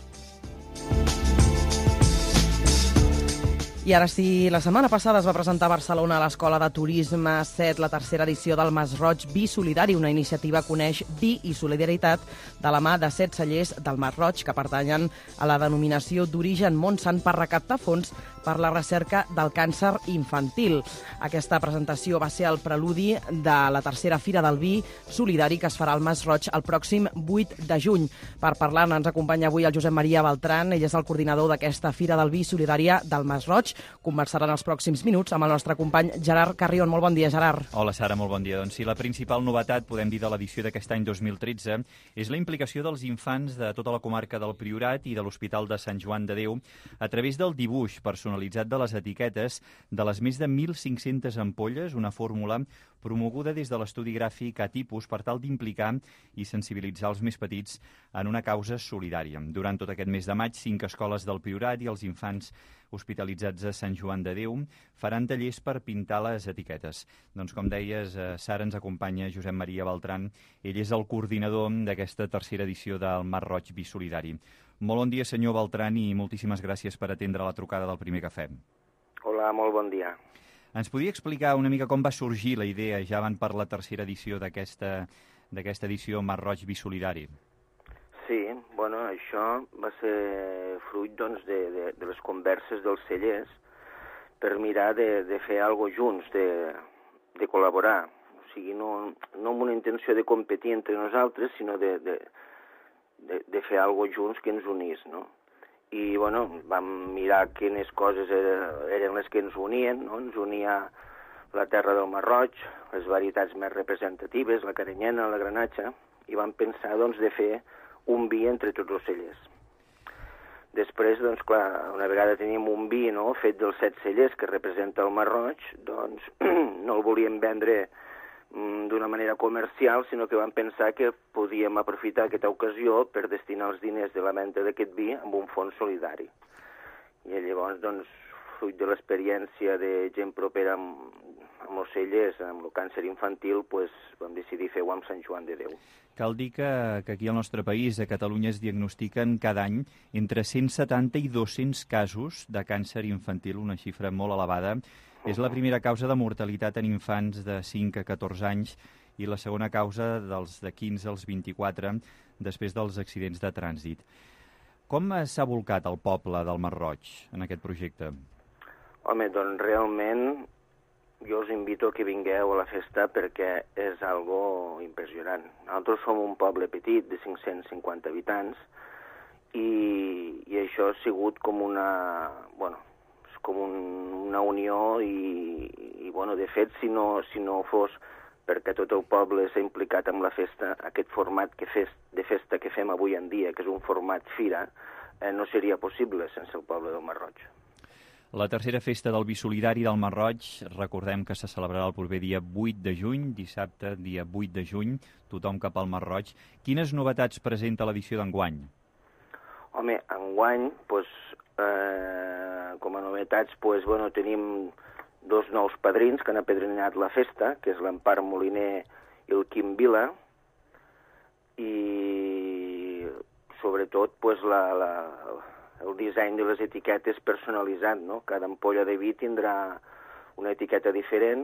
I ara sí, la setmana passada es va presentar a Barcelona a l'Escola de Turisme 7 la tercera edició del Masroig Vi Solidari, una iniciativa que uneix vi i solidaritat de la mà de 7 cellers del Masroig que pertanyen a la denominació d'origen Montsant per recaptar fons per la recerca del càncer infantil. Aquesta presentació va ser el preludi de la tercera Fira del Vi Solidari que es farà al Masroig el pròxim 8 de juny. Per parlar-ne ens acompanya avui el Josep Maria Beltran, ell és el coordinador d'aquesta Fira del Vi Solidària del Masroig. Conversaran els pròxims minuts amb el nostre company Gerard Carrion. Molt bon dia, Gerard. Hola, Sara, molt bon dia. Doncs sí, la principal novetat, podem dir, de l'edició d'aquest any 2013 és la implicació dels infants de tota la comarca del Priorat i de l'Hospital de Sant Joan de Déu a través del dibuix personalitzat de les etiquetes de les més de 1.500 ampolles, una fórmula promoguda des de l'estudi gràfic A-Tipus per tal d'implicar i sensibilitzar els més petits en una causa solidària. Durant tot aquest mes de maig, 5 escoles del Priorat i els infants hospitalitzats a Sant Joan de Déu faran tallers per pintar les etiquetes. Doncs com deies, Sara, ens acompanya Josep Maria Beltran. Ell és el coordinador d'aquesta tercera edició del Masroig Vi Solidari. Molt bon dia, senyor Beltran, i moltíssimes gràcies per atendre la trucada del Primer Cafè. Hola, molt bon dia. Ens podia explicar una mica com va sorgir la idea, ja van per la tercera edició d'aquesta edició Masroig Vi Solidari? Sí, bueno, això va ser fruit de les converses dels cellers per mirar de fer alguna cosa junts, de col·laborar. O sigui, no amb una intenció de competir entre nosaltres, sinó de fer alguna cosa junts que ens unís, no? I, bueno, vam mirar quines coses eren les que ens unien, no? Ens unia la terra del Masroig, les varietats més representatives, la carinyena, la granatxa, i vam pensar, de fer un vi entre tots els cellers. Després, clar, una vegada teníem un vi, no?, fet dels 7 cellers que representa el Masroig, no el volíem vendre d'una manera comercial, sinó que vam pensar que podíem aprofitar aquesta ocasió per destinar els diners de la venda d'aquest vi a un fons solidari. I llavors, fruit de l'experiència de gent propera amb els cellers, amb el càncer infantil, vam decidir fer-ho amb Sant Joan de Déu. Cal dir que aquí al nostre país, a Catalunya, es diagnostiquen cada any entre 170 i 200 casos de càncer infantil, una xifra molt elevada. És la primera causa de mortalitat en infants de 5 a 14 anys i la segona causa dels de 15 als 24 després dels accidents de trànsit. Com s'ha volcat el poble del Masroig en aquest projecte? Home, realment jo us invito a que vingueu a la festa perquè és algo impressionant. Nosaltres som un poble petit de 550 habitants i això ha sigut com una unió i de fet, si no fos perquè tot el poble s'ha implicat amb la festa, aquest format de festa que fem avui en dia, que és un format fira, no seria possible sense el poble del Masroig. La tercera festa del Vi Solidari del Masroig, recordem que se celebrarà el proper dia 8 de juny, dissabte, dia 8 de juny, tothom cap al Masroig. Quines novetats presenta l'edició d'enguany? Home, enguany, com a novetats, tenim 2 nous padrins que han apadrinat la festa, que és l'Empar Moliner i el Quim Vila, i sobretot el disseny de les etiquetes personalitzat, no? Cada ampolla de vi tindrà una etiqueta diferent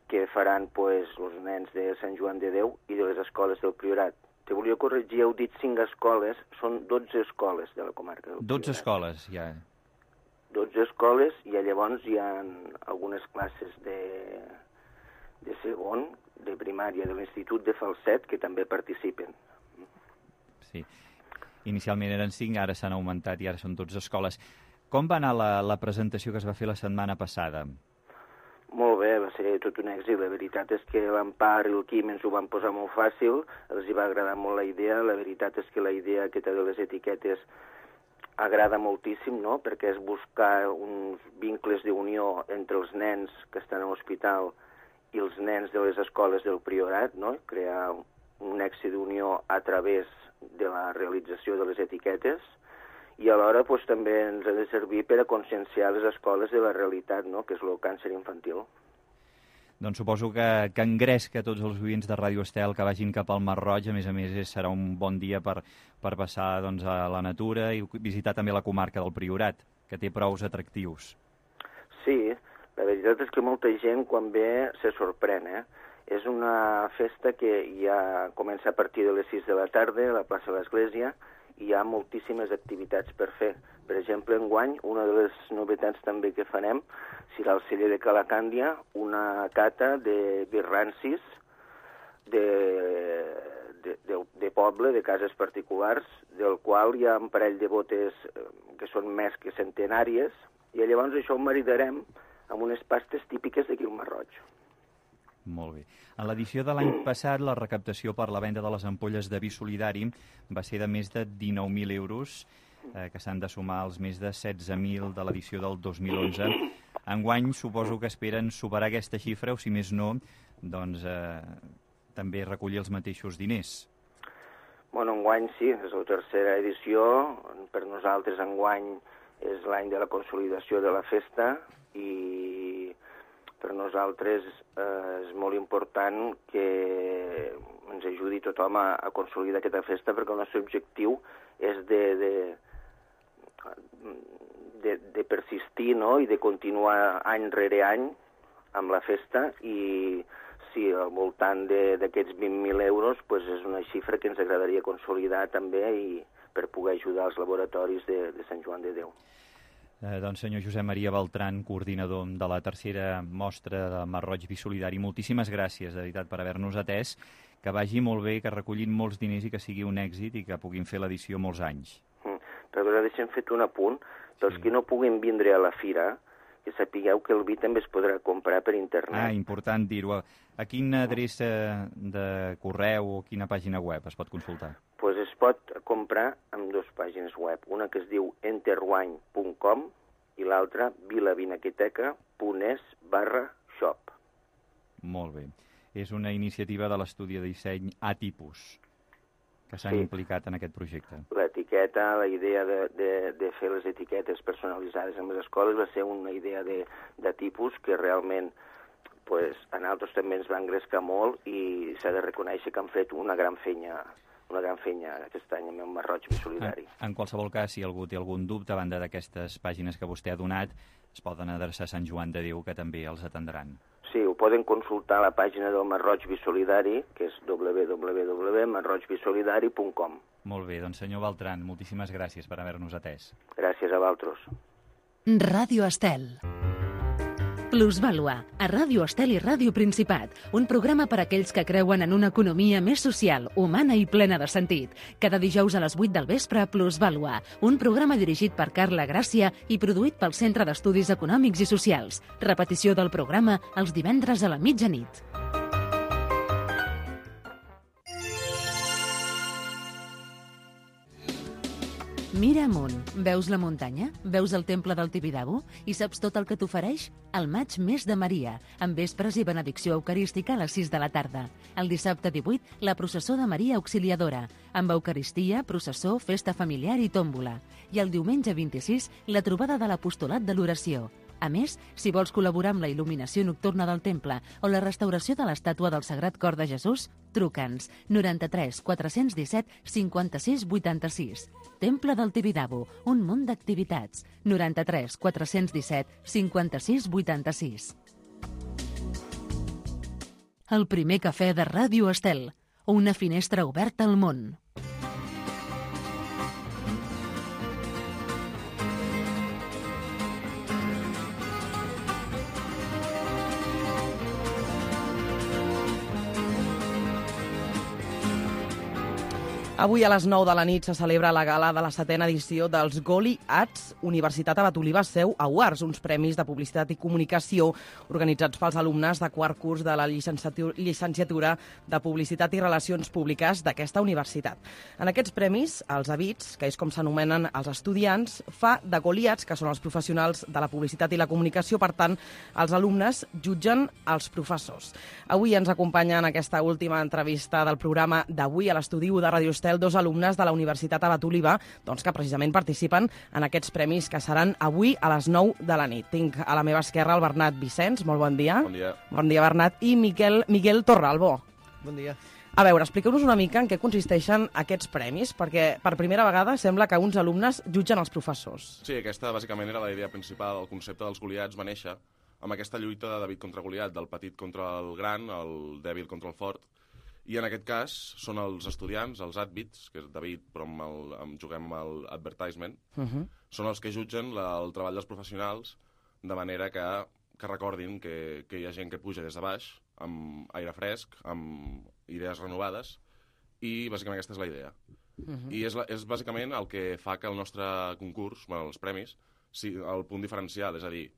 que faran els nens de Sant Joan de Déu i de les escoles del Priorat. Te volia corregir, heu dit 5 escoles, són 12 escoles de la comarca del Priorat. 12 escoles, ja. 12 escoles, i llavors hi ha algunes classes de segon, de primària, de l'Institut de Falset, que també participen. Sí. Inicialment eren 5, ara s'han augmentat i ara són 12 escoles. Com va anar la presentació que es va fer la setmana passada? Molt bé, va ser tot un èxit. La veritat és que l'Empar i el Quim ens ho van posar molt fàcil, els hi va agradar molt la idea. La veritat és que la idea aquesta de les etiquetes agrada moltíssim, no? Perquè és buscar uns vincles d'unió entre els nens que estan a l'hospital i els nens de les escoles del Priorat, no? Crear un èxit d'unió a través de la realització de les etiquetes, i alhora també ens ha de servir per a conscienciar les escoles de la realitat, no? Que és el càncer infantil. Doncs suposo que engresca tots els oients de Ràdio Estel que vagin cap al Masroig. A més, serà un bon dia per passar a la natura i visitar també la comarca del Priorat, que té prous atractius. Sí, la veritat és que molta gent quan ve se sorprèn, És una festa que ja comença a partir de les 6 de la tarda a la plaça de l'Església, i hi ha moltíssimes activitats per fer. Per exemple, enguany, una de les novetats també que farem serà al celler de Calacàndia, una cata de vi rancis de poble, de cases particulars, del qual hi ha un parell de botes que són més que centenàries, i llavors això ho maridarem amb unes pastes típiques d'aquí al Masroig. Molt bé. En l'edició de l'any passat, la recaptació per la venda de les ampolles de vi solidari va ser de més de 19.000 euros, que s'han de sumar als més de 16.000 de l'edició del 2011. Enguany suposo que esperen superar aquesta xifra, o si més no, doncs també recollir els mateixos diners. Bueno, enguany sí, és la tercera edició. Per nosaltres enguany és l'any de la consolidació de la festa, i per nosaltres és molt important que ens ajudi tothom a consolidar aquesta festa, perquè el nostre objectiu és de persistir, no? I de continuar any rere any amb la festa, i sí, al voltant d'aquests 20.000 euros és una xifra que ens agradaria consolidar també, i per poder ajudar els laboratoris de Sant Joan de Déu. Doncs senyor Josep Maria Beltran, coordinador de la tercera mostra de Masroig Vi Solidari, moltíssimes gràcies, de veritat, per haver-nos atès, que vagi molt bé, que recullin molts diners i que sigui un èxit i que puguin fer l'edició molts anys. Però deixem fet un apunt, pels que no puguin vindre a la fira, que sapigueu que el vi també es podrà comprar per internet. Ah, important dir-ho. A quina adreça de correu o quina pàgina web es pot consultar? Doncs es pot comprar en 2 pàgines web, una que es diu enterwine.com i l'altra vilavinaqueteca.es/shop. Molt bé. És una iniciativa de l'estudi de disseny A-Tipus, que s'han implicat en aquest projecte. L'etiqueta, la idea de fer les etiquetes personalitzades en les escoles va ser una idea de tipus que realment a nosaltres també ens va engrescar molt, i s'ha de reconèixer que han fet una gran feina aquest any amb el Masroig Vi Solidari. En qualsevol cas, si algú té algun dubte a banda d'aquestes pàgines que vostè ha donat, es poden adreçar a Sant Joan de Déu, que també els atendran. Sí, ho poden consultar a la pàgina del Masroig Vi Solidari, que és www.masroigvisolidari.com. Molt bé, doncs senyor Beltran, moltíssimes gràcies per haver-nos atès. Gràcies a vosaltres. Ràdio Estel. Plusvàlua, a Ràdio Estel i Ràdio Principat, un programa per a aquells que creuen en una economia més social, humana i plena de sentit. Cada dijous a les 8 del vespre, Plusvàlua, un programa dirigit per Carla Gràcia i produït pel Centre d'Estudis Econòmics i Socials. Repetició del programa els divendres a la mitjanit. Mira amunt. Veus la muntanya? Veus el temple del Tibidabo? I saps tot el que t'ofereix? El maig més de Maria, amb vespres i benedicció eucarística a les 6 de la tarda. El dissabte 18, la processó de Maria Auxiliadora, amb eucaristia, processó, festa familiar i tòmbola. I el diumenge 26, la trobada de l'apostolat de l'oració. A més, si vols col·laborar amb la il·luminació nocturna del temple o la restauració de l'estàtua del Sagrat Cor de Jesús, truca'ns 93 417 56 86. Temple del Tibidabo, un munt d'activitats. 93 417 56 86. El primer cafè de Ràdio Estel. Una finestra oberta al món. Avui a les 9 de la nit se celebra la gala de la 7a edició dels Goli Arts Universitat Abat Oliba Seu Awards, uns premis de publicitat i comunicació organitzats pels alumnes de quart curs de la llicenciatura de Publicitat i Relacions Públiques d'aquesta universitat. En aquests premis, els ABITs, que és com s'anomenen els estudiants, fa de goliats, que són els professionals de la publicitat i la comunicació. Per tant, els alumnes jutgen els professors. Avui ens acompanya en aquesta última entrevista del programa d'avui a l'estudi de Ràdio Estel dos alumnes de la Universitat Abat Oliba, que precisament participen en aquests premis que seran avui a les 9 de la nit. Tinc a la meva esquerra el Bernat Vicenç, molt bon dia. Bon dia. Bon dia, Bernat. I Miguel Torralbo. Bon dia. A veure, expliqueu-nos una mica en què consisteixen aquests premis, perquè per primera vegada sembla que uns alumnes jutgen els professors. Sí, aquesta bàsicament era la idea principal. El concepte dels Goliats va néixer amb aquesta lluita de David contra Goliat, del petit contra el gran, el dèbil contra el fort. I en aquest cas són els estudiants, els adbits, que és David, però juguem amb l'advertisement, són els que jutgen el treball dels professionals de manera que recordin que hi ha gent que puja des de baix, amb aire fresc, amb idees renovades, i bàsicament aquesta és la idea. I és bàsicament el que fa que el nostre concurs, els premis, sigui el punt diferencial, és a dir,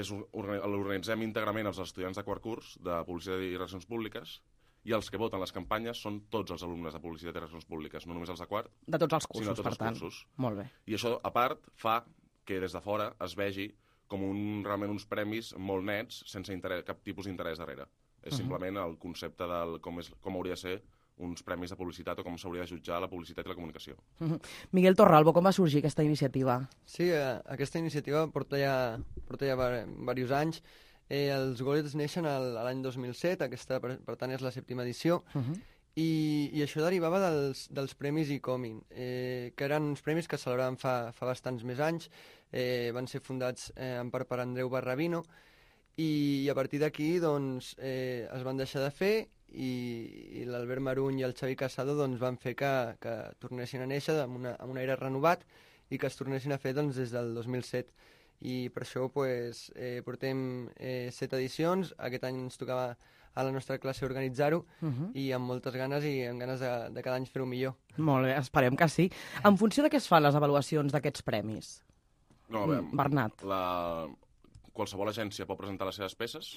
l'organitzem íntegrament els estudiants de quart curs de Publicitat i Relacions Públiques, i els que voten les campanyes són tots els alumnes de Publicitat i Relacions Públiques, no només els de quart, de tots els cursos, sinó de tots els cursos. Molt bé. I això, a part, fa que des de fora es vegi com realment uns premis molt nets, sense cap tipus d'interès darrere. És simplement el concepte de com hauria de ser uns premis de publicitat o com s'hauria de jutjar la publicitat i la comunicació. Miguel Torralbo, com va sorgir aquesta iniciativa? Sí, aquesta iniciativa porta ja diversos anys. Els Goliats neixen l'any 2007, aquesta per tant és la 7ª edició, i això derivava dels premis ICOMIN, que eren uns premis que es celebraven fa bastants més anys, van ser fundats en part per Andreu Barrabino, i a partir d'aquí es van deixar de fer, i l'Albert Maruny i el Xavi Casado van fer que tornessin a néixer amb un aire renovat i que es tornessin a fer des del 2007. I per això portem 7 edicions. Aquest any ens tocava a la nostra classe organitzar-ho i amb moltes ganes i amb ganes de cada any fer-ho millor. Molt bé, esperem que sí. En funció de què es fan les avaluacions d'aquests premis? Bernat. Qualsevol agència pot presentar les seves peces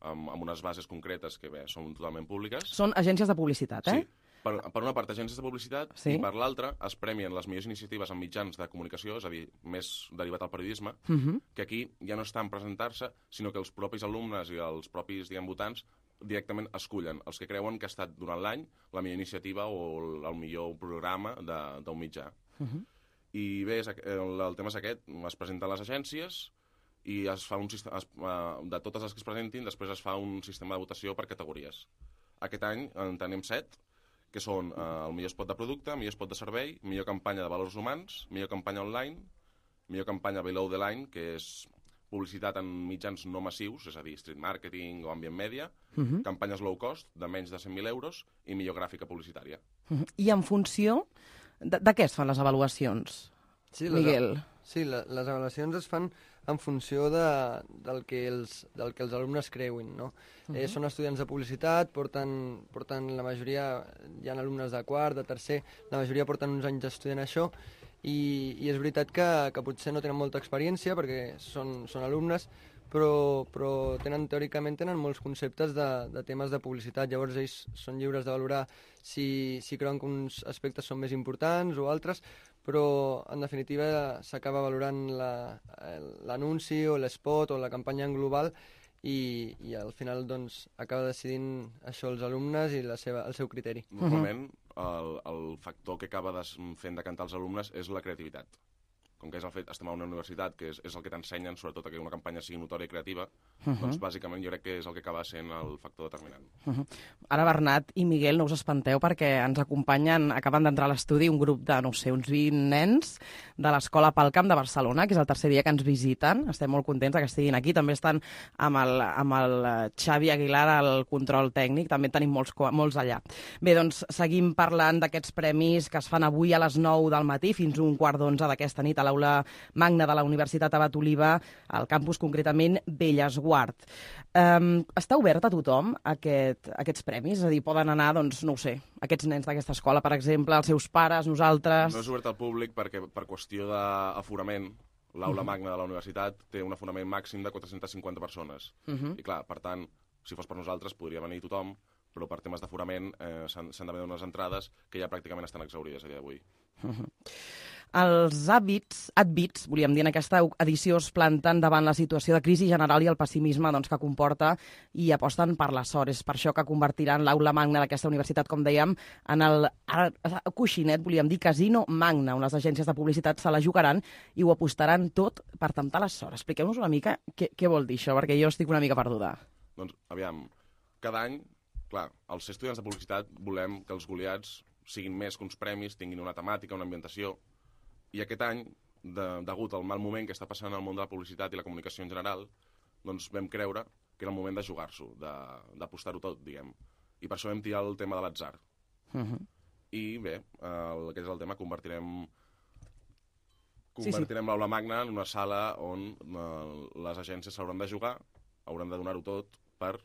amb unes bases concretes que són totalment públiques. Són agències de publicitat, eh? Sí. Per una part, agències de publicitat, i per l'altra es premien les millors iniciatives en mitjans de comunicació, és a dir, més derivat al periodisme, que aquí ja no està en presentar-se, sinó que els propis alumnes i els propis, votants directament escullen els que creuen que ha estat durant l'any la millor iniciativa o el millor programa d'un mitjà. I bé, el tema és aquest, es presenten les agències i es fa de totes les que es presentin, després es fa un sistema de votació per categories. Aquest any en tenim 7, que són el millor spot de producte, millor spot de servei, millor campanya de valors humans, millor campanya online, millor campanya below the line, que és publicitat en mitjans no massius, és a dir, street marketing o ambient media, campanyes low cost, de menys de 100.000 euros, i millor gràfica publicitària. I en funció de què es fan les avaluacions, Miguel? Sí, les avaluacions es fan en funció del que els alumnes creuin, no? Són estudiants de publicitat, porten la majoria, hi ha alumnes de quart, de tercer, la majoria porten uns anys estudiant això, i és veritat que potser no tenen molta experiència perquè són alumnes, però teòricament tenen molts conceptes de temes de publicitat. Llavors ells són lliures de valorar si creuen que uns aspectes són més importants o altres, però en definitiva s'acaba valorant l'anunci o l'espot o la campanya en global i al final doncs, acaba decidint això els alumnes i el seu criteri. Normalment el factor que acaba fent decantar els alumnes és la creativitat. Com que és el fet, estem a una universitat, que és el que t'ensenyen, sobretot que una campanya sigui notòria i creativa, doncs bàsicament jo crec que és el que acaba sent el factor determinant. Ara, Bernat i Miguel, no us espanteu perquè ens acompanyen, acaben d'entrar a l'estudi, un grup de, no sé, uns 20 nens de l'Escola Palcamp de Barcelona, que és el tercer dia que ens visiten. Estem molt contents que estiguin aquí. També estan amb el Xavi Aguilar al control tècnic, també tenim molts allà. Bé, doncs seguim parlant d'aquests premis que es fan avui a les 9 del matí fins a 11:45 d'aquesta nit a l'Aula Magna de la Universitat Abat Oliba, al campus concretament Bellesguard. Està obert a tothom aquests premis? És a dir, poden anar, doncs, no ho sé, aquests nens d'aquesta escola, per exemple, els seus pares, nosaltres... No és obert al públic perquè per qüestió d'aforament l'Aula Magna de la Universitat té un aforament màxim de 450 persones. I clar, per tant, si fos per nosaltres podria venir tothom, però per temes d'aforament s'han de vendre unes entrades que ja pràcticament estan exaurides a dia d'avui. Els advits, volíem dir, en aquesta edició es planten davant la situació de crisi general i el pessimisme que comporta i aposten per la sort. És per això que convertiran l'Aula Magna d'aquesta universitat, com dèiem, en el coixinet, volíem dir, casino magna, on les agències de publicitat se la jugaran i ho apostaran tot per temptar la sort. Expliqueu-nos una mica què vol dir això, perquè jo estic una mica perduda. Doncs, aviam, cada any, clar, els estudiants de publicitat volem que els goliats siguin més que uns premis, tinguin una temàtica, una ambientació. I aquest any, degut al mal moment que està passant al món de la publicitat i la comunicació en general, doncs vam creure que era el moment de jugar-s'ho, d'apostar-ho tot, diguem. I per això vam tirar el tema de l'atzar. I bé, aquest és el tema, convertirem l'Aula Magna en una sala on les agències s'hauran de jugar, hauran de donar-ho tot per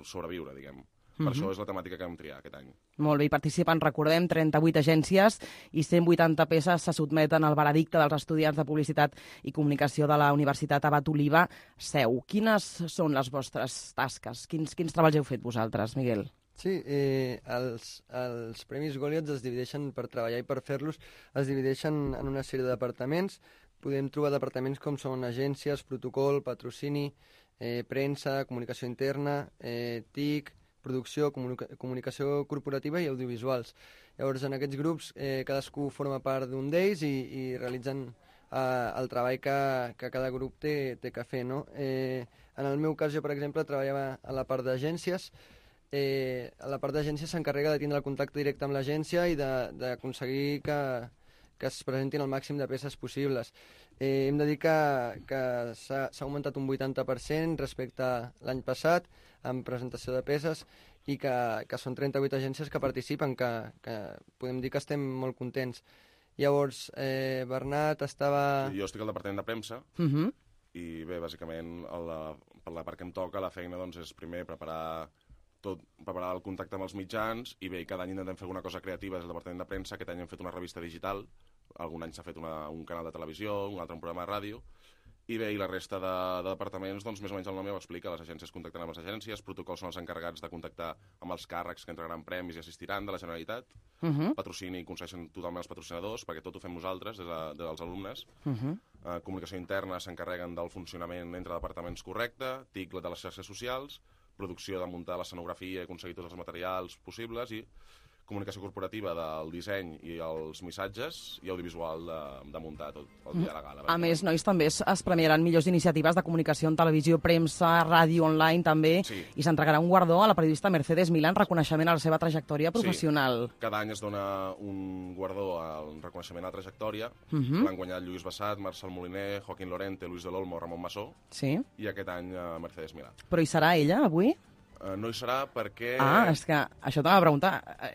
sobreviure, diguem. Per això és la temàtica que vam triar aquest any. Molt bé, hi participen, recordem, 38 agències i 180 peces se sotmeten al veredicte dels estudiants de Publicitat i Comunicació de la Universitat Abat Oliba Seu. Quines són les vostres tasques? Quins treballs heu fet vosaltres, Miguel? Sí, els Premis Goliaths es divideixen per treballar i per fer-los, es divideixen en una sèrie de departaments. Podem trobar departaments com són agències, protocol, patrocini, premsa, comunicació interna, TIC, producció, comunicació corporativa i audiovisuals. Llavors, en aquests grups, cadascú forma part d'un d'ells i realitzen el treball que cada grup té que fer, no? En el meu cas, jo, per exemple, treballava a la part d'agències. A la part d'agències s'encarrega de tindre el contacte directe amb l'agència i d'aconseguir que es presentin el màxim de peces possibles. Hem de dir que s'ha augmentat un 80% respecte a l'any passat en presentació de peces i que són 38 agències que participen, que podem dir que estem molt contents. Llavors, Bernat estava... Jo estic al departament de premsa i bé, bàsicament, per la part que em toca, la feina doncs, és primer preparar el contacte amb els mitjans i bé, cada any intentem fer alguna cosa creativa des del departament de premsa. Aquest any hem fet una revista digital, algun any s'ha fet un canal de televisió, un altre un programa de ràdio, i bé, i la resta de departaments, doncs més o menys el nom ja ho explica, les agències contacten amb les agències, protocols són els encarregats de contactar amb els càrrecs que entregaran premis i assistiran de la Generalitat, patrocini concedeixen totalment els patrocinadors, perquè tot ho fem nosaltres, dels alumnes, comunicació interna s'encarreguen del funcionament entre departaments correcte, TIC de les xarxes socials, producció de muntar l'escenografia i aconseguir tots els materials possibles i comunicació corporativa del disseny i els missatges i audiovisual de muntar tot el dia de la gala. A més, nois, també es premiaran millors iniciatives de comunicació en televisió, premsa, ràdio, online també, i s'entregarà un guardó a la periodista Mercedes Milán, reconeixement a la seva trajectòria professional. Sí, cada any es dona un guardó al reconeixement a la trajectòria. L'han guanyat Lluís Bassat, Marcel Moliner, Joaquín Lorente, Luis de l'Olmo, Ramon Massó, i aquest any Mercedes Milán. Però hi serà ella, avui? No hi serà perquè... És que això t'anava a preguntar.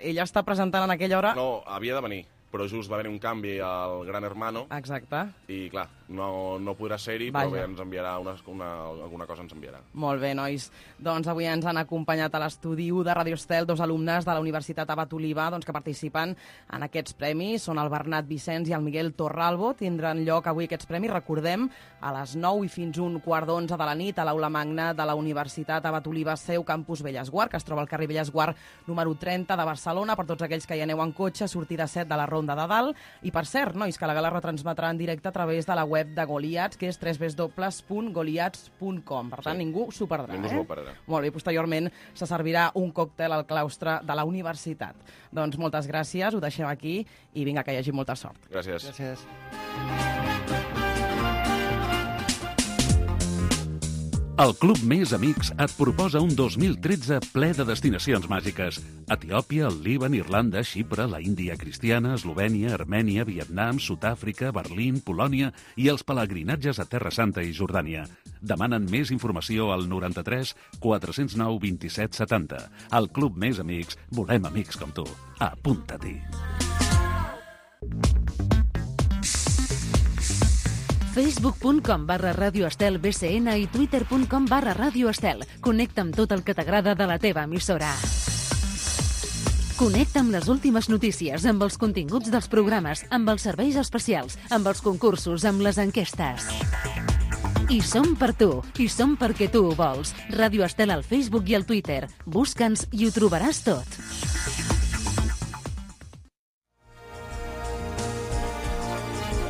Ella està presentant en aquella hora... No, havia de venir, però just va haver un canvi al Gran Hermano. Exacte. I, clar, no podrà ser-hi, però bé, ens enviarà alguna cosa ens enviarà. Molt bé, nois. Doncs avui ens han acompanyat a l'estudi de Radio Estel dos alumnes de la Universitat Abat Oliba que participen en aquests premis. Són el Bernat Vicenç i el Miguel Torralbo. Tindran lloc avui aquests premis, recordem, a les 9 i fins 1:15 de la nit a l'Aula Magna de la Universitat Abat Oliba Seu, campus Bellesguard, que es troba al carrer Bellesguard número 30 de Barcelona. Per tots aquells que hi aneu en cotxe, sortida 7 de la Ronda Ronda de Dalt. I, per cert, nois, que la gala retransmetrà en directe a través de la web de Goliats, que és www.goliats.com. Per tant, ningú s'ho perdrà. Ningú s'ho perdrà. Molt bé, posteriorment se servirà un còctel al claustre de la universitat. Doncs moltes gràcies, ho deixem aquí i vinga, que hi hagi molta sort. Gràcies. Gràcies. El Club Més Amics et proposa un 2013 ple de destinacions màgiques. Etiòpia, el Líban, Irlanda, Xipre, la Índia cristiana, Eslovènia, Armènia, Vietnam, Sud-àfrica, Berlín, Polònia i els pelegrinatges a Terra Santa i Jordània. Demanen més informació al 93 409 27 70. El Club Més Amics, volem amics com tu. Apunta-t'hi. Facebook.com/Radio Estel BCN i Twitter.com/Radio Estel. Connecta amb tot el que t'agrada de la teva emissora. Connecta amb les últimes notícies, amb els continguts dels programes, amb els serveis especials, amb els concursos, amb les enquestes. I som per tu, i som perquè tu ho vols. Radio Estel al Facebook i al Twitter. Busca'ns i ho trobaràs tot.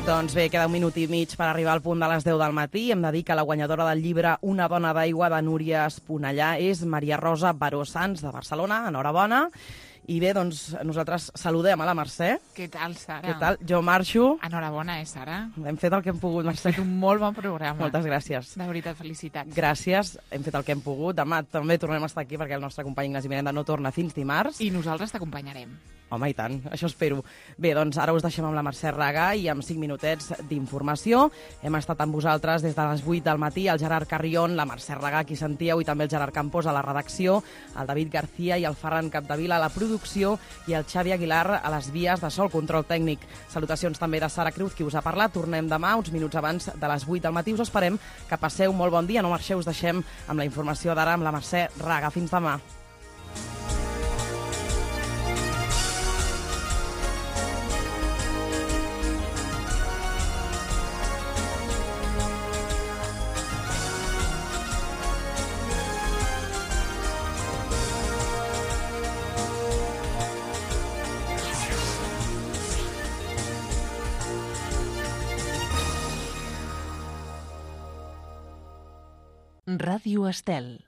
Doncs bé, queda un minut i mig per arribar al punt de les 10 del matí. Hem de dir que la guanyadora del llibre Una dona d'aigua de Núria Esponellà és Maria Rosa Baró Sans, de Barcelona. Enhorabona. I bé, doncs nosaltres saludem a la Mercè. Què tal, Sara? Què tal? Jo marxo. Enhorabona, Sara? Hem fet el que hem pogut, Mercè. Hem fet un molt bon programa. Moltes gràcies. De veritat, felicitats. Gràcies, hem fet el que hem pogut. Demà també tornem a estar aquí perquè el nostre company Ignasi Miranda no torna fins dimarts. I nosaltres t'acompanyarem. Home, i tant, això espero. Bé, doncs ara us deixem amb la Mercè Raga i amb 5 minutets d'informació. Hem estat amb vosaltres des de les 8 del matí, el Gerard Carrion, la Mercè Raga, qui sentíeu, i també el Gerard Campos a la redacció, el David García i el Ferran Capdevila a la producció i el Xavi Aguilar a les vies de sol, control tècnic. Salutacions també de Sara Cruz, qui us ha parlat. Tornem demà, uns minuts abans de les 8 del matí. Us esperem que passeu molt bon dia. No marxeu, us deixem amb la informació d'ara amb la Mercè Raga. Fins demà. Ràdio Estel.